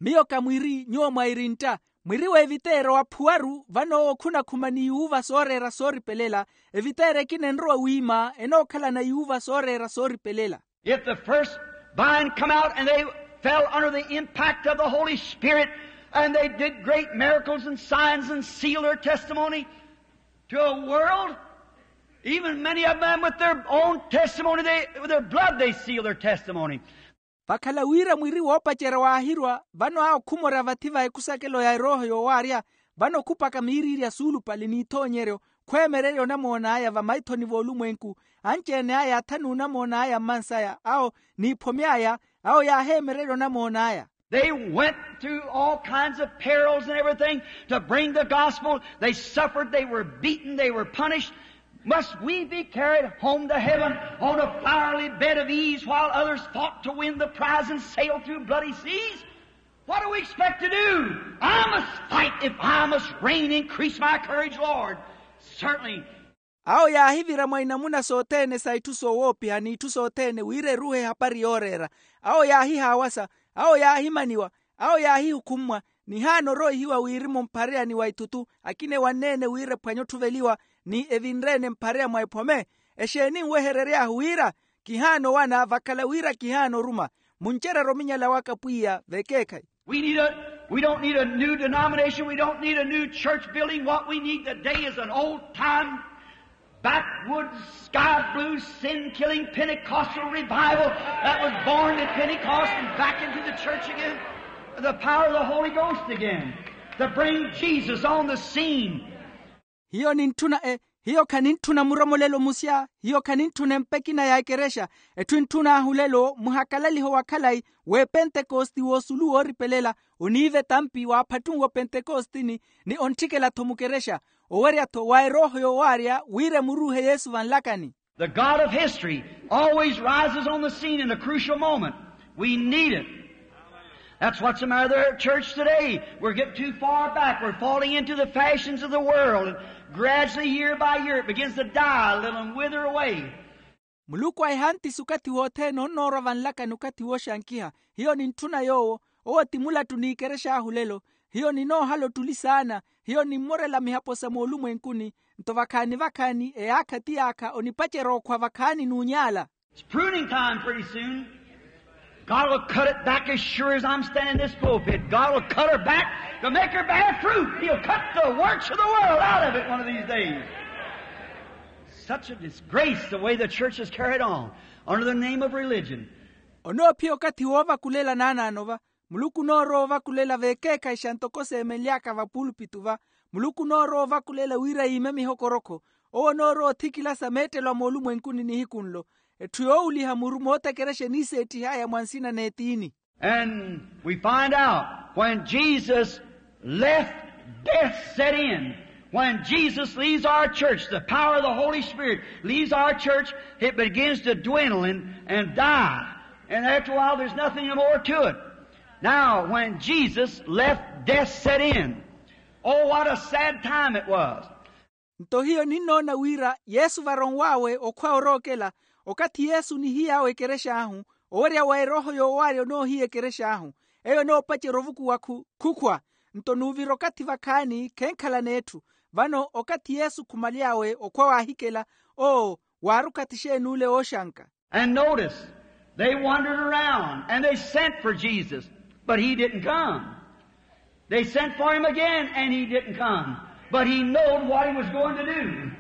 Miyo ka mwiri nyuwo mwairintta. Mwiri w'eviteerya owaphuwaru vano owo khunakhuma ni yuuva sooreera sooripelela. Eviteerya ekina enrowa wiima enookhalana yuuva sooreera sooripelela. If the first vine come out and they fell under the impact of the Holy Spirit and they did great miracles and signs and sealed their testimony to a world, even many of them with their own testimony, they, with their blood they sealed their testimony. Vakhala wira mwiri woopacerya waahirwa vano awo khumorya vathi va ekusakelo ya erooho yoowaarya. Vano khupaka miiriirya suulupale n'ithoonyeryo, khweemererya onamoon'aya vamaithoni v'olumwenku, anci-ene aya athanu onamoon'aya mmansaya awo, n'iphome aya, awo yaaheemererya onamoon'aya. They went through all kinds of perils and everything to bring the gospel. They suffered, they were beaten, they were punished. Must we be carried home to heaven on a fiery bed of ease while others fought to win the prize and sailed through bloody seas? What do we expect to do? I must fight if I must reign. Increase my courage, Lord. Certainly. Awo yaahivira mwa inamuna sothene sa itthu soowoopiha n'itthu sothene wira eruuhe ehapari yooreera. Awo yaahihaawasa, awo yaahimaniwa, awo yaahihukhummwa, nihaana orooihiwa wirimu mphareya ni wa ithutu, akina ewanneene wira ephwanye otthuveliwa, ni evinre-ene mphareya mwa ephome. Exeeni nweherery'ahu wira kihaana owana vakhala wira kihaana oruma? Muncererye ominyala waka pwiya vekeekhayi. We need a, we don't need a new denomination. We don't need a new church building. What we need today is an old time, backwoods, sky blue, sin killing Pentecostal revival that was born at Pentecost and back into the church again. The power of the Holy Ghost again to bring Jesus on the scene. Hiyo nintthuna e, hiyo khanintthuna muromolelo musya, hiyo khanintthuna empa ekina ya ekerexa. Etthu entthun'ahu lelo muhakalaliho wa khalayi w'epentekosti w'osulu wooripelela, oniiva etampi waaphattunwa opentekostini, ni ontthikela-tho mukerexa, owerya-tho wa erooho yoowaarya wira emuruuhe yesu vanlakani. The God of history always rises on the scene in a crucial moment. We need it. That's what's the matter with our church today. We're getting too far back. We're falling into the fashions of the world. And gradually, year by year, it begins to die a little and wither away. Muluku ahihanttisi okathi wothene onnoorwa vanlakani okathi wooxankiha. Hiyo nintthuna yoowo. Owo ti mulattu n'ikerex'ahu lelo. Hiyo ninoohala ottuli saana. Hiyo nimmorela mihapo sa moolumwenkuni. Nto vakhaani vakhaani eyaakha ti yaakha onipacerya okhwa vakhaani n'unyaala. It's pruning time pretty soon. God will cut it back as sure as I'm standing in this pulpit. God will cut her back to make her bear fruit. He'll cut the works of the world out of it one of these days. Such a disgrace the way the church is carried on under the name of religion. Onoophiya okathi woovakulela naanaano va. Muluku onoorowa ovakulela vekeekhayixa ntoko seemenly'aka vapulpitu va. Muluku onoorowa ovakulela wira yiime mihokorokho. Owo onoorowa othikilasa meettelo a moolumwenkuni nihiku nlo. Etthu yoowuliha muru mootekerexa eniiseettih'aya mwa nsina n'etiini. And we find out when Jesus left, death set in. When Jesus leaves our church, the power of the Holy Spirit leaves our church, it begins to dwindle and, and die. And after a while, there's nothing more to it. Now, when Jesus left, death set in. Oh, what a sad time it was. Nto hiyo ninnoona wira yesu varonw'awe okhwa orookela. Okathi yesu onihiy'awe ekerex'ahu, owerya wa erooho yoowaarya onoohiya ekerex'ahu. Eyo enoopacerya ovukuwa khu- khukhwa. Nto nuuvira okathi vakhaani khenkhala n'etthu. Vano okathi yesu khumaly'awe okhwa waahikela, oo, waari okathi xeen'ule ooxanka. And notice, they wandered around and they sent for Jesus, but he didn't come. They sent for him again and he didn't come. But he knowed what he was going to do.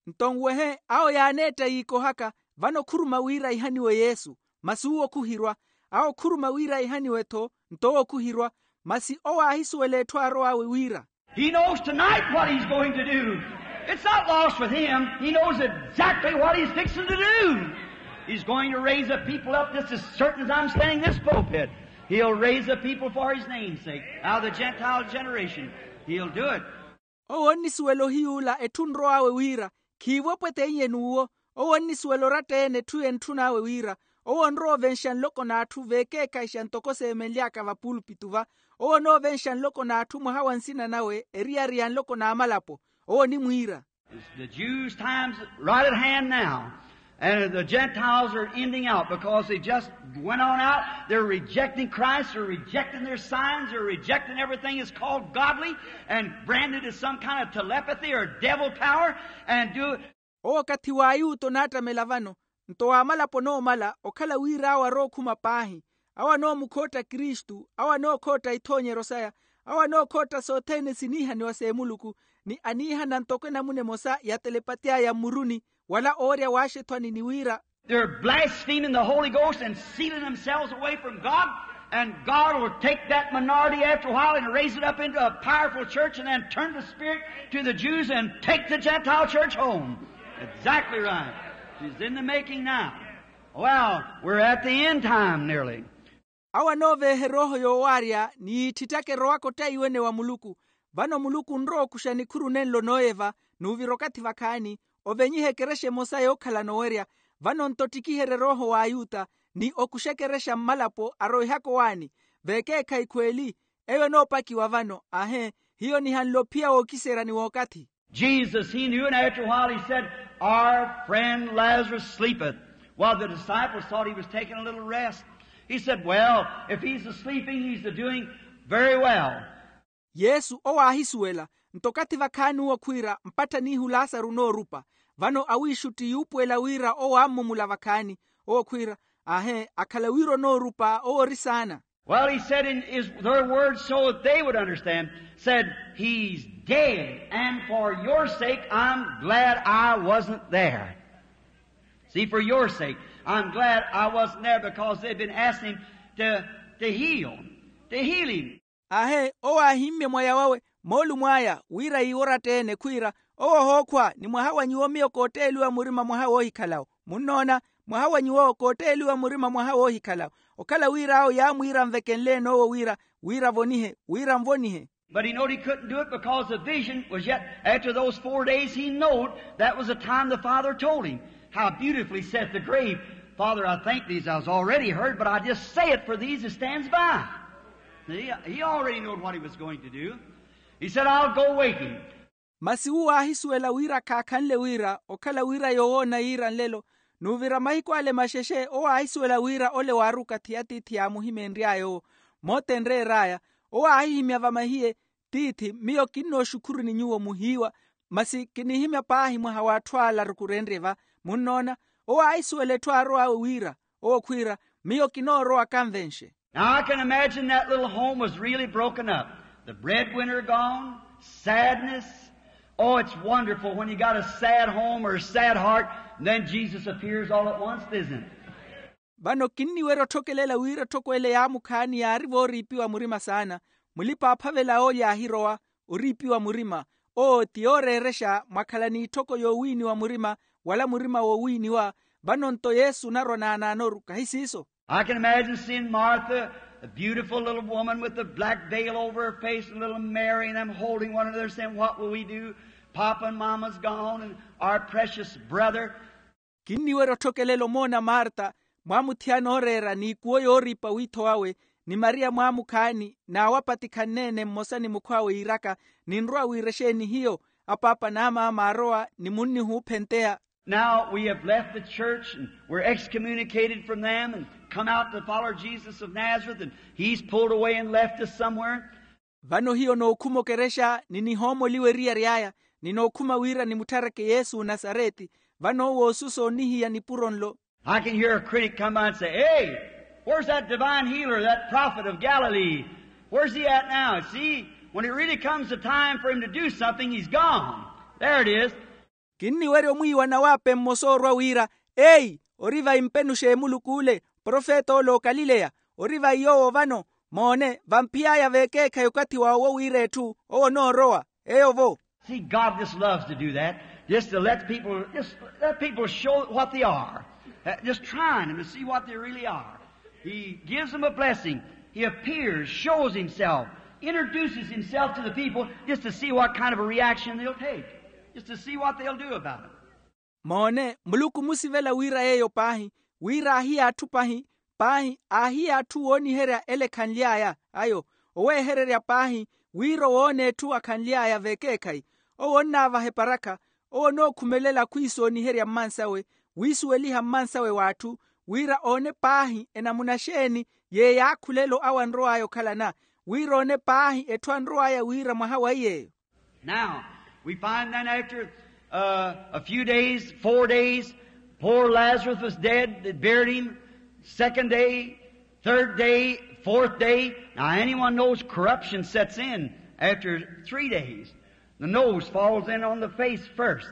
Nto nwehe, awo yaaneetta yiikohaka. Vano khuruma wira ihaniwe yesu, masi uwo khuhirwa. Awo khuruma wira ihaniwe-tho, nto owo khuhirwa. Masi owo aahisuwela etthu aarow'awe wira. He knows tonight what he's going to do. It's not lost with him. He knows exactly what he's fixing to do. He's going to raise the people up just as certain as I'm standing in this pulpit. He'll raise the people for his name's sake. Out of the Gentile generation, he'll do it. Owo onnisuwela ohiyuula etthu onrow'awe wira, khiivo epweteiye n'uwo. Owo onnisuwela oratta-ene etthu entthun'awe wira. Owo onrowa ovenxa nloko n'atthu vekeekhayixa ntoko seemenly'aka vapulpitu va. Owo onoovenxa nloko n'atthu mwaha wa nsina nawe eriyari ya nloko n'amalapo. Owo onimwiira. The Jews' time's right at hand now. And the Gentiles are ending out because they just went on out. They're rejecting Christ. They're rejecting their signs. They're rejecting everything that's called godly and branded as some kind of telepathy or devil power and do. Owo okathi w'ayuta onaattamela vano. Nto w'amalapo onoomala okhala wira awo arookhuma paahi. Awo anoomukhotta kristu, awo anookhotta ithoonyeryo saya, awo anookhotta sothene siniihaniwa s'emuluku, ni aniihana ntoko enamuna emosa ya telepati aya mmuruni, wala owerya waaxethwani ni wira. They're blaspheming the Holy Ghost and sealing themselves away from God. And God will take that minority after a while and raise it up into a powerful church and then turn the spirit to the Jews and take the Gentile church home. Exactly right. She's in the making now. Well, we're at the end time nearly. Awo anooveehe erooho yoowaarya ni yiitthitthaka erowaka ottaiwene wa muluku. Vano muluku onrowa okuxa nikhuru nenlo nooyeva, n'uvira okathi vakhaani, ovenyiha ekerexa emosa yookhalana owerya. Vano-nto ottikiherya erooho w'ayuta ni okuxa ekerexa mmalapo arowihaka owaani. Veekeekhayi khweeli, eyo enoopakiwa vano. Ahe, hiyo nihanle ophiya wookiserya ni wookathi. Jesus, he knew, and after a while he said, our friend Lazarus sleepeth. While the disciples thought he was taking a little rest, he said, well, if he's asleeping, he's doing very well. Yesu owo aahisuwela, nto okathi vakhaani owo khwiira mpatthanihu lasaru onoorupa. Vano awiixutti yuupuwela wira owo aammumula vakhaani. Owo khwiira, ahe, akhala wira onoorupa owo ori saana. Well, he said in his, their words so that they would understand, said, he's dead, and for your sake I'm glad I wasn't there. See, for your sake, I'm glad I wasn't there because they'd been asking him to, to heal, to heal him. Ahe, owo aahimmye mwaya wawe, moolumo aya wira iiworatta-ene khwiira, owo ohookhwa ni mwaha wa nyuwo miyo kootteeliwa murima mwaha woohikhalawo. Munnoona? Mwaha wa nyuwo kootteeliwa murima mwaha woohikhalawo. Okhala wira awo yaamwiira anvekenle-ene owo wira, wira avonihe, wira anvonihe. But he knowed he couldn't do it because the vision was yet after those four days. He knowed that was the time the Father told him. How beautifully saith the grave, Father, I thank thee as I was already heard, but I just say it for these that stands by. He, he already knowed what he was going to do. He said, I'll go wake him. Masi uwo aahisuwela wira khaakhanle wira okhala wira yoowoona yiira nlelo. N'uvira mahiku ale maxexe owo aahisuwela wira ole waari okathi atiithi yaamuhimeenry'aya owo. Moota enreer'aya, owo aahihimya vamahiye, tiithi, miyo kinnooxukhuru ni nyuwo muhiiwa, masi kinihimya paahi mwaha w'atthu ala arukurenrye va. Munnoona? Owo aahisuwela etthu aarow'awe wira, owo khwiira, miyo kinoorowa kanvenxe. Now I can imagine that little home was really broken up. The breadwinner gone, sadness. Oh, it's wonderful when you got a sad home or a sad heart, and then Jesus appears all at once, isn't it? Vano kinniwerya otthokelela wira etthoko ele yaamukhaani yaari vooriipiwa murima saana. Mulipa-aaphavela oolya aahirowa, oriipiwa murima. Owo ti yooreerexa mwakhala n'itthoko yoowiiniwa murima, wala murima woowiiniwa. Vano-nto yesu onarwa naanaanoru kahi siiso. I can imagine seeing Martha, a beautiful little woman with a black veil over her face, and little Mary and them holding one another, saying, what will we do? Papa and Mama's gone, and our precious brother. Kinniwerya otthokelela omoona marta, mwaamuthiyana ooreera n'ikuwo yooriipa wiitho wawe, ni mariya mwaamukhaani n'awapatikhanne-ene mmosa ni mukhw'awe yiiraka, ninrowa wiira exeeni hiyo? Apaapa n'amaama aarowa ni munnihuuphenteya. Now we have left the church and we're excommunicated from them and come out to follow Jesus of Nazareth, and he's pulled away and left us somewhere. Vano hiyo nookhuma okerexa ni nihoomoliwa eriyari aya, ni nookhuma wira nimuttareke yesu onasareti. Vano owo osusa onihiya nipuro nlo. I can hear a critic come by and say, hey, where's that divine healer, that prophet of Galilee? Where's he at now? See, when it really comes the time for him to do something, he's gone. There it is. Kinniwerya omwiiwa nawaape mmosa oorwa wira, eyi, ori vai mpenuxe muluku ole, profeta ole okalileya? Ori vai yoowo vano? Moone, vamphiy'aya veekeekhayi okathi wawe owo wira etthu owo onoorowa. Eyo vo. See, God just loves to do that, just to let people, just let people show what they are. Just trying them to see what they really are. He gives them a blessing. He appears, shows himself, introduces himself to the people just to see what kind of a reaction they'll take, just to see what they'll do about it. Moone, muluku omusivela wira yeeyo paahi, wira aahiya atthu paahi, paahi aahiya atthu wooniherya ele ekhanly'aya ayo, oweehererya paahi, wira owoona etthu akhanly'aya veekeekhayi. Owo onnaavaha eparakha, owo onookhumelela khwiisooniherya mmansawe, wiisuweliha mmansawe w'atthu, wira oone paahi enamuna xeeni yeey'akhulelo awo anrow'aya okhalana, wira oone paahi etthu anrow'aya wira mwaha wa iy'eyo. Now, we find then after, uh, a few days, four days, poor Lazarus was dead, they buried him. Second day, third day, fourth day. Now, anyone knows corruption sets in after three days. The nose falls in on the face first.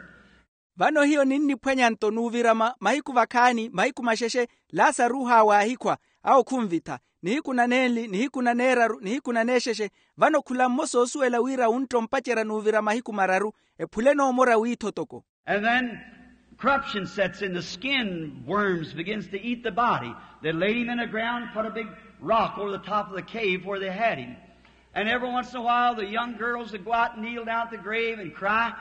Vano hiyo ninniphwanya-nto n'uvirama mahiku vakhaani mahiku maxexe, lasaru haawahikhwa, awo khunvitha. Nihiku na nenli, nihiku na neeraru, nihiku na neexexe. Vano khula mmosa oosuwela wira wuntta ompacerya n'uvira mahiku mararu, ephule noomora wiitho toko. And then corruption sets in, the skin worms begins to eat the body. They laid him in the ground, put a big rock over the top of the cave where they had him. And every once in a while the young girls would go out and kneel down at the grave and cry.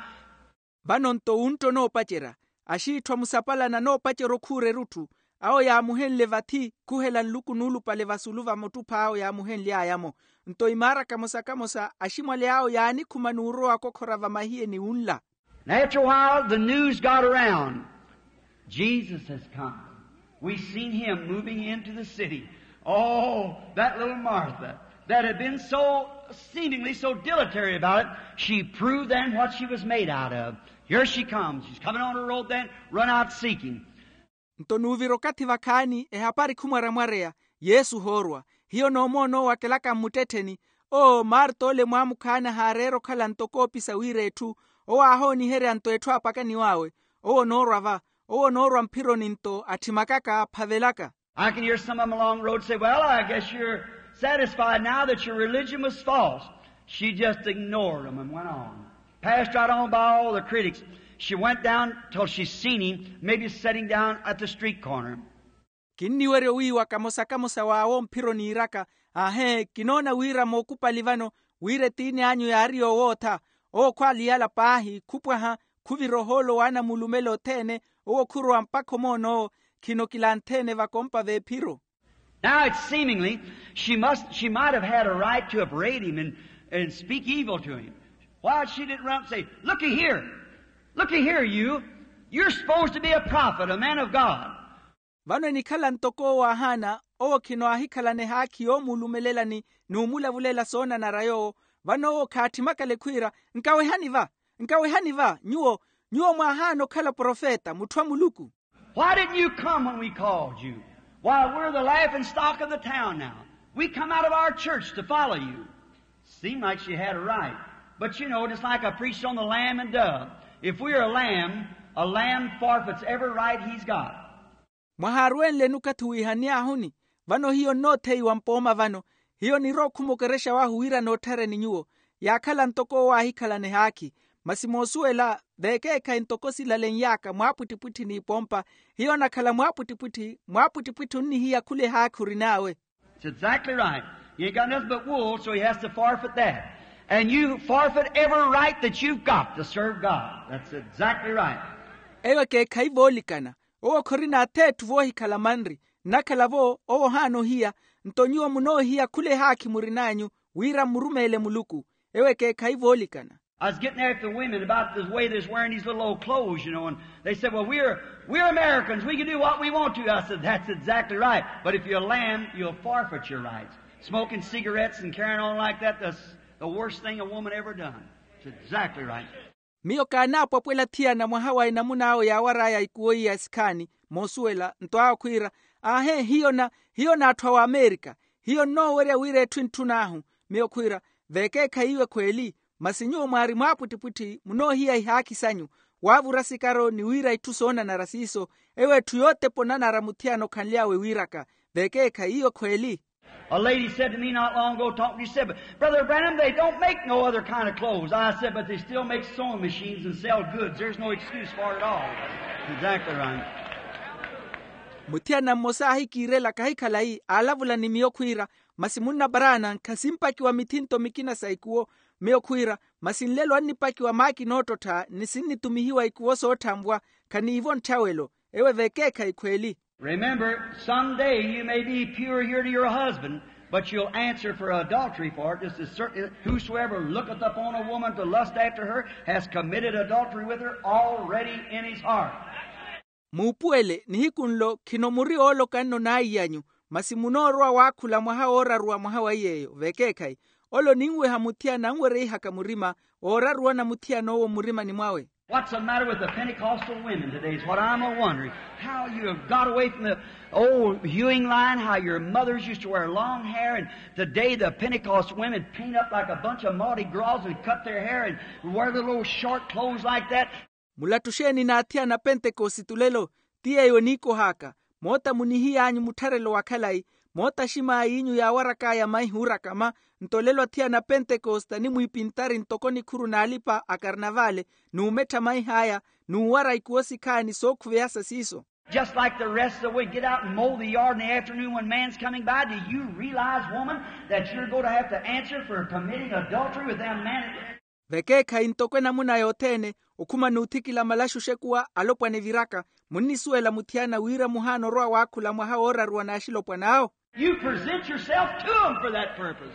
Vano-nto wuntta onoopacerya, axiitthu amusapalana anoopacerya okhuura erutthu. Awo yaamuhenle vathi khuhela nluku nuulupale vasulu va muttuph'awo yaamuhenly'aya-mo. Nto imaara kamosa kamosa aximwali awo yaanikhuma n'urowa akokhora vamahiyeni wunla. And after a while the news got around, Jesus has come. We seen him moving into the city. Oh, that little Martha that had been so seemingly so dilatory about it, she proved then what she was made out of. Here she comes. She's coming on the road then, run out seeking. Nto nuuvira okathi vakhaani ehapari khumwaramwareya, yesu ohoorwa. Hiyo noomoona owo akelaka mmuttettheni. Oo marta ole mwaamukhaani ahaareera okhala ntoko oopisa wira etthu. Owo aahooniherya nto etthu aapakaniw'awe. Owo onoorwa va, owo onoorwa mphironi nto atthimakaka aphavelaka. I can hear some of them along the road say, well, I guess you're satisfied now that your religion was false. She just ignored them and went on. Passed right on by all the critics. She went down till she seen him, maybe sitting down at the street corner. Kinniweryo wiiwa kamosa kamosa w'awo mphiro niiraka. Aahe kinoona wira mookupali vano, wira etiini anyu yaari yoowootha. Owo khwaaliyala paahi khupwaha, khuvira ohoolo w'anamulumela othene. Owo khurowa mpakha omoon'owo. Khino kilantheene vakompa v'ephiro. Now it's seemingly she must she might have had a right to upbraid him and, and speak evil to him. Why she didn't run up and say, looky here, looky here, you, you're supposed to be a prophet, a man of God. Vano enikhala ntoko owo aahaana, owo khino aahikhalana ehaakhi yoomuulumelela ni nuumulavulela soonanara yoowo. Vano owo khaathimakale khwiira, nkawehani va, nkawehani va nyuwo, nyuwo mwaahaana okhala profeta mutthu a muluku. Why didn't you come when we called you? Why, we're the laughing stock of the town now. We come out of our church to follow you. Seemed like she had a right. But you know, just like I preached on the lamb and dove, if we're a lamb, a lamb forfeits every right he's got. Mwahaarwenleni okathi wiihani ahuni? Vano hiyo nnootheiwa mpooma vano. Hiyo nirowa okhumokerexa wahu wira nootthareni nyuwo. Yaakhala ntoko owo aahikhalana ehaakhi. Masi moosuwela, vekeekhayi ntoko silalen'yaka mwaapwittipwitthi n'ipoompa. Hiyo onakhala mwaapwittipwitthi mwaapwittipwitthi onnihiya khula ehaakhi orin'awe. It's exactly right. He ain't got nothing but wool, so he has to forfeit that. And you forfeit every right that you've got to serve God. That's exactly right. Eyo ekeekhayi voolikana. Owo khorina atheetthu voohikhala manri. Nnakhala-vo owo ohaana ohiya. Nto nyuwo munoohiya khula ehaakhi murin'anyu, wira mmurumeele muluku. Ewo ekeekhayi voolikana. I was getting after the women about the way they was wearing these little old clothes, you know, and they said, well, we're, we're Americans, we can do what we want to. I said, that's exactly right, but if you're a lamb, you'll forfeit your rights. Smoking cigarettes and carrying on like that, that's the worst thing a woman ever done. It's exactly right. Miyo kaanaapwapwela thiyana mwaha wa enamuna awo yaawar'aya ikuwo iya esikhaani, moosuwela nto awo khwiira, aahe hiyo na hiyo n'atthu a w'amerika. Hiyo nnoowerya wira etthu entthun'ahu. Miyo khwiira, vekeekhayi iwe khweeli. Masi nyuwo mwaari mwaapwittipwitthi munoohiya ihaakhi sanyu, waavura sikaro ni wira itthu soonanara siiso. Ewo etthu yootepa onanara muthiyana okhanly'awe wiiraka. Vekeekhayi iwe khweeli. A lady said to me not long ago, talking to you, said, but Brother Branham, they don't make no other kind of clothes. I said, but they still make sewing machines and sell goods. There's no excuse for it at all. Exactly right. Muthiyana mmosa aahikiirela kahi khalayi aalavula ni miyo khwiira, masi munna paraana khasimpakiwa mithinto mikina sa ikuwo. Miyo khwiira, masi nlelo annipakiwa maakina oottottha ni sinnitumihiwa ikuwo sootthanvwa. Khaniivo ntthawelo. Ewe vekeekhayi khweeli. Remember, some day you may be pure here to your husband, but you'll answer for adultery for it just as certain. Whosoever looketh upon a woman to lust after her has committed adultery with her already in his heart. Muupuwele nihiku nlo khino muri ooloka nno n'aiy'anyu, masi munoorowa waakhula mwaha ooraruwa mwaha wa iy'eyo vekeekhayi. Ole oninweha muthiyana anwereihaka murima ooraruwa na muthiyana owo mmurimani mwawe. What's the matter with the Pentecostal women today is what I'm a wondering. How you have got away from the old hewing line, how your mothers used to wear long hair, and today the Pentecost women paint up like a bunch of Mardi Gras and cut their hair and wear little old short clothes like that. Mulattuxeeni n'athiyana pentekosite lelo. Ti yeeyo eniikoh'aka. Moota munihiy'anyu muttharelo wa khalayi. Moota aximaayiinyu yaawarak'aya maihi oorakama. Nto olelo athiyana a pentekosta animwiipintari ntoko nikhuru n'alipa a karnavale, n'umettha maih'aya, n'uwara ikuwo sikhaani sookhuveya sa siiso. Just like the rest of the week, get out and mow the yard in the afternoon when man's coming by. Do you realize, woman, that you're going to have to answer for committing adultery with them men? Vekeekhayi ntoko enamuna yothene, okhuma n'uthikila malaxu oxekuwa alopwana eviraka. Munnisuwela muthiyana wira muhaana orowa waakhula mwaha wooraruwa n'axilopwana awo. You present yourself to them for that purpose.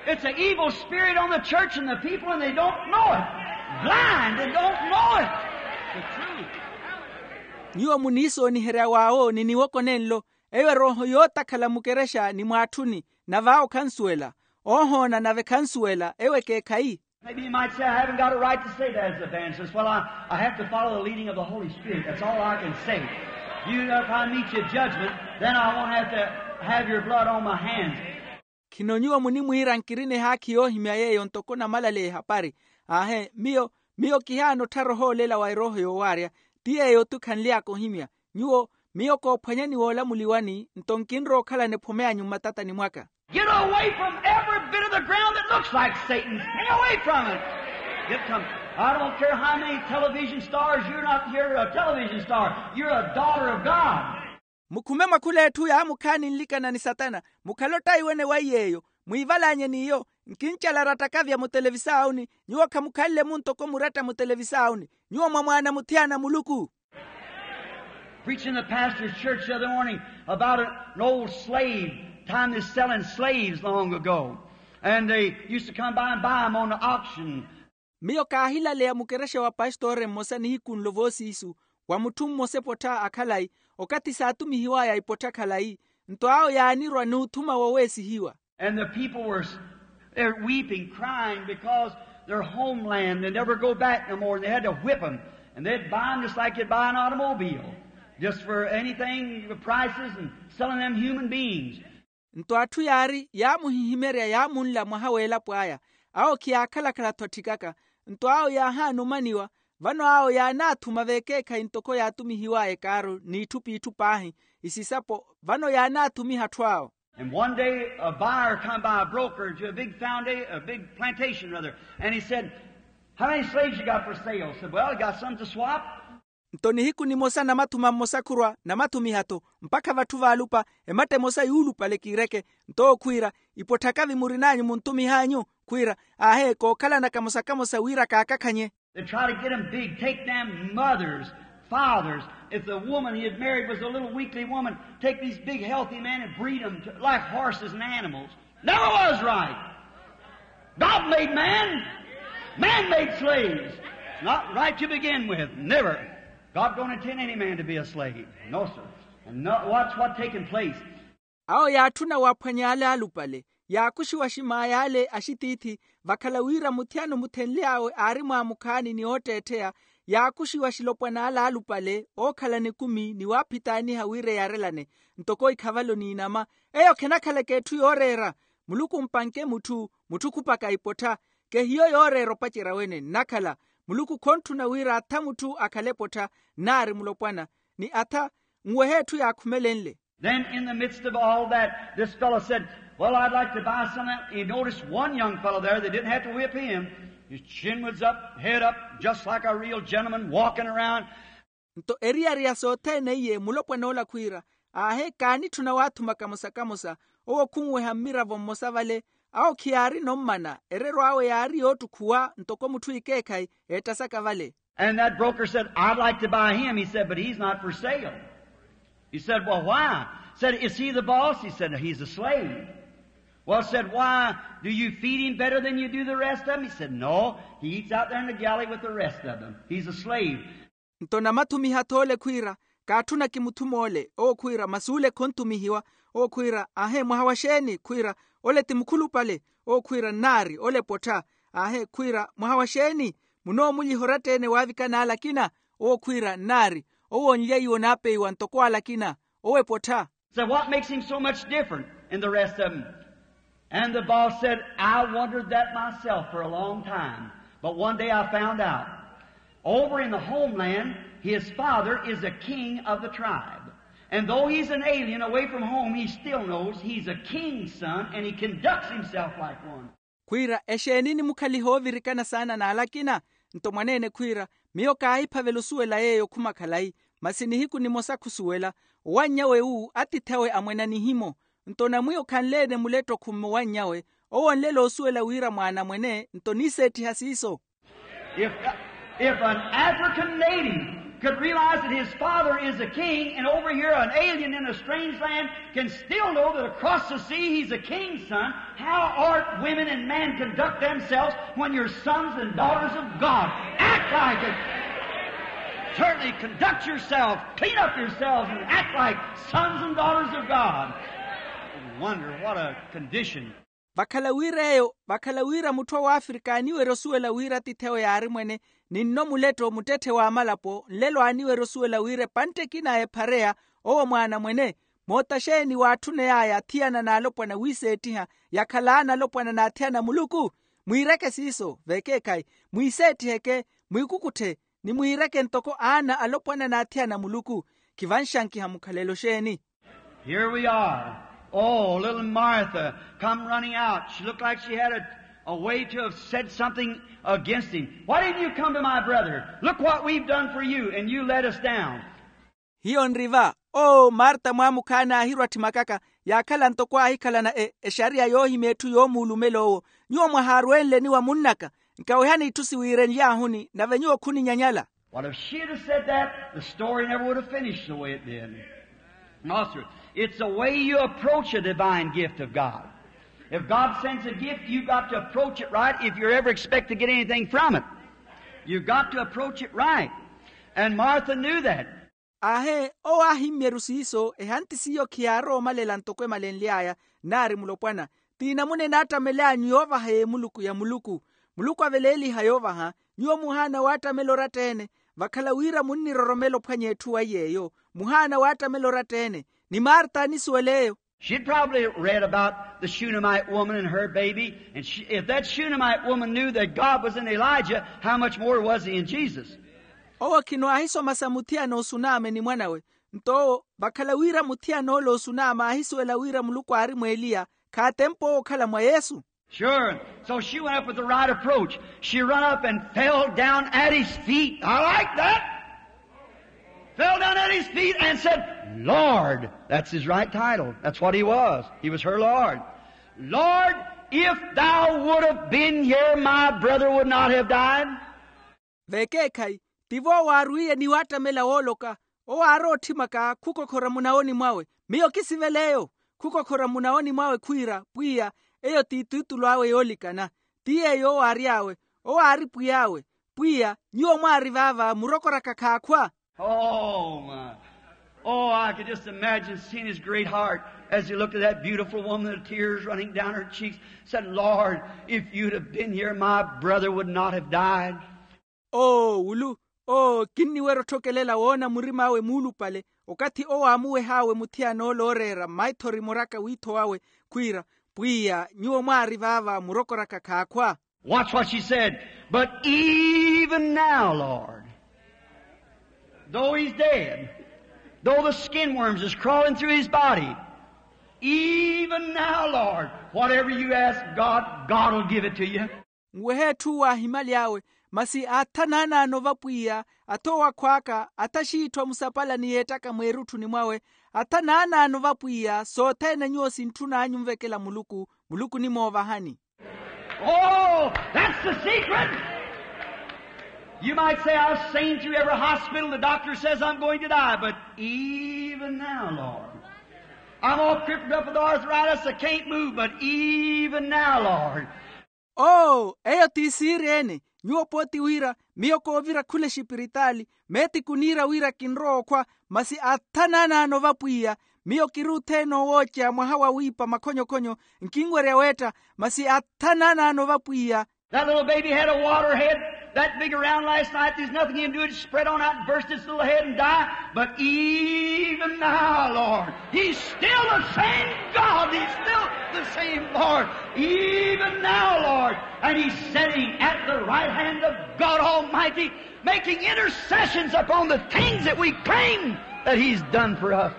It's an evil spirit on the church and the people, and they don't know it. Blind and don't know it. The truth. Nyuwo muniisooniherya w'awo ni niwoko nenlo. Eyo erooho yootakhala mukerexa ni mwaatthuni, nave awo khansuwela. Oohoona nave khansuwela, eyo ekeekhayi. Maybe you might say, "I haven't got a right to say that as evangelist." Well, I, I have to follow the leading of the Holy Spirit. That's all I can say. You, if I meet you at judgment, then I won't have to have your blood on my hands. Khino nyuwo munimwiira nkirina ehaakhi yoohimya yeeyo ntoko namalaleya ehapari. Aahe, miyo, miyo kihaana otthara ohoolela wa erooho yoowaarya. Ti yeeyo-thu khanly'aka ohimya. Nyuwo, miyo koophwanyani woolamuliwani, nto nkinrowa okhalana ephomeyanyu mmatatani mwaka. Get away from every bit of the ground that looks like Satan's. Stay away from it. Get some, I don't care how many television stars, you're not, you're a television star. You're a daughter of God. Mukhume mwakhula etthu yaamukhaani nlikana ni satana. Mukhale ottaiwene wa iy'eyo. Mwiivalaanye n'iyo. Nkincalara ttakavya mutelevisaawuni. Nyuwo khamukhanle-mu ntoko muratta mutelevisaawuni. Nyuwo mwa mwaana muthiyana a muluku. Preaching in the pastor's church the other morning about an old slave, time they selling slaves long ago. And they used to come by and buy 'em on the auction. Miyo kaahilaleya mukerexa wa pastore mmosa nihiku nlo voosiisu, wa mutthu mmosa epottha a khalayi, okathi saatumihiw'aya ipottha khalayi. Nto awo yaanirwa n'uthuma woweesihiwa. And the people were, they're weeping, crying because their homeland, they never go back no more. And they had to whip 'em. And they'd buy 'em just like you'd buy an automobile, just for anything, the prices, and selling them human beings. Nto atthu yaari yaamuhihimerya yaamunla mwaha w'elapo aya. Awo khiyaakhala-khala-tho atthikaka. Nto awo yaahaana omaniwa. Vano awo yaanaathuma vekeekhayi ntoko yaatumihiw'aya ekaaru n'itthu p'itthu paahi. Isisapo vano yaanaathumiha atthu awo. And one day a buyer come by, a broker, to a big foundation, a big plantation rather, and he said, "How many slaves you got for sale?" Said, "Well, I got some to swap." Nto nihiku nimosa namathuma mmosa khurwa namathumiha-tho, mpakha vatthu vaalupa, ematta emosa yuulupale kiireke. Nto owo khwiira, "Ipotthaka-vi murin'anyu muntumih'anyu?" Khwiira, "Aahe, kookhalana kamosa-kamosa wira kaakakhanye." They try to get 'em big, take them mothers, fathers. If the woman he had married was a little weakly woman, take these big healthy men and breed 'em to, like horses and animals. Never was right. God made man. Man made slaves. It's not right to begin with. Never. God don't intend any man to be a slave. No, sir. And no, watch what taking place. Awo yaatthuna waaphwanya ale aalupale, yaakuxiwa aximaayi ale axitiithi, vakhala wira muthiyana omuthenly'awe aari mwaamukhaani ni ootteettheya. Yaakuxiwa axilopwana ale aalupale ookhalana ekumi ni waaphitaaniha wira eyarelane, ntoko ikhavalo n'inama. Eyo khenakhalaka etthu yooreera. Muluku mpanke mutthu, mutthu khupaka ipottha. Kehiyo yooreera opacerya wene nnakhala. Muluku khontthuna wira atha mutthu akhale epottha, nnaari mulopwana, ni atha nwehe etthu yaakhumelenle. Then in the midst of all that, this fellow said, "Well, I'd like to buy some of that." He noticed one young fellow there that didn't have to whip him. His chin was up, head up, just like a real gentleman walking around. Nto eriyari ya sothene iye mulopwana ola khwiira, aahe kaanitthuna waathuma kamosa-kamosa. Owo khunweha mmiravo mmosa vale. Awo khiyaarina ommana, ererw'awe yaari yoottukhuwa ntoko mutthu ikeekhayi eettasaka vale. And that broker said, "I'd like to buy him," he said, "but he's not for sale." He said, "Well, why?" Said, "Is he the boss?" He said, "He's a slave." Well, said, "Why, do you feed him better than you do the rest of 'em?" He said, "No, he eats out there in the galley with the rest of them. He's a slave." Nto namathumiha-tho ole khwiira, kaatthuna kimuthum'ole. Owo khwiira, "Masi ole khontumihiwa." Owo khwiira, "Aahe, mwaha wa xeeni?" Khwiira, "Ole ti mukhulupale." Owo khwiira, "Nnaari, ole pottha." "Aahe," khwiira, "Mwaha wa xeeni? Munoomulyiha oratta-ene waavikana ale akina?" Owo khwiira, "Nnaari. Owo onlyaiwa onaapeiwa ntoko ale akina. Owo epottha." Said, "What makes him so much different than the rest of 'em?" And the boss said, "I wondered that myself for a long time, but one day I found out. Over in the homeland, his father is a king of the tribe, And though he's an alien away from home, he still knows he's a king's son and he conducts himself like one. Khwiira exeeni nimukhaliha oovirikana saana n'ale akina? Nto mwaneene khwiira, miyo kaahiphavela osuwela yeeyo okhuma khalayi, masi nihiku nimosa khusuwela. Owanny'awe wu atiith'awe amwena nihimo. Nto namwiyo khanle-ene muletto khumowanny'awe. Owo onlela osuwela wira mwaana mwene nto niiseettiha siiso. If, if an African native could realize that his father is a king and over here an alien in a strange land can still know that across the sea he's a king's son, how art women and men conduct themselves when you're sons and daughters of God? Act like it. Certainly conduct yourself, clean up yourselves, and act like sons and daughters of God. Wonder what a condition. Vakhala wira eyo, vakhala wira mutthu a wafrika aaniwerya osuwela wira atiithi awe yaari mwene, ni nno muletto muttetthe w'amalapo nlelo aaniwerya osuwela wira epantte ekina ya ephareya. Owo mwaana mwene. Moota xeeni waatthuney'aya athiyana n'alopwana wiiseettiha, yakhalaana alopwana n'athiyana a muluku? Mwiireke siiso vekeekhayi. Mwiiseettiheke, mwiikukutthe, ni mwiireke ntoko aana alopwana n'athiyana a muluku. Khivanxankiha mukhalelo xeeni? Here we are. Oh, little Martha come running out. She looked like she had a, a way to have said something against him. Why didn't you come to my brother? Look what we've done for you, and you let us down. Hiyo nri va. Oo marta mwaamukhaana aahirwa atthimakaka, yaakhala ntoko aahikhalana exariya yoohimya etthu yoomuulumela owo. Nyuwo mwahaarwenleni wa munn'aka. Nkawehani itthu siwiirenly'ahuni nave nyuwo khuninyanyala. What if she had said that? The story never would have finished the way it did. It's the way you approach a divine gift of God. If God sends a gift, you've got to approach it right if you ever expect to get anything from it. You've got to approach it right. And Martha knew that. Aahe, owo aahimmyeru siiso ehanti s'iyo khiyaarowa omalela ntoko emalenly'aya. Naari mulopwana, ti namuna enaattamel'anyu yoovaha y'emuluku ya muluku. Muluku aveleeliha yoovaha. Nyuwo muhaana waattamela oratta-ene. Vakhala wira munniroromela ophwanya etthu waiy'eyo, muhaana waattamela oratta-ene. Ni marta anisuwela eyo. She'd probably read about the Shunammite woman and her baby, and she, if that Shunammite woman knew that God was in Elijah, how much more was he in Jesus? Owo khino aahisoma sa muthiyana osuname ni mwan'awe. Nto owo vakhala wira muthiyana ole osuname aahisuwela wira muluku aari mw'eliya, khaatempa owo okhala mwa yesu. Sure. So she went up with the right approach. She run up and fell down at his feet. I like that. Fell down at his feet and said, Lord. That's his right title. That's what he was. He was her Lord. Lord, if thou would have been here, my brother would not have died. Vekeekhayi, tivo waarwiye ni waattamela wooloka. Owo aarowa otthimaka khukokhora munawoni mwawe. Miyo kisivela eyo. Khukokhora munawoni mwawe khwiira pwiya, eyo ti ituutulu awe yoolikana. Ti yeeyo owo aary'awe. Owo aari pwiy'awe. Pwiya, nyuwo mwaari vaava murokoraka khaakhwa. Oh my. Oh, I could just imagine seeing his great heart as he looked at that beautiful woman, the tears running down her cheeks, said, Lord, if you'd have been here, my brother would not have died. Oo wulu. Oo kinniwerya otthokelela woona murim'awe muulupale, okathi owo aamuweh'awe muthiyana ole ooreera maithori muraka wiitho wawe, khwiira, pwiya, nyuwo mwaari vaava murokoraka khaakhwa. Watch what she said. But even now, Lord, though he's dead, though the skin worms is crawling through his body, even now, Lord, whatever you ask God, God will give it to you. Nwehe etthu waahimyaly'awe, masi atha naanaano vapwiya, atha owakhw'aka, atha xiitthwa musapala ni yeettaka mweerutthuni mwawe. Atha naanaano vapwiya sothene nyuwo sintthun'anyu onvekela muluku, muluku onimoovahani. Oh, that's the secret. You might say, I've seen through every hospital, the doctor says I'm going to die, but even now, Lord, I'm all crippled up with arthritis, I can't move, but even now, Lord. Oo eyo ti siiri-ene. Nyuwo pooti wira, miyo koovira khula exipiritaali, meeti kuniira wira kinrowa okhwa, masi atha naanaano vapwiya. Miyo kiruutheene owooceya mwaha wa wiipa makhonyokhonyo, nkinwerya weetta, masi atha naanaano vapwiya. That little baby had a water head that big around last night. There's nothing you can do. It spread on out and burst its little head and die. But even now, Lord, he's still the same God. He's still the same Lord. Even now, Lord. And he's sitting at the right hand of God Almighty, making intercessions upon the things that we claim that he's done for us.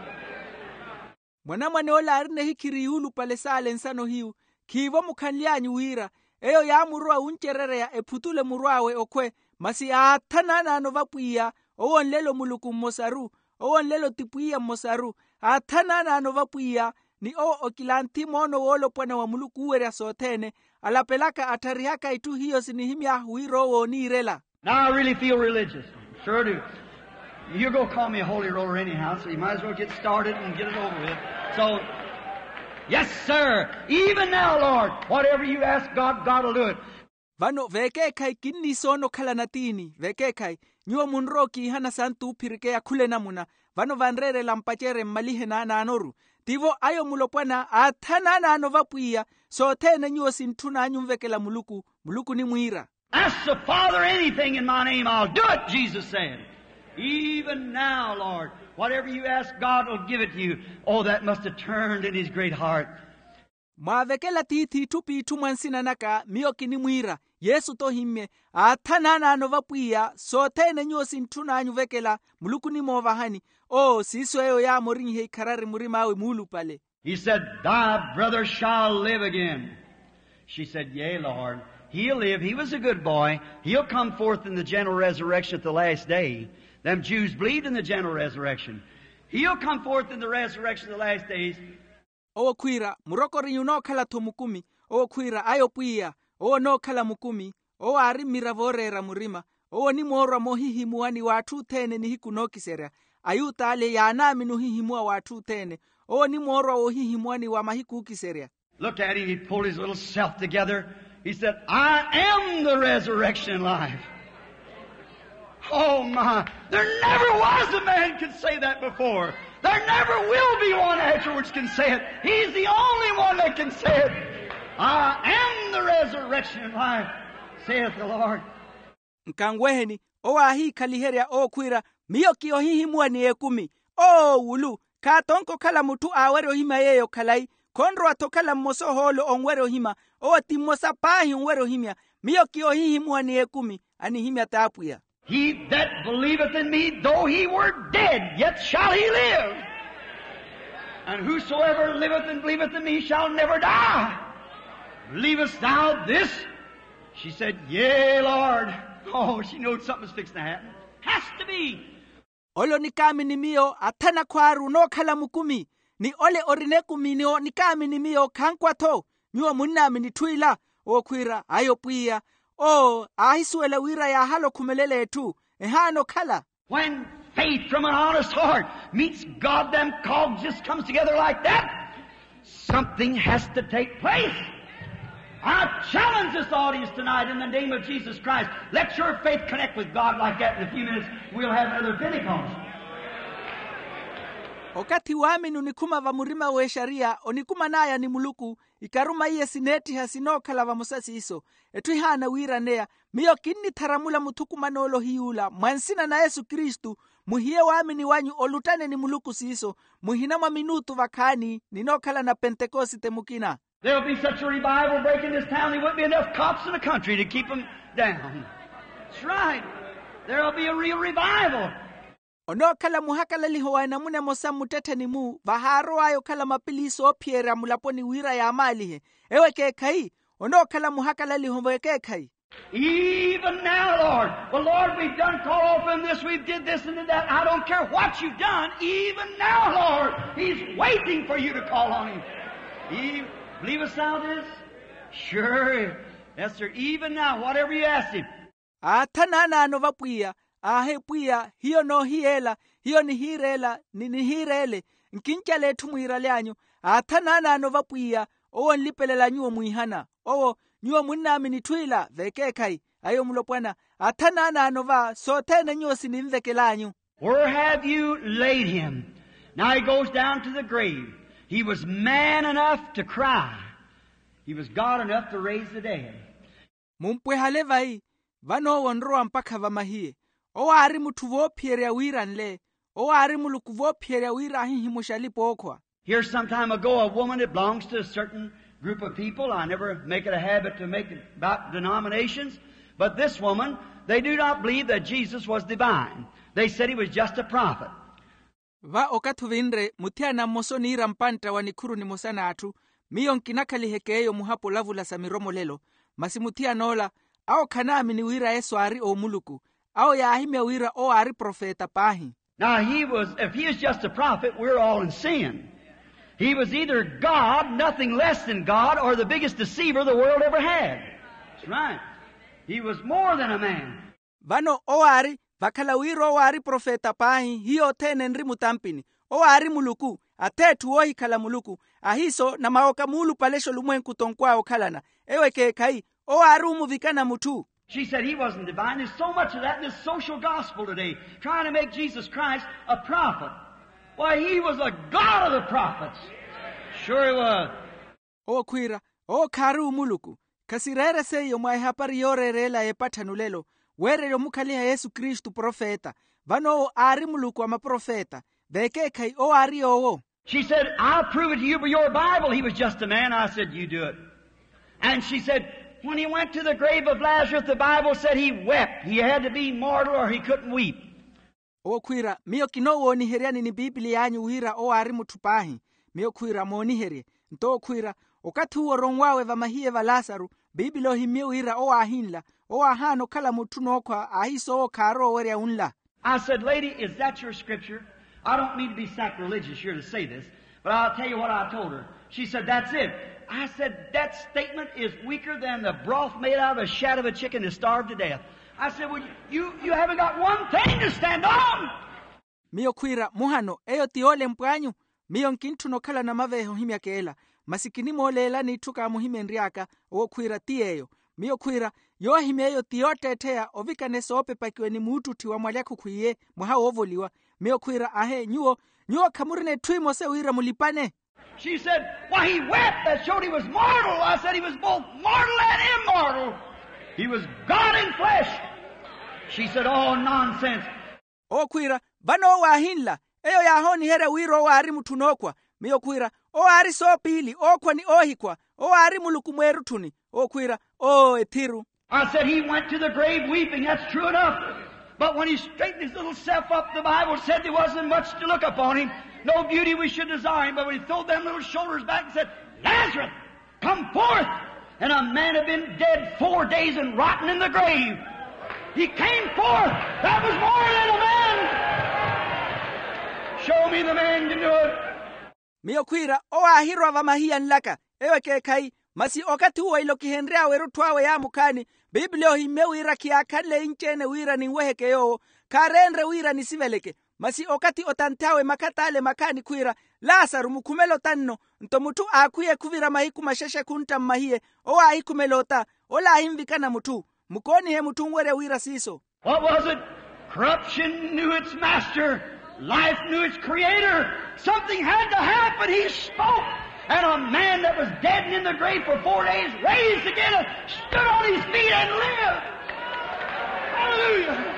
Mwanamwane ole aarina ehikhiri yuulupale saale nsano hiyu, khiivo mukhanly'anyu wira eyo yaamurowa wuncerereya ephutule murw'awe okhwe. Masi aathana anaano vapwiya, owo nlelo muluku mmosaru, owo nlelo ti pwiya mmosaru. Aathana anaano vapwiya, ni owo okilanthi moono woolopwana wa muluku uuwerya sothene, alapelaka attharihaka itthu hiyo sinihimy'ahu wira owo ooniirela. Now I really feel religious. Sure do. You're going to call me a holy roller anyhow, so you might as well get started and get it over with. So, yes, sir. Even now, Lord, whatever you ask God, God will do it. Vano vekeekhayi kinniisoona okhala natiini vekeekhayi. Nyuwo munrowa okiihana santu oophirikeya khula enamuna. Vano vanreerela mpacerye mmalihe naanaanoru. Tivo ayo mulopwana aathana anaano vapwiya, sothene nyuwo sintthun'anyu onvekela muluku, muluku onimwiira. Ask the Father anything in my name, I'll do it, Jesus said. Even now, Lord, whatever you ask, God will give it to you. Oh, that must have turned in his great heart. Mwaavekela tiithi itthu p'itthu mwa nsina naka miyo kinimwiira. Yesu tohimmye, aathana anaano vapwiya, sothene nyuwo sintthun'anyu ovekela, muluku onimoovahani. Oo siiso eyo yaamorinyihe ikharari murim'awe muulupale. He said, thy brother shall live again. She said, yea, Lord, he'll live. He was a good boy. He'll come forth in the general resurrection at the last day. Them Jews believed in the general resurrection. He'll come forth in the resurrection of the last days. Owo khwiira, murokorinyu onookhala-tho mukumi. Owo khwiira, ayo pwiya, owo onookhala mukumi. Owo aari mmiravo ooreera murima. Owo onimoorwa moohihimuwani w'atthu othene nihiku nookiserya. Ayuta ale yaanaamini ohihimuwa w'atthu othene. Owo onimoorwa woohihimuwani wa mahiku ookiserya. Looked at him, he pulled his little self together. He said, I am the resurrection and life. Oh my, there never was a man could say that before. There never will be one afterwards can say it. He's the only one that can say it. I am the resurrection and life, saith the Lord. Nkanweheni, owo aahiikhaliherya owo khwiira, miyo ki ohihimuwa ni ekumi. Oo wulu, khaatonke okhala mutthu aawerya ohimya yeeyo khalayi. Khonrowa-tho okhala mmosa ohoolo onwerya ohimya. Owo ti mmosa paahi onwerya ohimya. Miyo ki ohihimuwa ni ekumi. Anihimya t'apwiya. He that believeth in me, though he were dead, yet shall he live. And whosoever liveth and believeth in me shall never die. Believest thou this? She said, yea, Lord. Oh, she knowed something was fixing to happen. Has to be. Ole onikaamini miyo athana akhwaaru onookhala mukumi, ni ole orina ekumi ni onikaamini miyo khankwa-tho. Nyuwo munnaamini etthu ila? Owo khwiira, ayo pwiya. Oo aahisuwela wira yaahala okhumelela etthu, ehaana okhala. When faith from an honest heart meets God, them cogs just comes together like that. Something has to take place. I challenge this audience tonight in the name of Jesus Christ. Let your faith connect with God like that in a few minutes. We'll have another Pentecost. Okathi waamini onikhuma vamurima w'exariya onikuman'aya ni muluku, ikaruma iye sineettiha sinookhala vamosa siiso. Etthu ehaana wiiraneya. Miyo kinnitharamula muthukuman'ole ohiy'ula mwa nsina na yesu kristu. Muhiye waamini wanyu oluttane ni muluku siiso. Muhina mwa minuutu vakhaani ninookhalana pentekosite mukina. There'll be such a revival breaking this town, there wouldn't be enough cops in the country to keep 'em down. That's right. There'll be a real revival. Onookhala muhakalaliho wa enamuna emosa mmuttettheni-mu vahaarow'aya okhala mapiliisi oophiyerya mulaponi wira yaamaalihe. Ewo ekeekhayi, onookhala muhakalaliho w'ekeekhayi. Even now, Lord. Well, Lord, we've done called for this, we've did this and did that. I don't care what you've done. Even now, Lord, he's waiting for you to call on him. He, believest thou this? Sure. Yes, sir. Even now, whatever you ask him. Aathana anaano vapwiya, aahi pwiya, hiyo noohiyeela, hiyo nihiireela ni nihiireele. Nkincala etthu mwiiraly'anyu. Aathana anaano vapwiya, owo onlipelela nyuwo mwiihana. Owo, nyuwo munnaamini etthu ila vekeekhayi. Ayo mulopwana, aathana anaano va sothene nyuwo sininvekel'anyu. Where have you laid him? Now he goes down to the grave. He was man enough to cry. He was God enough to raise the dead. Mumpwehale vayi. Vano owo onrowa mpakha vamahiye. Owo aari mutthu voophiyerya wira anle. Owo aari muluku voophiyerya wira ahihimuxe alipa ookhwa. Here some time ago a woman that belongs to a certain group of people, I never make it a habit to make it about denominations, but this woman, they do not believe that Jesus was divine. They said he was just a prophet. Va okathi ovinre muthiyana mmosa oniira mpantta wa nikhuru nimosa n'atthu. Miyo nkinakhalihekeeyo muhapo olavula sa miromolelo. Masi muthiyana ola awo khanaamini wira yesu aari omuluku. Awo yaahimya wira owo aari profeta paahi. Now he was, if he is just a prophet, we're all in sin. He was either God, nothing less than God, or the biggest deceiver the world ever had. That's right. He was more than a man. Vano owo aari vakhala wira owo aari profeta paahi hiyo othene enri mutampini. Owo aari muluku. Ath'etthu woohikhala muluku. Ahiiso namawoka muulupalexa olumwenku tonkw'awe okhalana. Ewo ekeekhayi. Owo aari omuvikana mutthu. She said he wasn't divine. There's so much of that in this social gospel today, trying to make Jesus Christ a prophet. Why, he was a God of the prophets. Sure he was. Owo khwiira owo khaari omuluku. Khasireere seiyo mwa ehapari yooreereela y'epatthanulelo. Weererya omukhaliha yesu kristu profeta. Vano owo aari muluku wa maprofeta. Vekeekhayi owo aari yoowo. She said, I'll prove it to you by your bible he was just a man. I said, you do it. And she said, when he went to the grave of lazarus the bible said he wept. He had to be mortal or he couldn't weep. Owo khwiira miyo kinoowooniheryani ni pipiliy'anyu wira owo aari mutthu paahi. Miyo khwiira mooniherye. Nto owo khwiira okathi uwo oronw'awe vamahiye va lasaru, pipili ohimmye wira owo aahinla. Owo aahaana okhala mutthu nookhwa ahiiso owo khaarowa owerya unla. I said, lady, is that your scripture? I don't mean to be sacrilegious here to say this, but i'll tell you what i told her. She said, that's it. I said, that statement is weaker than the broth made out of a shat of a chicken that starved to death. I said, well, you, you haven't got one thing to stand on. Miyo khwiira muhano eyo ti yoolempw'anyu. Miyo nkintthuna okhala namaveeha ohimyaka ela. Masi kinimooleelani itthu kaamuhimenry'aka. Owo khwiira ti yeeyo. Miyo khwiira yoohimya eyo ti yootteettheya ovikane soopepakiwe ni muuttutthi wa mwalyakhukhu iye mwaha woovoliwa. Miyo khwiira ahe nyuwo, nyuwo khamurina etthu emosa wira mulipane. She said, why he wept that showed he was mortal. I said he was both mortal and immortal. He was god in flesh. She said, oh nonsense. Owo khwiira vano owo aahinla. Eyo yaahooniherya wira owo aari mutthu nookhwa. Miyo khwiira owo aari soopiili ookhwa ni oohikhwa. Owo aari muluku mweerutthuni. Owo khwiira oo ethiru. I said he went to the grave weeping that's true enough. But when he straightened his little self up the bible said there wasn't much to look upon him, no beauty we should desire him but when he throwed them little shoulders back and said, lazarus, come forth. And a man had been dead four days and rotten in the grave. He came forth. That was more than a man. Show me the man can do it. Miyo khwiira owo aahirwa vamahiya nlaka. Ewo ekeekhayi. Masi okathi uwo ilokihenry'awe erutthu awe yaamukhaani, pipili ohimmye wira khiyaakhanle inci-ene wira ninweheke yoowo. Khaareenre wira nisiveleke. Masi okathi otanth'awe makhat'ale makhaani khwiira, lasaru mukhumele ota nno. Nto mutthu aakhwiye khuvira mahiku maxexe khuntta mmahiye. Owo aahikhumela ota. Ola aahinvikana mutthu. Mukoonihe mutthu onwerya wira siiso. What was it? Corruption knew its master. Life knew its creator. Something had to happen he spoke, and a man that was dead and in the grave for four days raised again and stood on his feet and lived. Hallelujah.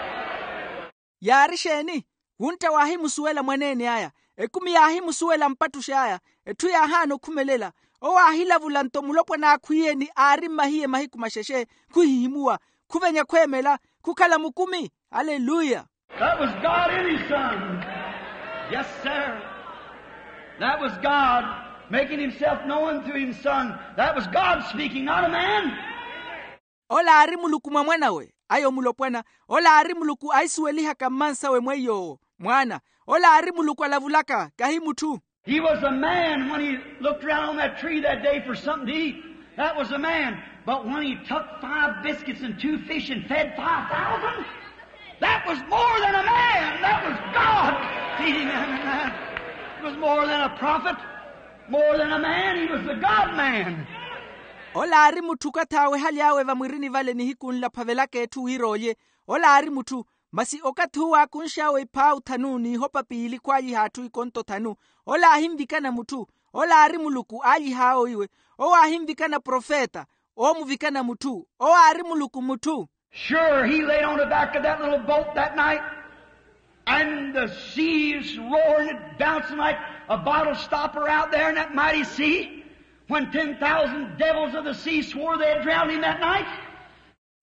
Yaari exeeni? Wuntta waahimusuwela mwaneene aya. Ekumi yaahimusuwela mpattux'aya. Etthu yaahaana okhumelela. Owo aahilavula nto mulopwana aakhwiye ni aari mmahiye mahiku maxexe. Khuhihimuwa, khuvenya khweemela, khukhala mukumi. Aleluya. That was god in his son. Yes sir. That was god making himself known through his son. That was god speaking not a man. Ola aari muluku mwa mwan'awe. Ayo mulopwana. Ola aari muluku ahisuwelihaka mmansawe mweiy'owo mwaana. Ola aari muluku alavulaka kahi mutthu. He was a man when he looked around on that tree that day for something to eat. That was a man. But when he took five biscuits and two fish and fed five thousand, that was more than a man. That was god feeding them and that. It was more than a prophet, more than a man. He was the god man. Ola aari mutthu okathi awehaly'awe vamwirini vale nihiku nla aphavelaka etthu wira olye. Ola aari mutthu. Masi okathi uwo aakunx'awe iphaawu thanu n'ihopa piili khwaalyiha atthu ikonto thanu. Ola aahinvikana mutthu. Ola aari muluku aalyiha awo iwe. Owo aahinvikana profeta. Oomuvikana mutthu. Owo aari muluku mutthu. Sure he laid on the back of that little boat that night, and the seas roaring and bouncing like a bottle stopper out there in that mighty sea, when ten thousand devils of the sea swore they'd drown him that night.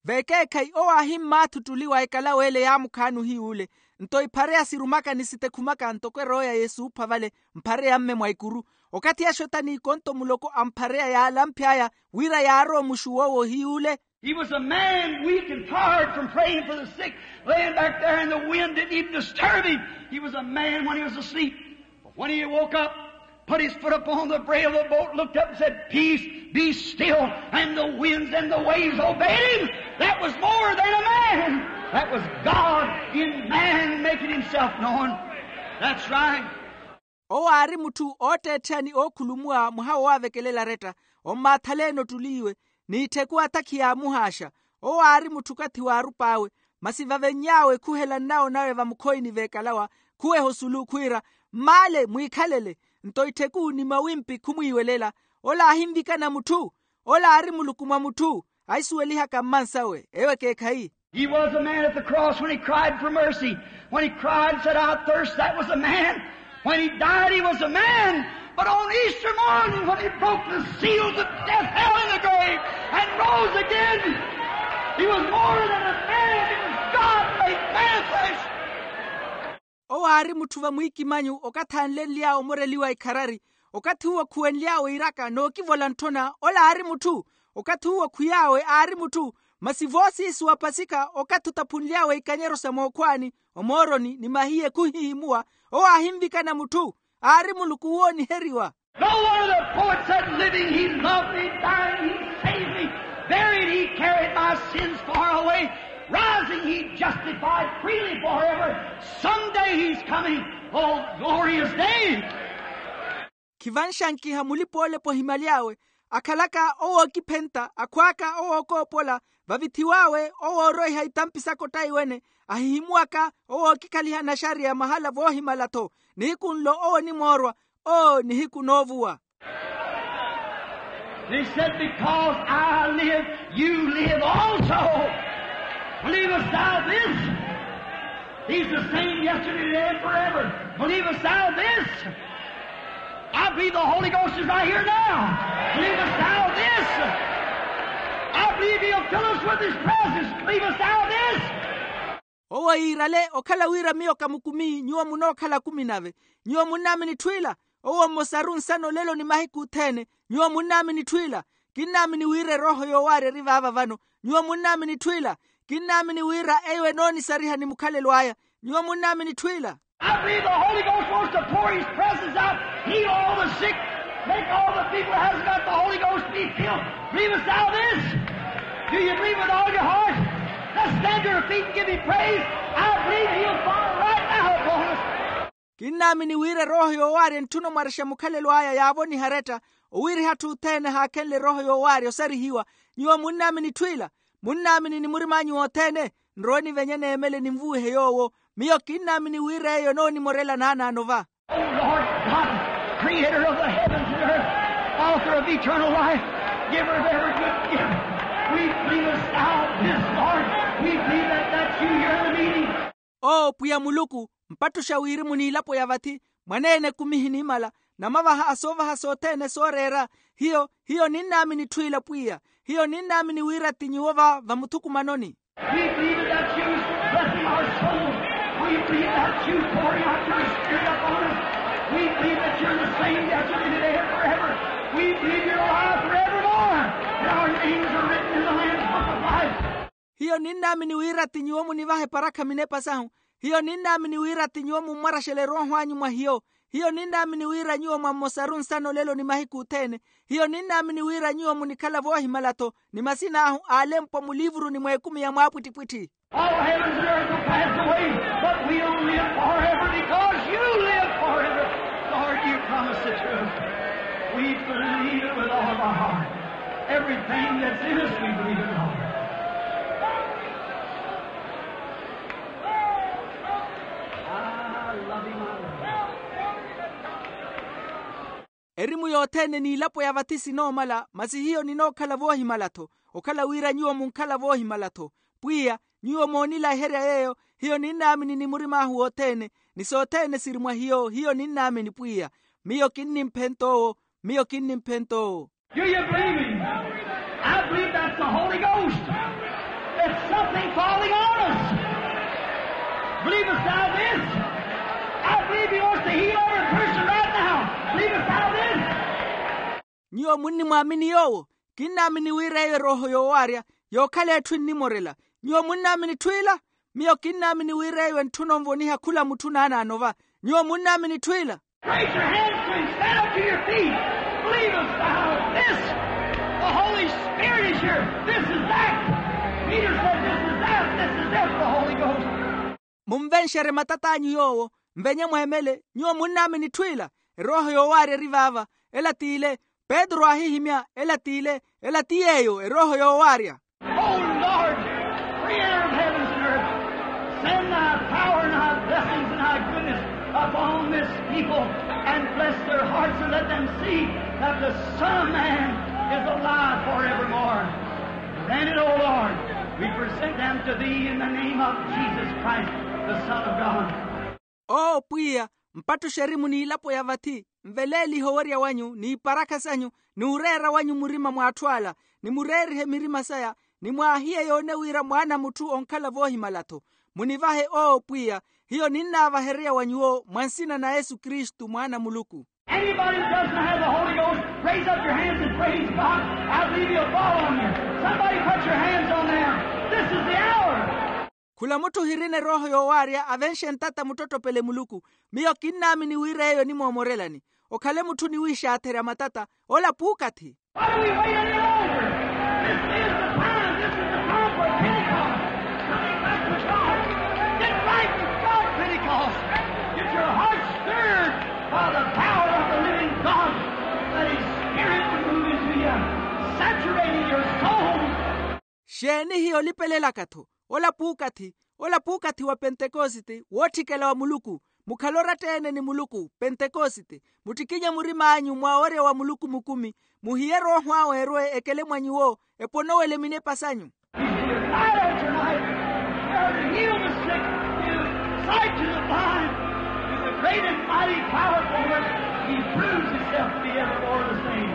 Vekeekhayi owo aahimmaathuttuliwa ekalaweele yaamukhaani ohiy'ule. Nto iphareya sirumaka ni sitekhumaka ntoko erooya yesuupha vale, mphareya mme mwa ikuru. Okathi axota n'ikonto muloko amphareya yaalamph'aya, wira yaarowa muxuwo wohiy'ule. He was a man weak and tired from praying for the sick, laying back there, and the wind didn't even disturb him. He was a man when he was asleep. But when he woke up, put his foot upon the brail of the boat, looked up and said, "Peace, be still," and the winds and the waves obeyed him. That was more than a man. That was God in man making himself known. That's right. Owo aari mutthu ootteetthani ookhulumuwa mwaha woowavekelela aretta, ommaathaleni ottuliiwe, n'ittheku atakhi yaamuhaaxa. Owo aari mutthu okathi waarup'awe, masi vavenny'awe khuhela nnawo nawe vamukhoyini veekalawa, khuweha osulu khwiira, mmaale mwiikhalele. Nto ittheku ni mawimpi khumwiiwelela. Ola aahinvikana mutthu. Ola aari muluku mwa mutthu. Ahisuwelihaka mmansawe ewo ekeekhayi. He was a man at the cross when he cried for mercy. When he cried and said, "I thirst," that was a man. When he died, he was a man. But on Easter morning, when he broke the seals of death, hell, and the grave, and rose again, he was more than a man. It was God made manifest. Owo aari mutthu vamwiikimanyu okathi aanlenly'awe omoreliwa ikharari, okathi uwo khuwenly'awe iraka nookivola ntthona, ola aari mutthu. Okathi uwo khwiy'awe aari mutthu, masi voosiisi wapasika okathi otaphunly'awe ikanyero sa mookhwaani, omooroni ni mahiye khuhihimuwa. Owo aahinvikana mutthu, aari muluku wooniheriwa. No wonder the poet said, "Living, he loved me, dying, he saved me, buried, he carried my sins far away, rising, he justified freely forever, someday he's coming, oh, glorious day." Khivanxankiha mulipa-olepa ohimaly'awe, akhalaka owookiphenta, akhwaaka owookoopola, vavithiw'awe owooroiha itampi saka ottaiwene, ahihimuwaka owookikhaliha naxariya mahala voohimala-tho. Nihiku nlo owo onimoorwa. Oo nihiku noovuwa. He said, "Because I live, you live also. Believest thou this? He's the same yesterday, today, and forever. Believest thou this? I believe the Holy Ghost is right here now. Believest thou this? I believe he'll fill us with his presence. Believest thou this?" Owo yiirale okhala wira miyo kamukumi, nyuwo munookhala akumi nave. Nyuwo munnaamini itthu ila? Owo mmosaru nsana olelo ni mahiku othene. Nyuwo munnaamini itthu ila? Kinnaamini wira erooho yoowaarya eri vaava vano. Nyuwo munnaamini itthu ila? Kinnaamini wira eyo enoonisariha ni mukhalelo aya. Nyuwo munnaamini itthu ila? I believe the Holy Ghost wants to pour his presence out, heal all the sick, make all the people that hasn't got the Holy Ghost be filled. Believest thou this? Do you believe with all your heart? Let's stand to our feet and give him praise. I believe he'll fall right now upon us. Kinnaamini wira erooho yoowaarya entthuna omwarexa mukhalelo aya yaavoniha aretta, owiiriha atthu othene haakhenle erooho yoowaarya osarihiwa. Nyuwo munnaamini itthu ila? Munnaamini ni murim'anyu wothene? Nrowe nivenye neemele ninvuwihe yoowo. Miyo kinnaamini wira eyo enoonimorela naanaano va. O Lord God, creator of the heavens and earth, author of eternal life, giver of every good gift, we believe a salve this, Lord. We believe that that's you here in the meeting. Oo pwiya muluku, mpattuxa wirimu n'ilapo ya vathi, mwaneene ekumi ehinimala, namavaha a soovaha sothene sooreera. Hiyo hiyo ninnaamini itthu ila pwiya. Hiyo ninnaamini wira ti nyuwo va vamuthukumanoni. We believe that you blessing our souls. We believe that you pouring out your spirit upon us. We believe that you're the same yesterday, today, and forever. We believe you're alive forevermore. And our names are written in the Lamb's Book of Life. Hiyo ninnaamini wira ti nyuwo munivaha eparakha minepa sahu. Hiyo ninnaamini wira ti nyuwo mummwaraxela erooho anyu mwa hiyo. Hiyo ninnaamini wira nyuwo mwa mmosaru nsana olelo ni mahiku othene. Hiyo ninnaamini wira nyuwo munikhala voohimala-tho, ni masin'ahu aalempwa muliivuruni mw'ekumi ya mwaapwittipwitthi. All heavens and earth will pass away, but we'll live forever because you live forever. Lord, you promised it to us. We believe it with all of our heart. Everything that's in us, we believe it, Lord. I love him, I love him. Erimu yothene n'ilapo ya vathi sinoomala, masi hiyo ninookhala voohimala-tho. Okhala wira nyuwo munkhala voohimala-tho. Pwiya, nyuwo moonilaherya yeeyo. Hiyo ninnaamini ni murim'ahu wothene, ni sothene siri mwa hiyo. Hiyo ninnaamini pwiya. Miyo kinnimphenta owo. Miyo kinnimphenta owo. Do you believe him? I believe that's the Holy Ghost. It's something falling on us. Believest thou this? I believe he wants to heal every person right now. Believest thou this? Nyuwo munnimwaamini yoowo? Kinnaamini wira eyo erooho yoowaarya yookhala etthu ennimorela. Nyuwo munnaamini etthu ila? Miyo kinnaamini wira eyo entthuna onvoniha khula mutthu naanaano va. Nyuwo munnaamini etthu ila? Raise your hands to him. Stand up to your feet. Believest thou this? The Holy Spirit is here. This is that. Peter said, "This is that. This is it, the Holy Ghost." Munvenxerye matat'anyu yoowo. Nvenye mweemele. Nyuwo munnaamini etthu ila? Erooho yoowaarya eri vaava. Ela t'ile. Petru aahihimya, ela t'ile. Ela ti yeeyo erooho yoowaarya. O Lord, creator of heavens and earth, send thy power and thy blessings and thy goodness upon this people, and bless their hearts, and let them see that the Son of Man is alive forevermore. Grant it, O Lord. We present them to thee in the name of Jesus Christ, the Son of God. Oo pwiya, mpattuxe erimu n'ilapo ya vathi, nveleelihe owerya wanyu n'iparakha sanyu, n'ureera wanyu murima mw'atthu ala, nimureerihe mirima saya, nimwaahiye yoone wira mwaana a mutthu onkhala voohimala-tho. Munivahe oo pwiya. Hiyo ninnaavahereya wa nyuwo mwa nsina na yesu kristu mwaana a muluku. Anybody who doesn't have the Holy Ghost, raise up your hands and praise God. I believe he'll fall on you. Somebody put your hands on there. This is the hour. Khula mutthu ohirina erooho yoowaarya avenxe ntata muttottopele muluku. Miyo kinnaamini wira eyo enimoomorelani. Okhale mutthu oniwiixaatherya matata. Ola puukathi. What are we waiting on? This is the time. This is the time for Pentecost. Coming back to God. Get right with God, Pentecost. Get your heart stirred by the power of the living God. Let his spirit move into you, saturating your soul. Xeeni hiyo olipelelaka-tho? Ola puukathi. Ola puukathi wa pentekosite wootthikela wa muluku. Mukhale oratta-ene ni muluku pentekosite. Muttikinye murim'anyu mwa owerya wa muluku mukumi. Muhiye erooho awe erwe ekele mwa nyuwo. Eponowele minepa sanyu. He's here right at your life. There to heal the sick, to give sight to the blind, to the great and mighty powerful work. He proves himself to be evermore the same.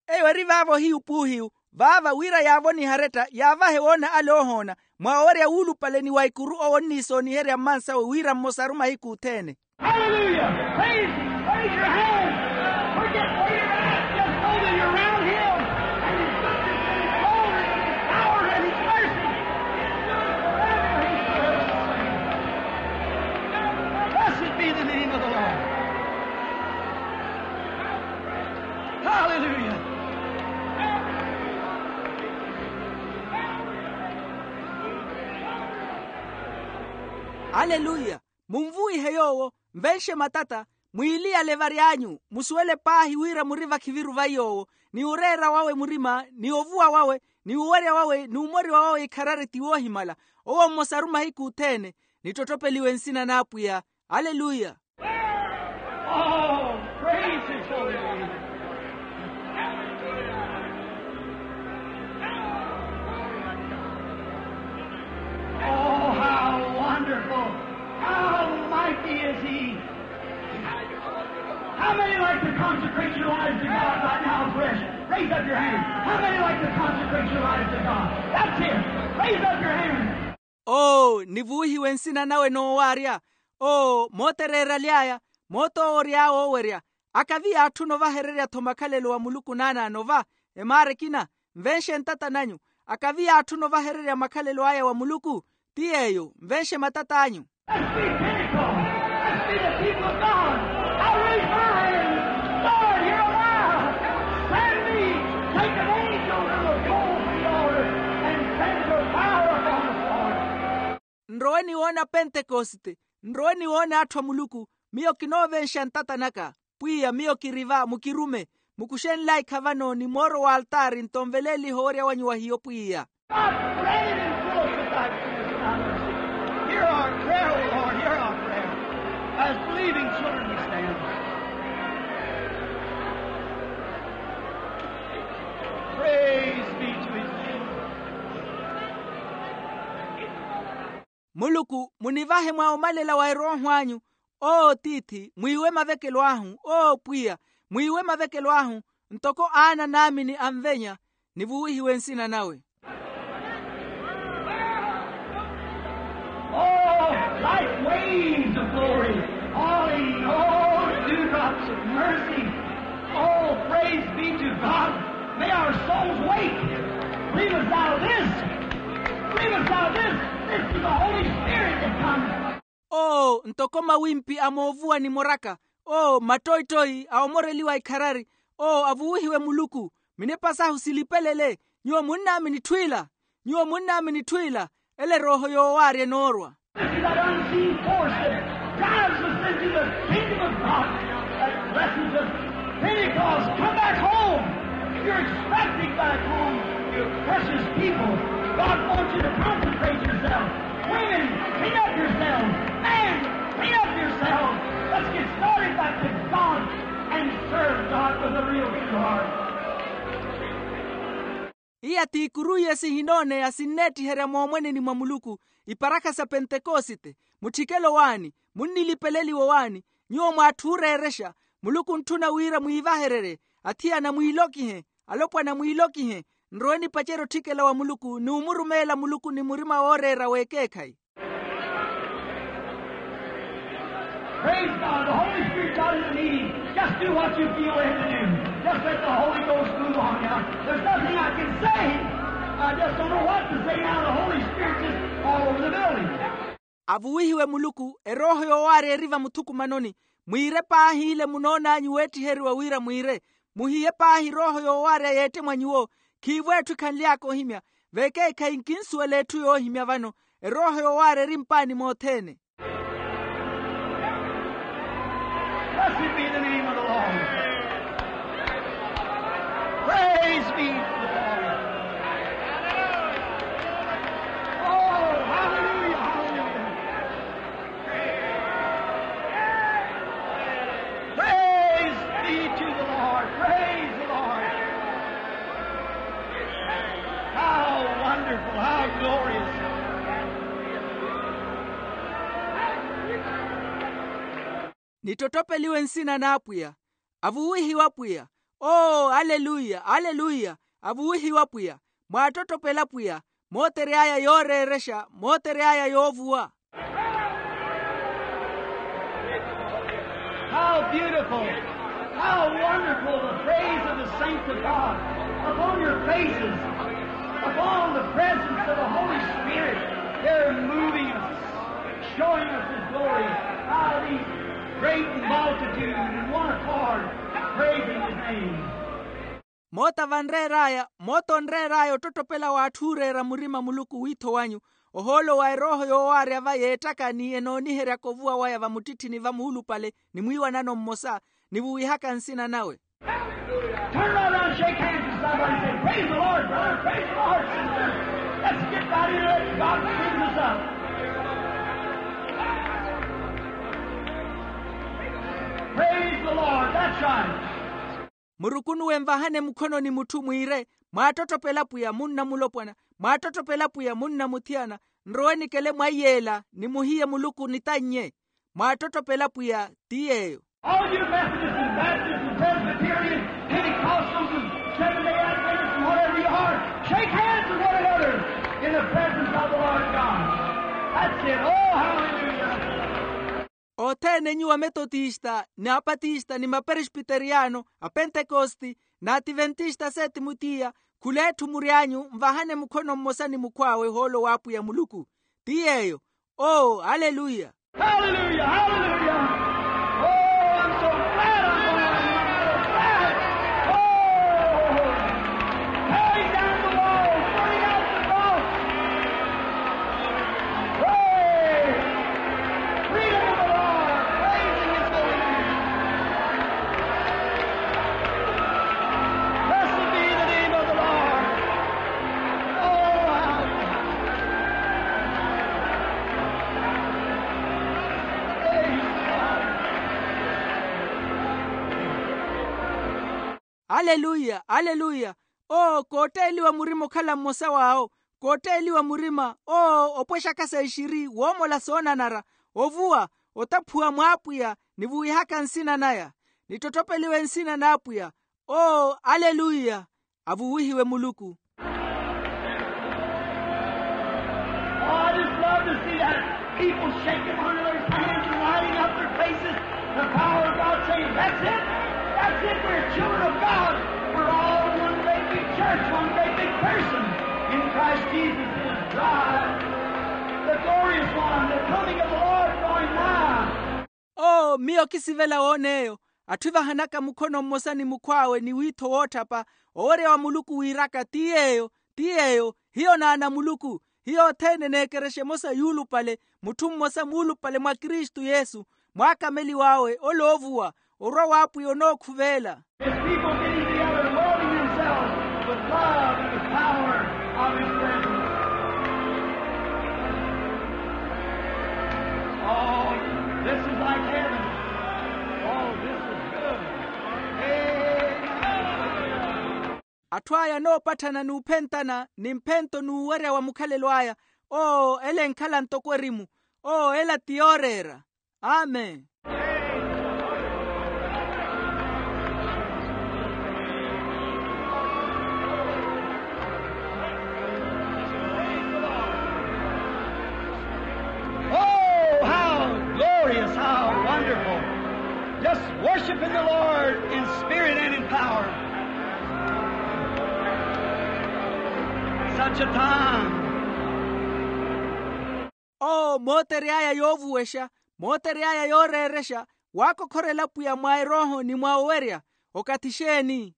Eyo eri vaavo hiyu puuhiyu, vaava wira yaavonihe aretta yaavahe woona ale oohoona, mwa owerya wuulupale ni wa ikuru owo onniisooniherya mmansawe wira mmosaru mahiku othene. Hallelujah. Praise him. Raise your hand. Forget where you're at. Just know that you're around him. And his goodness and his glory and his power and his mercy endures forever. He forever. Blessed be the name of the Lord. Hallelujah. Aleluya. Munvuwihe yoowo. Nvenxe matata. Mwiiliyale vary'anyu, musuwele paahi wira muri vakhiviru va yoowo, ni oreera wawe murima ni ovuwa wawe ni owerya wawe ni omoriwa wawe ikharari ti woohimala. Owo mmosaru mahiku othene. Nittotthopeliwe nsina n'apwiya. Aleluya. Oh, praise his holy name. Oh, how wonderful. How mighty is he. How many like to consecrate your lives to God right now, fresh? Raise up your hand. How many like to consecrate your lives to God? That's it. Raise up your hand. Oo nivuwihiwe nsina nawe noowaarya. Oo mootereeraly'aya. Mootoowory'awe owerya. Akavi yaatthuna ovahererya-tho makhalelo wa muluku naanaano va. Emaara ekina. Nvenxe ntata nanyu. Akavi yaatthuna ovahererya makhalelo aya wa muluku. Ti yeeyo nvenxe matat'anyu. Let's be Pentecost. Let's be the people of God. I raise my hand. Lord, here am I. Send me. Take an angel that will go over the altar and send your power upon us, Lord. Nrowe niwoona pentekosite. Nrowe niwoona atthu a muluku. Miyo kinoovenxa ntata naka. Pwiya miyo kiri va mukirume. Mukuxe nlaikha vano ni mooro w'altaari nto nveleelihe owerya wanyu wa hiyo pwiya. God, grant it in fullness of thy goodness and thy mercy. Hear our prayer, O Lord, hear our prayer. As believing children we stand. Praise be to his name. Muluku munivahe mwa omalela wa erooho anyu. Oo tiithi mwiiwe mavekelo ahu. Oo pwiya, mwiiwe mavekelo ahu. Ntoko aana naamini anvenya. Nivuwihiwe nsina nawe. Like waves of glory, falling, oh, dewdrops of mercy. Oh, praise be to God. May our souls wake. Believest thou this? Believest thou this? This is the Holy Spirit that comes. Oo, ntoko mawimpi a moovuwa ni moraka. Oo, mattoittoi a omoreliwa ikharari. Oo, avuwihiwe muluku. Minepa sahu silipelele. Nyuwo munnaamini itthu ila. Nyuwo munnaamini itthu ila. Ele erooho yoowaarya enoorwa. This is that unseen force that drives us into the kingdom of God. That blessed Pentecost, come back home. You're expecting back home your precious people. God wants you to consecrate yourself. Women, clean up yourselves. Men, clean up yourselves. Let's get started back to God and serve God with a real true heart. Iya t'ikuru iye sihinooneya sinneettiherya moomweneni mwa muluku. Iparakha sa pentekosite, mutthikelo waani, munnilipeleliwa waani, nyuwo mwaatthuureerexa. Muluku ontthuna wira mwiivahererye. Athiyana mwiilokihe, alopwana mwiilokihe. Nrowe nipacerye otthikela wa muluku ni omurumeela muluku ni murima wooreera w'ekeekhayi. Praise God. The Holy Spirit got in the meeting. Just do what you feel led to do. Just let the Holy Ghost move on you. There's nothing I can say. I just don't know what to say now. The Holy Spirit just all over the building. Avuwihiwe muluku, erooho yoowaarya eri vamuthukumanoni. Mwiire paahi ile munoon'anyu weetthiheriwa wira mwiire. Muhiye paahi erooho yoowaarya yeette mwa nyuwo. Khiivo etthu ekhanly'aka ohimya. Vekeekhayi nkinsuwela etthu yoohimya vano. Erooho yoowaarya eri mpaani mothene. Blessed be the name of the Lord. Praise be to the Lord. Oh, hallelujah, hallelujah. Praise be to the Lord. Praise the Lord. How wonderful, how glorious. Nittotopeliwe nsina n'apwiya. Avuwihiwe apwiya. Oo, aleluya, aleluya. Avuwihiwe apwiya. Mwaattottopela apwiya. Mootery'aya yooreerexa, mootery'aya yoovuwa. How beautiful, how wonderful the praise of the saints of God upon your faces, upon the presence of the Holy Spirit. They're moving us, showing us His glory. How these great multitude in one accord praising His name. Moota vanreer'aya, moota onreer'aya ottottopela w'atthu ooreera murima muluku wiitho wanyu. Ohoolo wa erooho yoowaarya va yeettaka ni enooniheryaka ovuwa waya vamuttitthini vamuulupale ni mwiiwanano mmosa, ni vuwihaka nsina nawe. Turn right around and shake hands with somebody and say, praise the Lord, brother, praise the Lord, sister. Let's get right into it. God brings us up. Praise the Lord. That's right. Murukunuwe nvahane mukhono ni mutthu mwiire, mwaattottopela apwiya munna mulopwana, mwaattottopela apwiya munna muthiyana. Nrowe nikele mwa iyeela ni muhiye muluku nitannye. Mwaattottopela apwiya ti yeeyo. All you Methodists and Baptists and Presbyterians, Pentecostals and Seventh-day Adventists and whatever you are, shake hands with one another in the presence of the Lord God. That's it. Oh, hallelujah. Othene nyuwo ametotista ni apatista ni maperespiteriyano, apentekosti, n'ativentista a setimutiya, khul'etthu mury'anyu nvahane mukhono mmosa ni mukhw'awe ohoolo w'apwiya muluku. Ti yeeyo. Oo, aleluya. Hallelujah, hallelujah. Oh, I'm so glad I'm going to, I'm so glad. Oh, tearing down the walls, burning out the cross. Praise. Freedom of the Lord. Praising His holy name. Blessed be the name of the Lord. Oh, how Aleluya, aleluya. Oo, kootteeliwa murima okhala mmosa w'awo. Kootteeliwa murima, oo, opwexaka sexiri woomola soonanara, ovuwa, otaphuwa mw'apwiya, ni vuwihaka nsina naya. Nittotopeliwe nsina n'apwiya. Oo, aleluya. Avuwihiwe muluku. Oh, I just love to see that. People shaking one another's hands and lighting up their faces. The power of God saying, that's it. That's it. We're children of God. We're all one great big church, one great big person in Christ Jesus is God. The glorious one, the coming of the Lord drawing nigh. Oo miyo kisivela woon'eyo. Atthu evahanaka mukhono mmosa ni mukhw'awe ni wiitho wootthapa, owerya wa muluku wiiraka ti yeeyo, ti yeeyo. Hiyo naana muluku. Hiyo othene eneekerexa emosa yuulupale, mutthu mmosa muulupale mwa kristu yesu, mwaakameliw'awe ole oovuwa. Orwa w'apwiya onookhuveela. His people getting together and welding themselves with love and with power of his presence. Oh, this is like heaven. Oh, this is good. Amen. Atthu aya anoopatthana n'uphentana ni mphento n'uwerya wa mukhalelo aya. Oo ela enkhala ntoko erimu. Oo ela ti yooreera. Amen. Oh, how glorious, how wonderful. Just worshiping the Lord in spirit and in power. Such a time. Oo mootery'aya yoovuwexa, mootery'aya yooreerexa, waakokhorela pwiya mwa erooho ni mwa owerya. Okathi xeeni?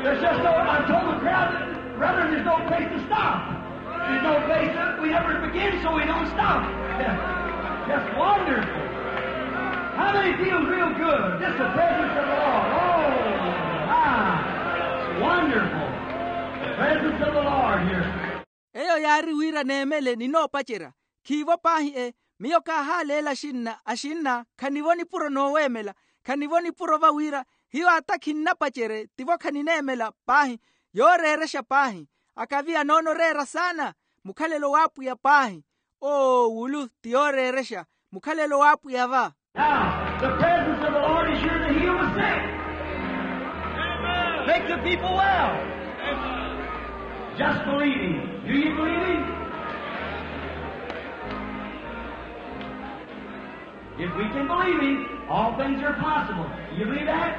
There's just no, I told the crowd, brethren, there's no place to stop. There's no place to, we never begin, so we don't stop. Just wonderful. How many feel real good? Just the presence of the Lord. Oh, my. It's wonderful. The presence of the Lord here. Eyo yaari wira neemele ninoopacerya. Khiivo paahi e. Miyo kaahaaleela axinna axinna khanivo nipuro nooweemela. Khanivo nipuro va wira hiyo ata khinnapacerye tivo khanineemela paahi. Yooreerexa paahi. Akavi anoona oreera saana. Mukhalelo w'apwiya paahi. Oo wulu ti yooreerexa. Mukhalelo w'apwiya va. Now the presence of the Lord is here to heal the sick, make the people well. Just believing. Do you believe him? If we can believe him, all things are possible. Do you believe that?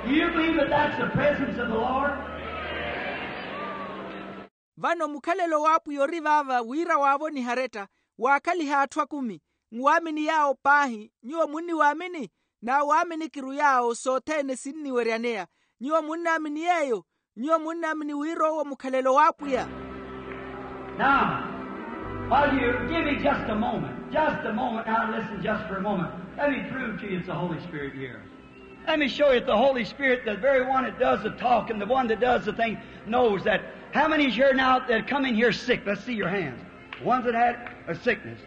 Do you believe that that's the presence of the Lord? Vano mukhalelo w'apwiya ori vaava wira waavoniha aretta. Waakhaliha atthu akumi. Nwaamini yaawo paahi. Nyuwo munniwaamini? Naawaaminiki-ru yaawo sothene sinniweryaneya. Nyuwo munnaamini yeeyo? Nyuwo munnaamini wira owo mukhalelo w'apwiya? Now, while you give me just a moment, just a moment, now listen just for a moment. Let me prove to you it's the Holy Spirit here. Let me show you that the Holy Spirit, the very one that does the talking, the one that does the thing, knows that. How many is here now that come in here sick? Let's see your hands. Ones that had a sickness.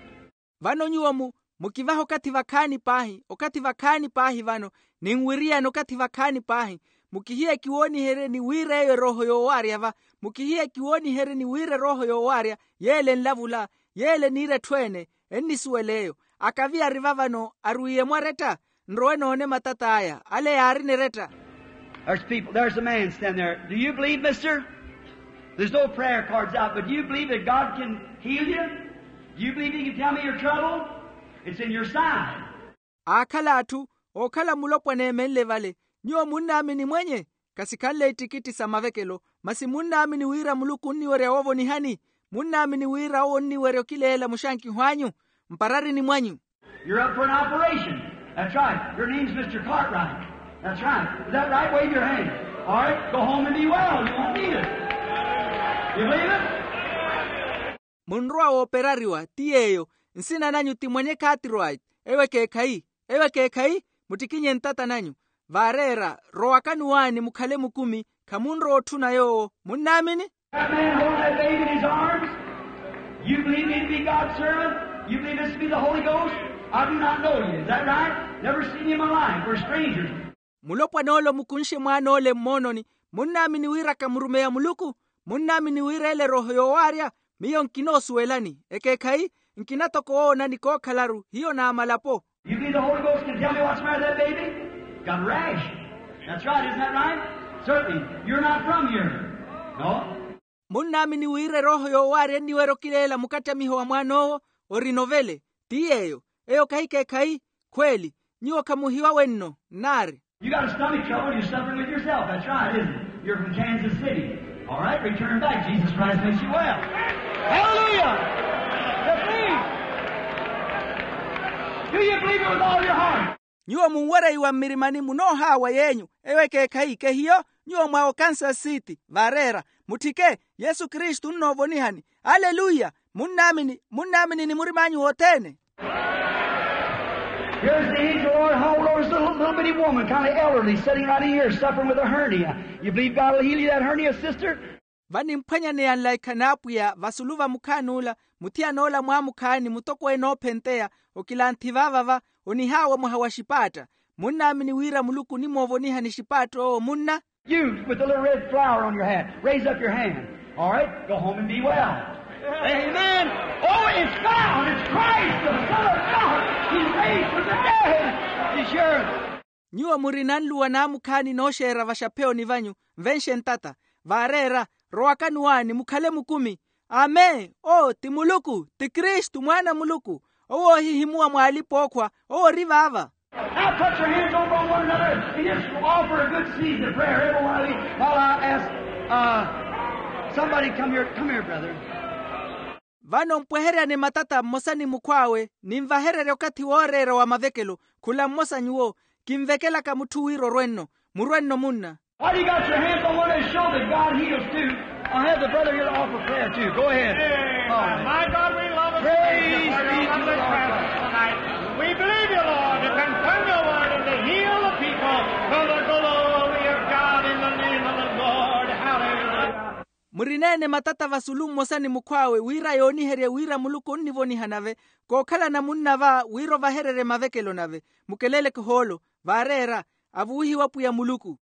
Vano nyuwo mu mukivahe okathi vakhaani paahi, okathi vakhaani paahi vano. Ninwiriyani okathi vakhaani paahi. Mukihiye kiwooniherye ni wira eyo erooho yoowaarya va. Mukihiye kiwooniherye ni wira erooho yoowaarya yeela enlavula. Yeela eniira etthu ene. Ennisuwela eyo. Akavi ari va vano arwiiye mwaretta. Nrowe noone matat'aya ale yaarina eretta. There's people, there's a man standing there. Do you believe, mister? There's no prayer cards out, but do you believe that God can heal you? Do you believe he can tell me your trouble? It's in your side. Aakhala atthu. Ookhala mulopwana eemenle vale. Nyuwo munnaamini mwenye? Kasikhanle ittikitti sa mavekelo. Masi munnaamini wira muluku onniwerya woovonihani? Munnaamini wira owo onniwerya okileela muxankiho anyu mpararini mwanyu? You're up for an operation. That's right. Your name's Mister Cartwright. That's right. Is that right? Wave your hand. All right. Go home and be well. You won't need it. You believe it? Munrowa wooperariwa ti yeeyo. Nsina nanyu ti mwenye cartwright. Eyo ekeekhayi. Eyo ekeekhayi. Muttikinye ntata nanyu. Vaareera rowakani waani mukhale mukumi. Khamunrowa otthuna yoowo. Munnaamini? That man holding that baby in his arms, you believe me to be God's servant? You believe this to be the Holy Ghost? I do not know you. Is that right? Never seen you in my life. We're strangers. Mulopwan'ole omukunxe mwaan'ole mmoononi. Munnaamini wira kamurumeya muluku? Munnaamini wira ele erooho yoowaarya? Miyo nkinoosuwelani ekeekhayi. Nkina toko woona ni kookhalaru hiyo n'amalapo. You believe the Holy Ghost can tell me what's the matter with that baby? Got a rash. That's right, isn't that right? Certainly. You're not from here. No. Munnaamini wira erooho yoowaarya enniwerya okileela mukattamiho wa mwaan'owo? Ori novele. Ti yeeyo. Eyo kahi ekeekhayi. Khweeli. Nyuwo khamuhiwa wenno. Nnaari. You got a stomach trouble, you're suffering with yourself. That's right, isn't it? You're from Kansas City. All right, return back. Jesus Christ makes you well. Hallelujah. That's me. Do you believe it with all your heart? Nyuwo munwereiwa mmirimani munoohaawa yeenyu. Eyo ekeekhayi kehiyo. Nyuwo mwa okansasi city vaareera. Mutthike. Yesu kristu onnoovonihani. Aleluya. Munnaamini munnaamini ni murim'anyu wothene. Here's the angel of the Lord. How old is the little, little bitty woman, kind of elderly, sitting right in here, suffering with a hernia? You believe God will heal you that hernia, sister? Vanimphwanyaneya nlaikha n'apwiya vasulu va mukhaani ula. Muthiyan'ola mwaamukhaani mutokweene oophenteya. Okilanthi vaava va onihaawa mwaha wa xipaatta. Munnaamini wira muluku onimoovoniha ni xipaatta owo munna? You with the little red flower on your hat, raise up your hand. All right, go home and be well. Amen. Oh, it's found. It's Christ, the Son of God. He's raised from the dead. He's yours. Nyuwo murina nluwa n'amukhaani nooxeera vaxapheyoni vanyu. Nvenxe ntata. Vaareera. Rowakani waani mukhale mukumi. Amen. Owo ti muluku, ti kristu mwaana a muluku. Owo oohihimuwa mw'alipa ookhwa. Owo ori vaava. Now put your hands over on one another and just offer a good season of prayer every one of you while I ask, uh, somebody come here, come here, brother. Vano mpweheryane matata mmosa ni mukhw'awe. Ninvahererye okathi wooreera wa mavekelo. Khula mmosa nyuwo. Kinvekelaka mutthu wira orwenno. Murwenno munna. While you got your hands on one and show that God heals too, I'll have the brother here to offer prayer too. Go ahead. All right. My God, we love us. Praise be to the Lord. We believe you, Lord, to confirm your word and to heal the people for the glory of God in the name of the Lord. Hallelujah. Murineene matata vasulu mmosa ni mukhw'awe wira yooniherye wira muluku onnivoniha nave. Kookhalana munna va wira ovahererye mavekelo nave. Mukeleleke ohoolo. Vaareera. Avuwihiwa pwiya muluku.